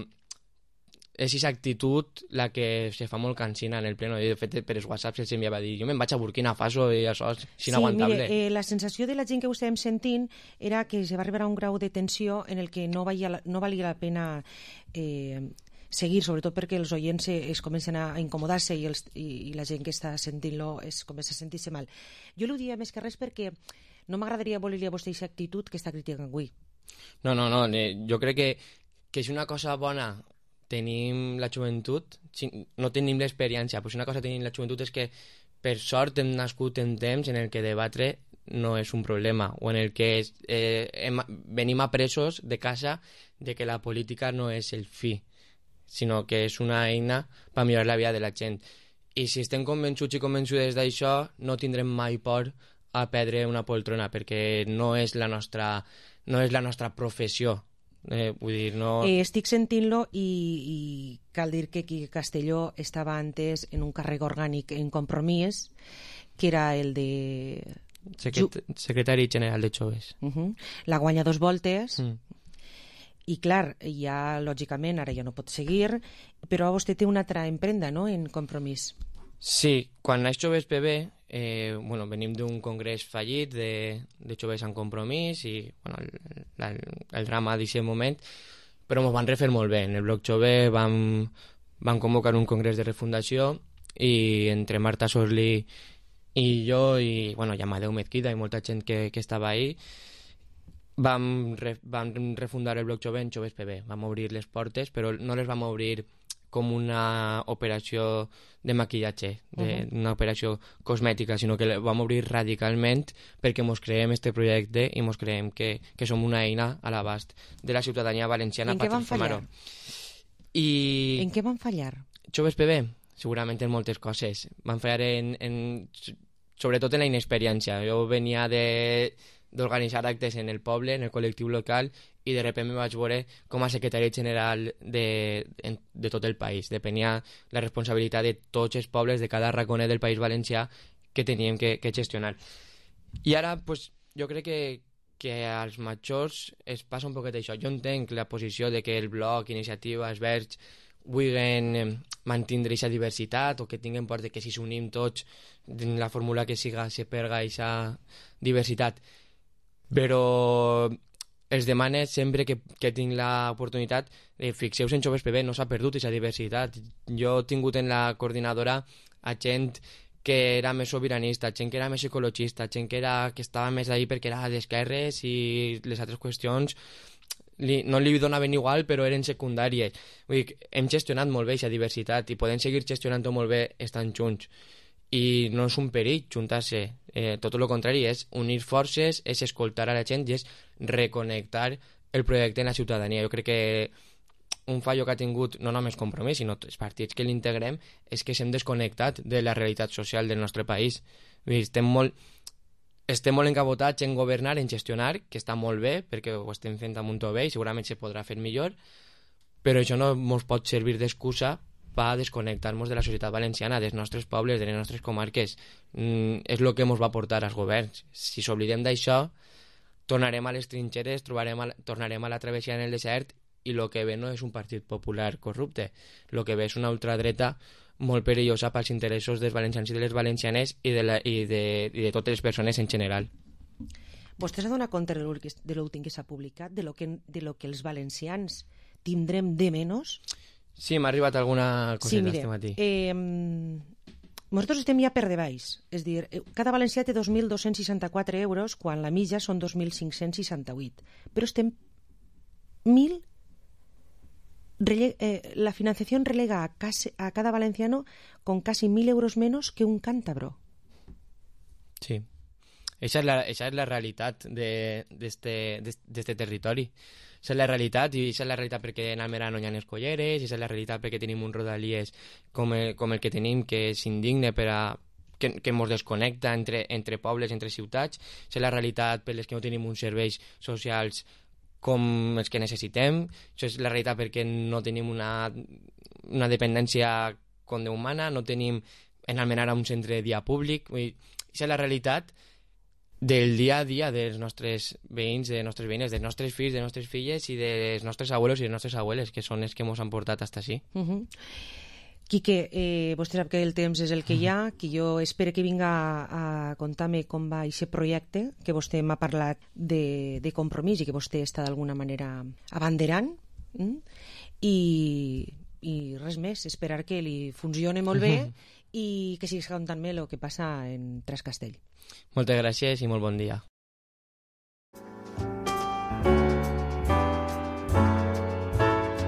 és aquesta actitud la que se fa molt cansina en el pleno. De fet, per els whatsapps els enviava a dir jo me'n vaig a Burkina Faso i això és inaguantable. Sí, mire, eh, la sensació de la gent que ho estàvem sentint era que se va arribar a un grau de tensió en el que no valia, no valia la pena eh, seguir, sobretot perquè els oients es comencen a incomodar-se i, els, i, i la gent que està sentint-lo es comença a sentir-se mal. Jo ho dia més que res perquè no m'agradaria voler-li a vostè aquesta actitud que està criticant avui. No, no, no, jo crec que que és una cosa bona tenim la joventut, no tenim l'experiència, però si una cosa tenim la joventut és que per sort hem nascut en temps en el que debatre no és un problema, o en el que és, eh, hem, venim apresos de casa de que la política no és el fi, sinó que és una eina per millorar la vida de la gent. I si estem convençuts i convençudes d'això, no tindrem mai por a perdre una poltrona, perquè no és la nostra, no és la nostra professió. Eh, vull dir, no... eh, estic sentint-lo i, i cal dir que Quique Castelló estava antes en un càrrec orgànic en Compromís, que era el de... Secret... Secretari General de Joves. Uh -huh. La guanya dos voltes mm. i clar, ja lògicament ara ja no pot seguir, però vostè té una altra emprenda, no?, en Compromís. Sí, quan naix Joves P B, eh, bueno, venim d'un congrés fallit de, de joves en Compromís i bueno, el, el, el drama d'aquest moment, però ens van refer molt bé. En el bloc jove vam, vam convocar un congrés de refundació i entre Marta Sorli i jo i, bueno, i Amadeu Mezquida i molta gent que, que estava ahí vam, re, vam refundar el bloc jove en Joves P B. Vam obrir les portes, però no les vam obrir com una operació de maquillatge, de, uh-huh. una operació cosmètica, sinó que la vam obrir radicalment perquè mos creem este projecte i mos creem que, que som una eina a l'abast de la ciutadania valenciana per transformar-ho. I... En què van fallar? Joves P B? Segurament en moltes coses. Van fallar en, en, sobretot en la inexperiència. Jo venia de d'organitzar actes en el poble, en el col·lectiu local, i de sobte me vaig veure com a secretari general de, de tot el país. Depenia la responsabilitat de tots els pobles de cada raconet del País Valencià que teníem que, que gestionar. I ara, pues, jo crec que, que als majors es passa un poquet això. Jo entenc la posició de que el bloc, Iniciativa, els Verds, vulguin mantindre aquesta diversitat o que tinguin por de que si s'unim tots en la fórmula que siga se perga aquesta diversitat. Però els demane sempre que, que tinc l'oportunitat, eh, fixeu-vos en Joves P B, no s'ha perdut aquesta diversitat. Jo he tingut en la coordinadora a gent que era més sobiranista, gent que era més ecologista, gent que, era, que estava més ahí perquè era d'esquerres i les altres qüestions li, no li donaven igual, però eren secundàries. Vull dir, hem gestionat molt bé aquesta diversitat i podem seguir gestionant-ho molt bé estant junts. I no és un perill juntar-se, eh, tot el contrari, és unir forces, és escoltar a la gent i és reconnectar el projecte en la ciutadania. Jo crec que un fallo que ha tingut no només Compromís, sinó els partits que l'integrem, és que s'hem desconnectat de la realitat social del nostre país. Vull dir, estem molt, estem molt encabotats en governar, en gestionar, que està molt bé, perquè ho estem fent amb un to bé i segurament se podrà fer millor, però això no ens pot servir d'excusa per desconnectar-nos de la societat valenciana, dels nostres pobles, de les nostres comarques. Mm, és el que ens va portar als governs. Si s'oblidem d'això, tornarem a les trinxeres, trobarem a, tornarem a la travessia en el desert i el que ve no és un partit popular corrupte. El que ve és una ultradreta molt perillosa pels interessos dels valencians i de les valencianes i de, la, i de, i de totes les persones en general. Vostè s'ha donat compte de l'últim que s'ha publicat, de lo que, de lo que els valencians tindrem de menys? Sí, m'ha arribat alguna coseta sí, mire, este matí. Eh, nosaltres estem ja per debaix. És dir, cada valencià té dos mil dos-cents seixanta-quatre euros quan la mitja són dos mil cinc-cents seixanta-vuit. Però estem mil... Rele, eh, la financiación relega a, casi, a cada valenciano con casi mil euros menos que un cántabro. Sí. Esa es la, esa es la realitat d'este de, de de territori. Esa és la realitat, i esa és la realitat perquè en Almeria no hi ha escolleres, i esa és la realitat perquè tenim un rodalies com el, com el que tenim, que és indigne per a que, que ens desconnecta entre, entre pobles, entre ciutats. Esa és la realitat per les que no tenim uns serveis socials com els que necessitem. Això és la realitat perquè no tenim una, una dependència com de humana, no tenim en Almenara un centre de dia públic. Això és la realitat del dia a dia dels nostres veïns, de les nostres veïnes, dels nostres fills, de les nostres filles i dels nostres abuelos i les nostres abueles, que són els que ens han portat fins així. Uh -huh. Quique, eh, vostè sap que el temps és el que hi ha, que jo espero que vinga a, a contar-me com va aquest projecte, que vostè m'ha parlat de, de Compromís i que vostè està d'alguna manera abanderant, mm? I, i res més, esperar que li funcione molt bé uh -huh. i que siguis contant-me el que passa en Trascastell. Moltes gràcies i molt bon dia.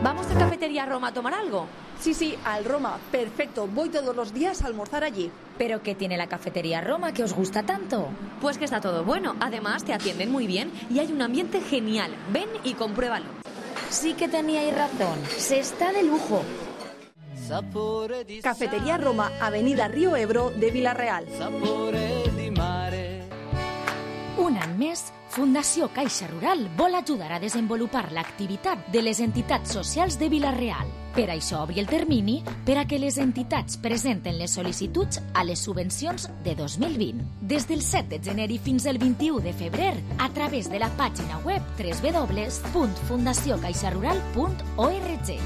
¿Vamos a Cafetería Roma a tomar algo? Sí, sí, al Roma. Perfecto. Voy todos los días a almorzar allí. ¿Pero qué tiene la Cafetería Roma que os gusta tanto? Pues que está todo bueno. Además, te atienden muy bien y hay un ambiente genial. Ven y compruébalo. Sí que teníais razón. Se está de lujo. Cafetería Roma, Avenida Río Ebro de Vila-real. Un any més, Fundació Caixa Rural vol ajudar a desenvolupar l'activitat de les entitats socials de Vila-real. Per això obri el termini per a que les entitats presenten les sol·licituds a les subvencions de dos mil vint. Des del set de gener i fins al vint-i-u de febrer, a través de la pàgina web w w w punt fundació caixa rural punt org.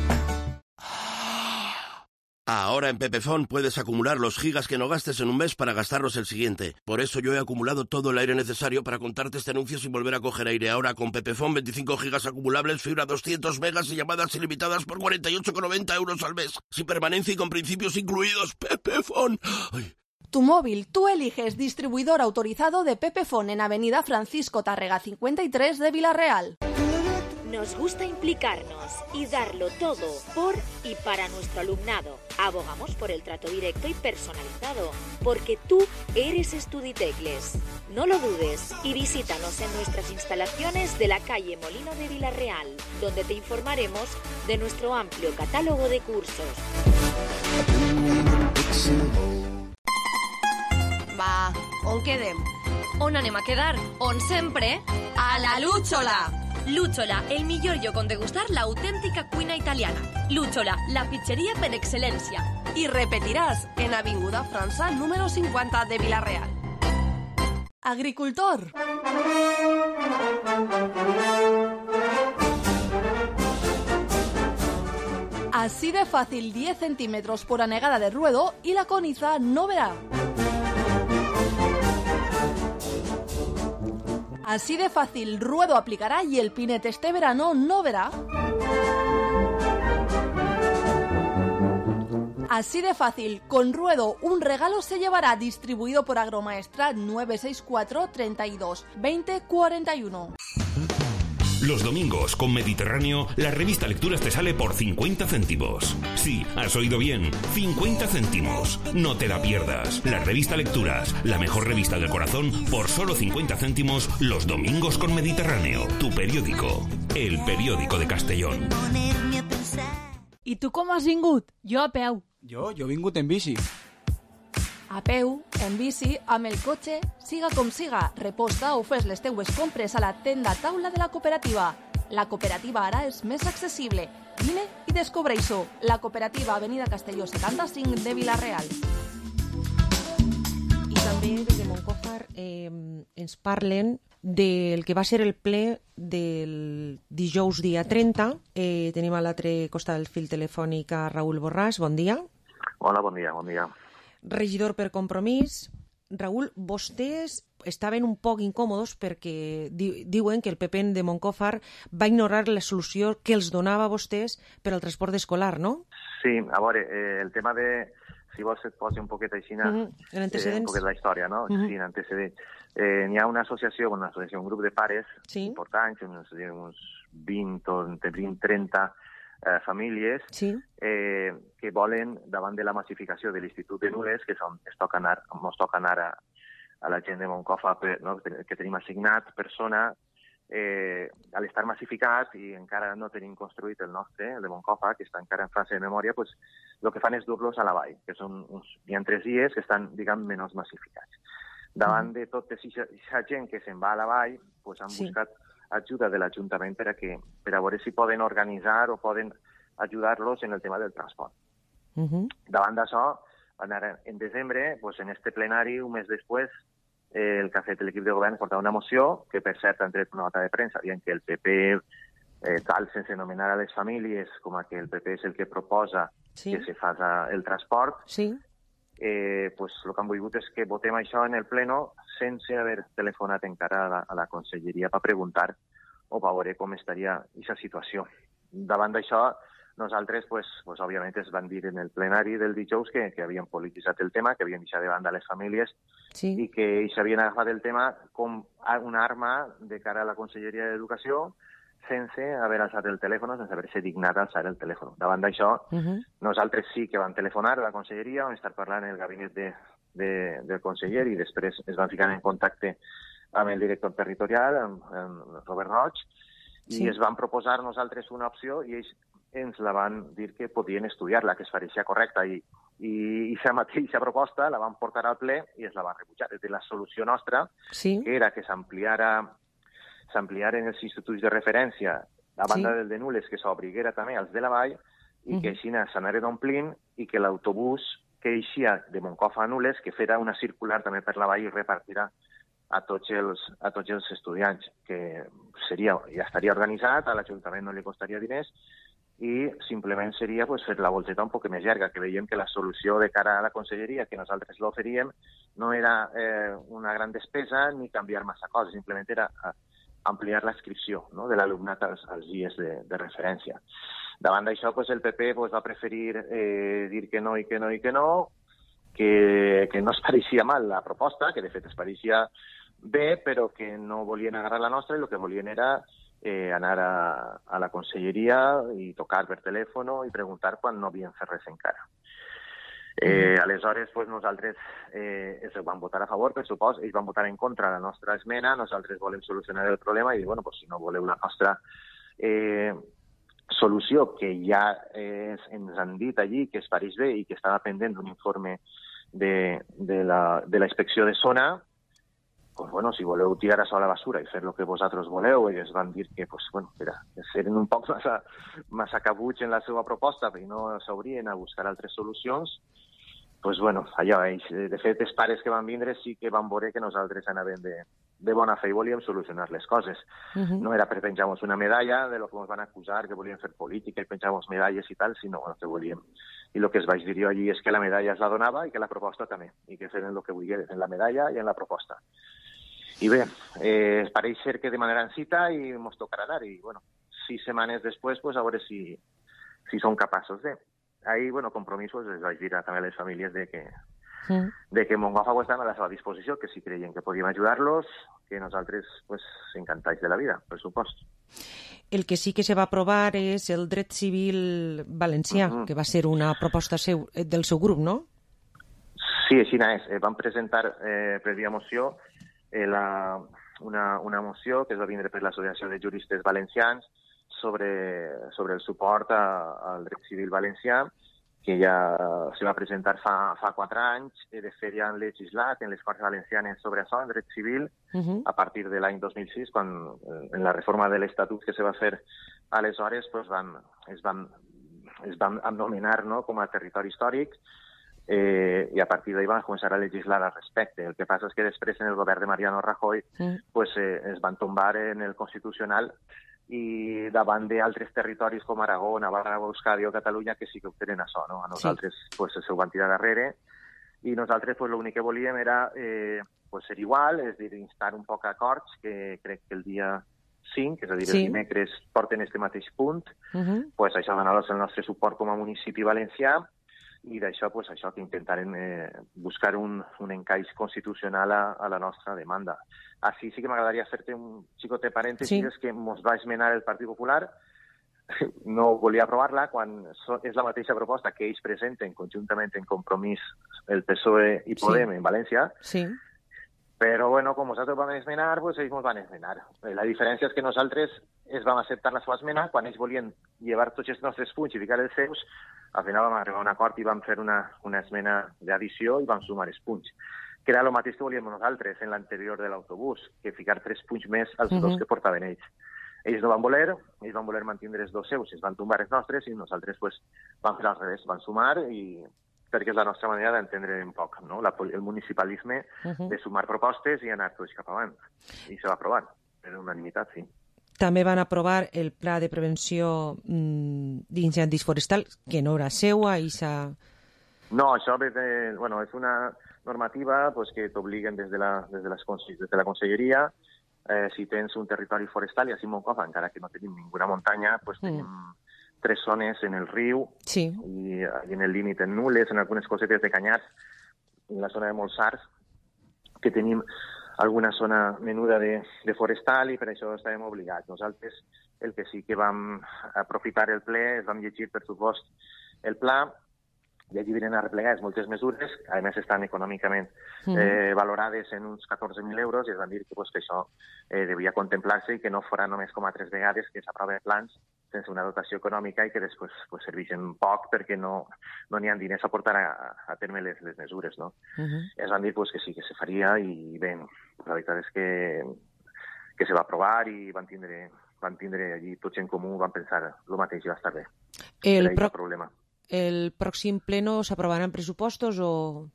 Ahora en Pepefon puedes acumular los gigas que no gastes en un mes para gastarlos el siguiente. Por eso yo he acumulado todo el aire necesario para contarte este anuncio sin volver a coger aire. Ahora con Pepefon veinticinco gigas acumulables, fibra doscientos megas y llamadas ilimitadas por cuarenta y ocho con noventa euros al mes. Sin permanencia y con principios incluidos. Pepefon. Ay. Tu móvil, tú eliges distribuidor autorizado de Pepefon en Avenida Francisco Tárrega cincuenta y tres de Vila-real. Nos gusta implicarnos y darlo todo por y para nuestro alumnado. Abogamos por el trato directo y personalizado, porque tú eres Estuditecles. No lo dudes y visítanos en nuestras instalaciones de la calle Molino de Vila-real, donde te informaremos de nuestro amplio catálogo de cursos. Va, on quedem? On anem a quedar? On sempre? A la Lúchola! Lúchola, el millor lloc on degustar l'autèntica cuina italiana. Lúchola, la pizzeria per excel·lència. I repetiràs en Avinguda França número cincuenta de Vila-real. Agricultor. Así de fácil, diez centímetros por anegada de ruedo y la coniza no verá. Así de fácil, Ruedo aplicará y el Pinet este verano no verá. Así de fácil, con Ruedo un regalo se llevará, distribuido por Agromaestrat nueve seis cuatro, treinta y dos, veinte, cuarenta y uno. Los domingos con Mediterráneo, la revista Lecturas te sale por cincuenta céntimos. Sí, has oído bien, cincuenta céntimos. No te la pierdas. La revista Lecturas, la mejor revista del corazón, por solo cincuenta céntimos los domingos con Mediterráneo, tu periódico. El periódico de Castellón. I tu com has vingut? Jo a peu. Jo, jo he vingut en bici. A peu, en bici, amb el cotxe, siga com siga, reposta o fes les teues compres a la tenda taula de la cooperativa. La cooperativa ara és més accessible. Vine i descobreix-ho. La cooperativa Avenida Castelló setanta-cinc de Vila-real. I també des de Moncofa eh, ens parlen del que va ser el ple del dijous dia trenta. Eh, tenim a l'altre costat del fil telefònic a Raül Borràs. Bon dia. Hola, bon dia, bon dia. Regidor per Compromís. Raül, vostès estaven un poc incòmodes perquè di diuen que el P P de Moncofa va ignorar la solució que els donava a vostès per al transport escolar, no? Sí, a veure, eh, el tema de... Si vols et posi un poquet així, mm -hmm. eh, un poquet la història, no? Mm -hmm. Sí, en antecedents. Eh, N'hi ha una associació, una associació, un grup de pares sí. importants, uns, uns vint o entre vint trenta eh, famílies sí. eh, que volen, davant de la massificació de l'Institut de Nules, que és on es toca anar, ens toca anar a, a la gent de Moncofa, per, no? que tenim assignat persona, eh, a l'estar massificat i encara no tenim construït el nostre, el de Moncofa, que està encara en fase de memòria, pues, el que fan és dur-los a la vall, que són uns, hi ha tres dies que estan, diguem, menys massificats. Davant mm. de tota aquesta gent que se'n va a la vall, pues, han sí. buscat ajuda de l'Ajuntament per a, que, per a veure si poden organitzar o poden ajudar-los en el tema del transport. Uh -huh. Davant d'això, en desembre, pues, en este plenari, un mes després, eh, el que ha fet l'equip de govern portava una moció, que per cert han tret una nota de premsa, dient que el P P, eh, tal, sense anomenar a les famílies, com a que el P P és el que proposa sí. que se faci el transport, sí. eh, pues, el que han volgut és que votem això en el pleno sense haver telefonat encara a la, a la conselleria per preguntar o per veure com estaria aquesta situació. Davant d'això, nosaltres, pues, pues, òbviament, es van dir en el plenari del dijous que, que havien polititzat el tema, que havien deixat de banda les famílies sí. i que s'havien agafat el tema com una arma de cara a la Conselleria d'Educació sense haver alçat el telèfon, sense haver-se dignat a alçar el telèfon. Davant d'això, uh -huh. nosaltres sí que vam telefonar a la Conselleria, vam estar parlant en el gabinet de, de, del conseller i després es van ficar en contacte amb el director territorial, amb, amb Robert Roig, i sí. es van proposar nosaltres una opció i ells ens la van dir que podien estudiar-la, que es pareixia correcta, i i aquesta mateixa proposta la van portar al ple i es la van rebutjar. És dir, la solució nostra, sí. que era que s'ampliara s'ampliaren els instituts de referència a banda sí. del de Nules, que s'obriguera també als de la Vall, i uh -huh. que així s'anaren omplint i que l'autobús que eixia de Moncofa a Nules, que fera una circular també per la Vall i repartirà a tots els, a tots els estudiants, que seria, ja estaria organitzat, a l'Ajuntament no li costaria diners, i simplement seria pues, fer la volteta un poc més llarga, que veiem que la solució de cara a la conselleria que nosaltres l'oferíem no era eh, una gran despesa ni canviar massa coses, simplement era ampliar l'inscripció, no?, de l'alumnat als, als dies de, de referència. Davant d'això, pues, el P P pues, va preferir eh, dir que no i que no i que no, que, que no es pareixia mal la proposta, que de fet es pareixia bé, però que no volien agarrar la nostra i el que volien era eh, anar a, a la conselleria i tocar per telèfon i preguntar quan no havien fet res encara. Eh, aleshores, pues, nosaltres eh, es van votar a favor, per supòs, ells van votar en contra de la nostra esmena, nosaltres volem solucionar el problema i dir, bueno, pues, si no voleu la nostra eh, solució, que ja eh, ens han dit allí que es pareix bé i que estava pendent d'un informe de, de, la, de la inspecció de zona, pues, bueno, si voleu tirar això a la basura i fer el que vosaltres voleu, ells van dir que, pues, bueno, era, eren un poc massa, massa cabuts en la seva proposta i no s'obrien a buscar altres solucions. Pues, bueno, allò, ells, de fet, els pares que van vindre sí que van veure que nosaltres anàvem de, de bona fe i volíem solucionar les coses. Uh -huh. No era per penjar-nos una medalla de lo que ens van acusar, que volíem fer política i penjar-nos medalles i tal, sinó el que volíem. I el que es vaig dir jo allí és que la medalla es la donava i que la proposta també, i que feren el que volien en la medalla i en la proposta. I bé, eh, pareix ser que demanaran cita i ens tocarà anar. I, bueno, sis setmanes després, pues, a veure si, si som capaços de. Ahí, bueno, Compromís, pues, les vaig dir també a les famílies de que, mm. de que Moncofa pues, estan a la seva disposició, que si creien que podíem ajudar-los, que nosaltres, pues, encantats de la vida, per supost. El que sí que se va aprovar és el dret civil valencià, mm-hmm. que va ser una proposta seu, del seu grup, no? Sí, així és. Eh, vam presentar eh, per via moció eh, la, una, una moció que es va vindre per l'Associació de Juristes Valencians sobre, sobre el suport a, al dret civil valencià, que ja se va presentar fa, fa quatre anys. De fet, ja han legislat en les Corts Valencianes sobre això, en dret civil, uh-huh. a partir de l'any dos mil sis, quan en la reforma de l'Estatut que se va fer aleshores pues, van, es, van, es van anomenar, no?, com a territori històric, eh, i a partir d'ahir van començar a legislar al respecte. El que passa és que després, en el govern de Mariano Rajoy, uh-huh. pues, eh, es van tombar en el Constitucional i davant d'altres territoris com Aragó, Navarra, Euskadi o Catalunya que sí que ho tenen això, no? A nosaltres sí. pues, se ho van tirar darrere i nosaltres pues, l'únic que volíem era eh, pues, ser igual, és a dir, instar un poc acords que crec que el dia cinc, és a dir, sí. el dimecres porten este mateix punt, uh-huh. pues, això va anar el nostre suport com a municipi valencià i d'això pues, això que intentarem eh, buscar un, un encaix constitucional a, a la nostra demanda. Així sí que m'agradaria fer-te un xicotet parèntesi, sí. és que ens va esmenar el Partit Popular, no volia aprovar-la quan so, és la mateixa proposta que ells presenten conjuntament en Compromís el P S O E i Podem sí. en València, sí. però bueno, com nosaltres vam esmenar, pues, ells ens van esmenar. La diferència és que nosaltres es vam acceptar la seva esmena quan ells volien llevar tots els nostres punts i ficar els seus. Al final vam arribar a un acord i vam fer una, una esmena d'addició i vam sumar els punts, que era el mateix que volíem nosaltres en l'anterior de l'autobús, que ficar tres punts més als uh-huh. dos que portaven ells. Ells no van voler, ells van voler mantenir els dos seus, es van tombar els nostres i nosaltres pues, vam fer al revés, van sumar i perquè és la nostra manera d'entendre un poc, no? la, el municipalisme uh-huh. de sumar propostes i anar tots cap avant. I se va aprovar, per unanimitat, sí. També van aprovar el pla de prevenció mmm, d'incendis forestals, que no era seua i s'ha... No, això ve de, bueno, és una normativa pues, que t'obliguen des, de la, des, de les, des de la Conselleria. Eh, si tens un territori forestal, i així Moncofa, encara que no tenim ninguna muntanya, pues, mm. tenim tres zones en el riu sí. i, i en el límit en Nules, en algunes cosetes de Canyars, en la zona de Molsars, que tenim alguna zona menuda de, de forestal i per això estàvem obligats. Nosaltres el que sí que vam aprofitar el ple, es vam llegir, per supost, el pla, i allí venen arreplegades moltes mesures, a més estan econòmicament mm. eh, valorades en uns catorze mil euros, i es van dir que, pues, que això eh, devia contemplar-se i que no fora només com a tres vegades que s'aproven plans sense una dotació econòmica i que després pues, serveixen poc perquè no no n'hi ha diners a portar a, a terme les, les mesures, no? Uh-huh. Es van dir pues, que sí que se faria i bé, la veritat és que, que se va aprovar i van tindre, van tindre allí tots en comú, van pensar el mateix i va estar bé. El, pro... problema. El pròxim pleno s'aprovaran pressupostos o...?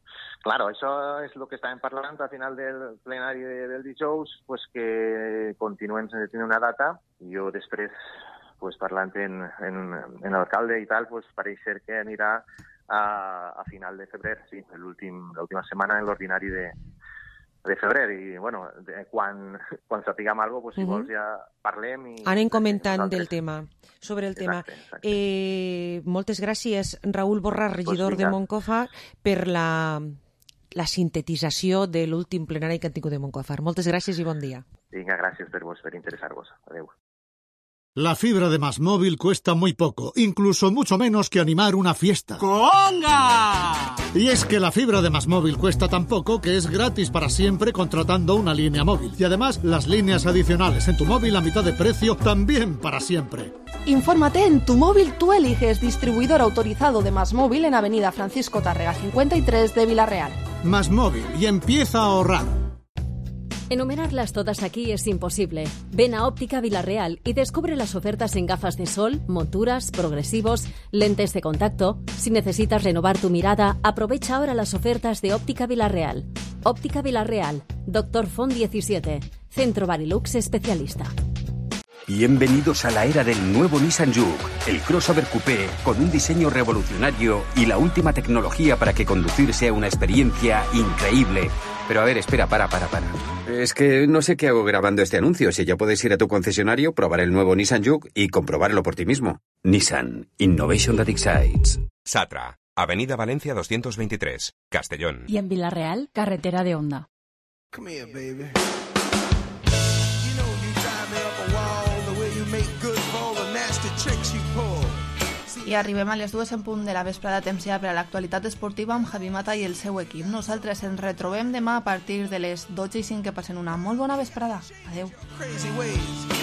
Claro, això és el que estàvem parlant al final del plenari de, del dijous, pues que continuem sense tenir una data. Jo després, pues, parlant en, en, en l'alcalde i tal, pues, pareix ser que anirà a, a final de febrer, sí, l'última setmana en l'ordinari de, de febrer. I, bueno, de, quan, quan sapiguem alguna cosa, pues, si uh-huh. vols ja parlem. I, anem comentant del tema, sobre el tema. Exacte, exacte. Eh, moltes gràcies, Raül Borràs, regidor pues de Moncofa, per la, la sintetització de l'últim plenari que han tingut de Moncofa. Moltes gràcies i bon dia. Vinga, gràcies per vos, per interessar-vos. Adéu. La fibra de Más Móvil cuesta muy poco, incluso mucho menos que animar una fiesta. ¡Conga! Y es que la fibra de Más Móvil cuesta tan poco que es gratis para siempre contratando una línea móvil. Y además, las líneas adicionales en tu móvil a mitad de precio también para siempre. Infórmate en Tu Móvil Tú Eliges, distribuidor autorizado de Más Móvil en Avenida Francisco Tárrega cincuenta y tres de Vila-real. Más Móvil, y empieza a ahorrar. Enumerarlas todas aquí es imposible. Ven a Óptica Vila-real y descubre las ofertas en gafas de sol, monturas, progresivos, lentes de contacto. Si necesitas renovar tu mirada, aprovecha ahora las ofertas de Óptica Vila-real. Óptica Vila-real, Doctor Font diecisiete, Centro Barilux especialista. Bienvenidos a la era del nuevo Nissan Juke, el crossover coupé con un diseño revolucionario y la última tecnología para que conducir sea una experiencia increíble. Pero a ver, espera, para, para, para. Es que no sé qué hago grabando este anuncio. Si ya puedes ir a tu concesionario, probar el nuevo Nissan Juke y comprobarlo por ti mismo. Nissan. Innovation that excites. Satra, Avenida Valencia doscientos veintitrés, Castellón. Y en Villarreal, carretera de Honda. Come here, baby. You know you drive me up a wall, the way you make good for all the nasty tricks you pull. I arribem a les dues en punt de la vesprada, temps ja per a l'actualitat esportiva amb Javi Mata i el seu equip. Nosaltres ens retrobem demà a partir de les dotze i cinc. Que passen una molt bona vesprada. Adeu. Crazy ways.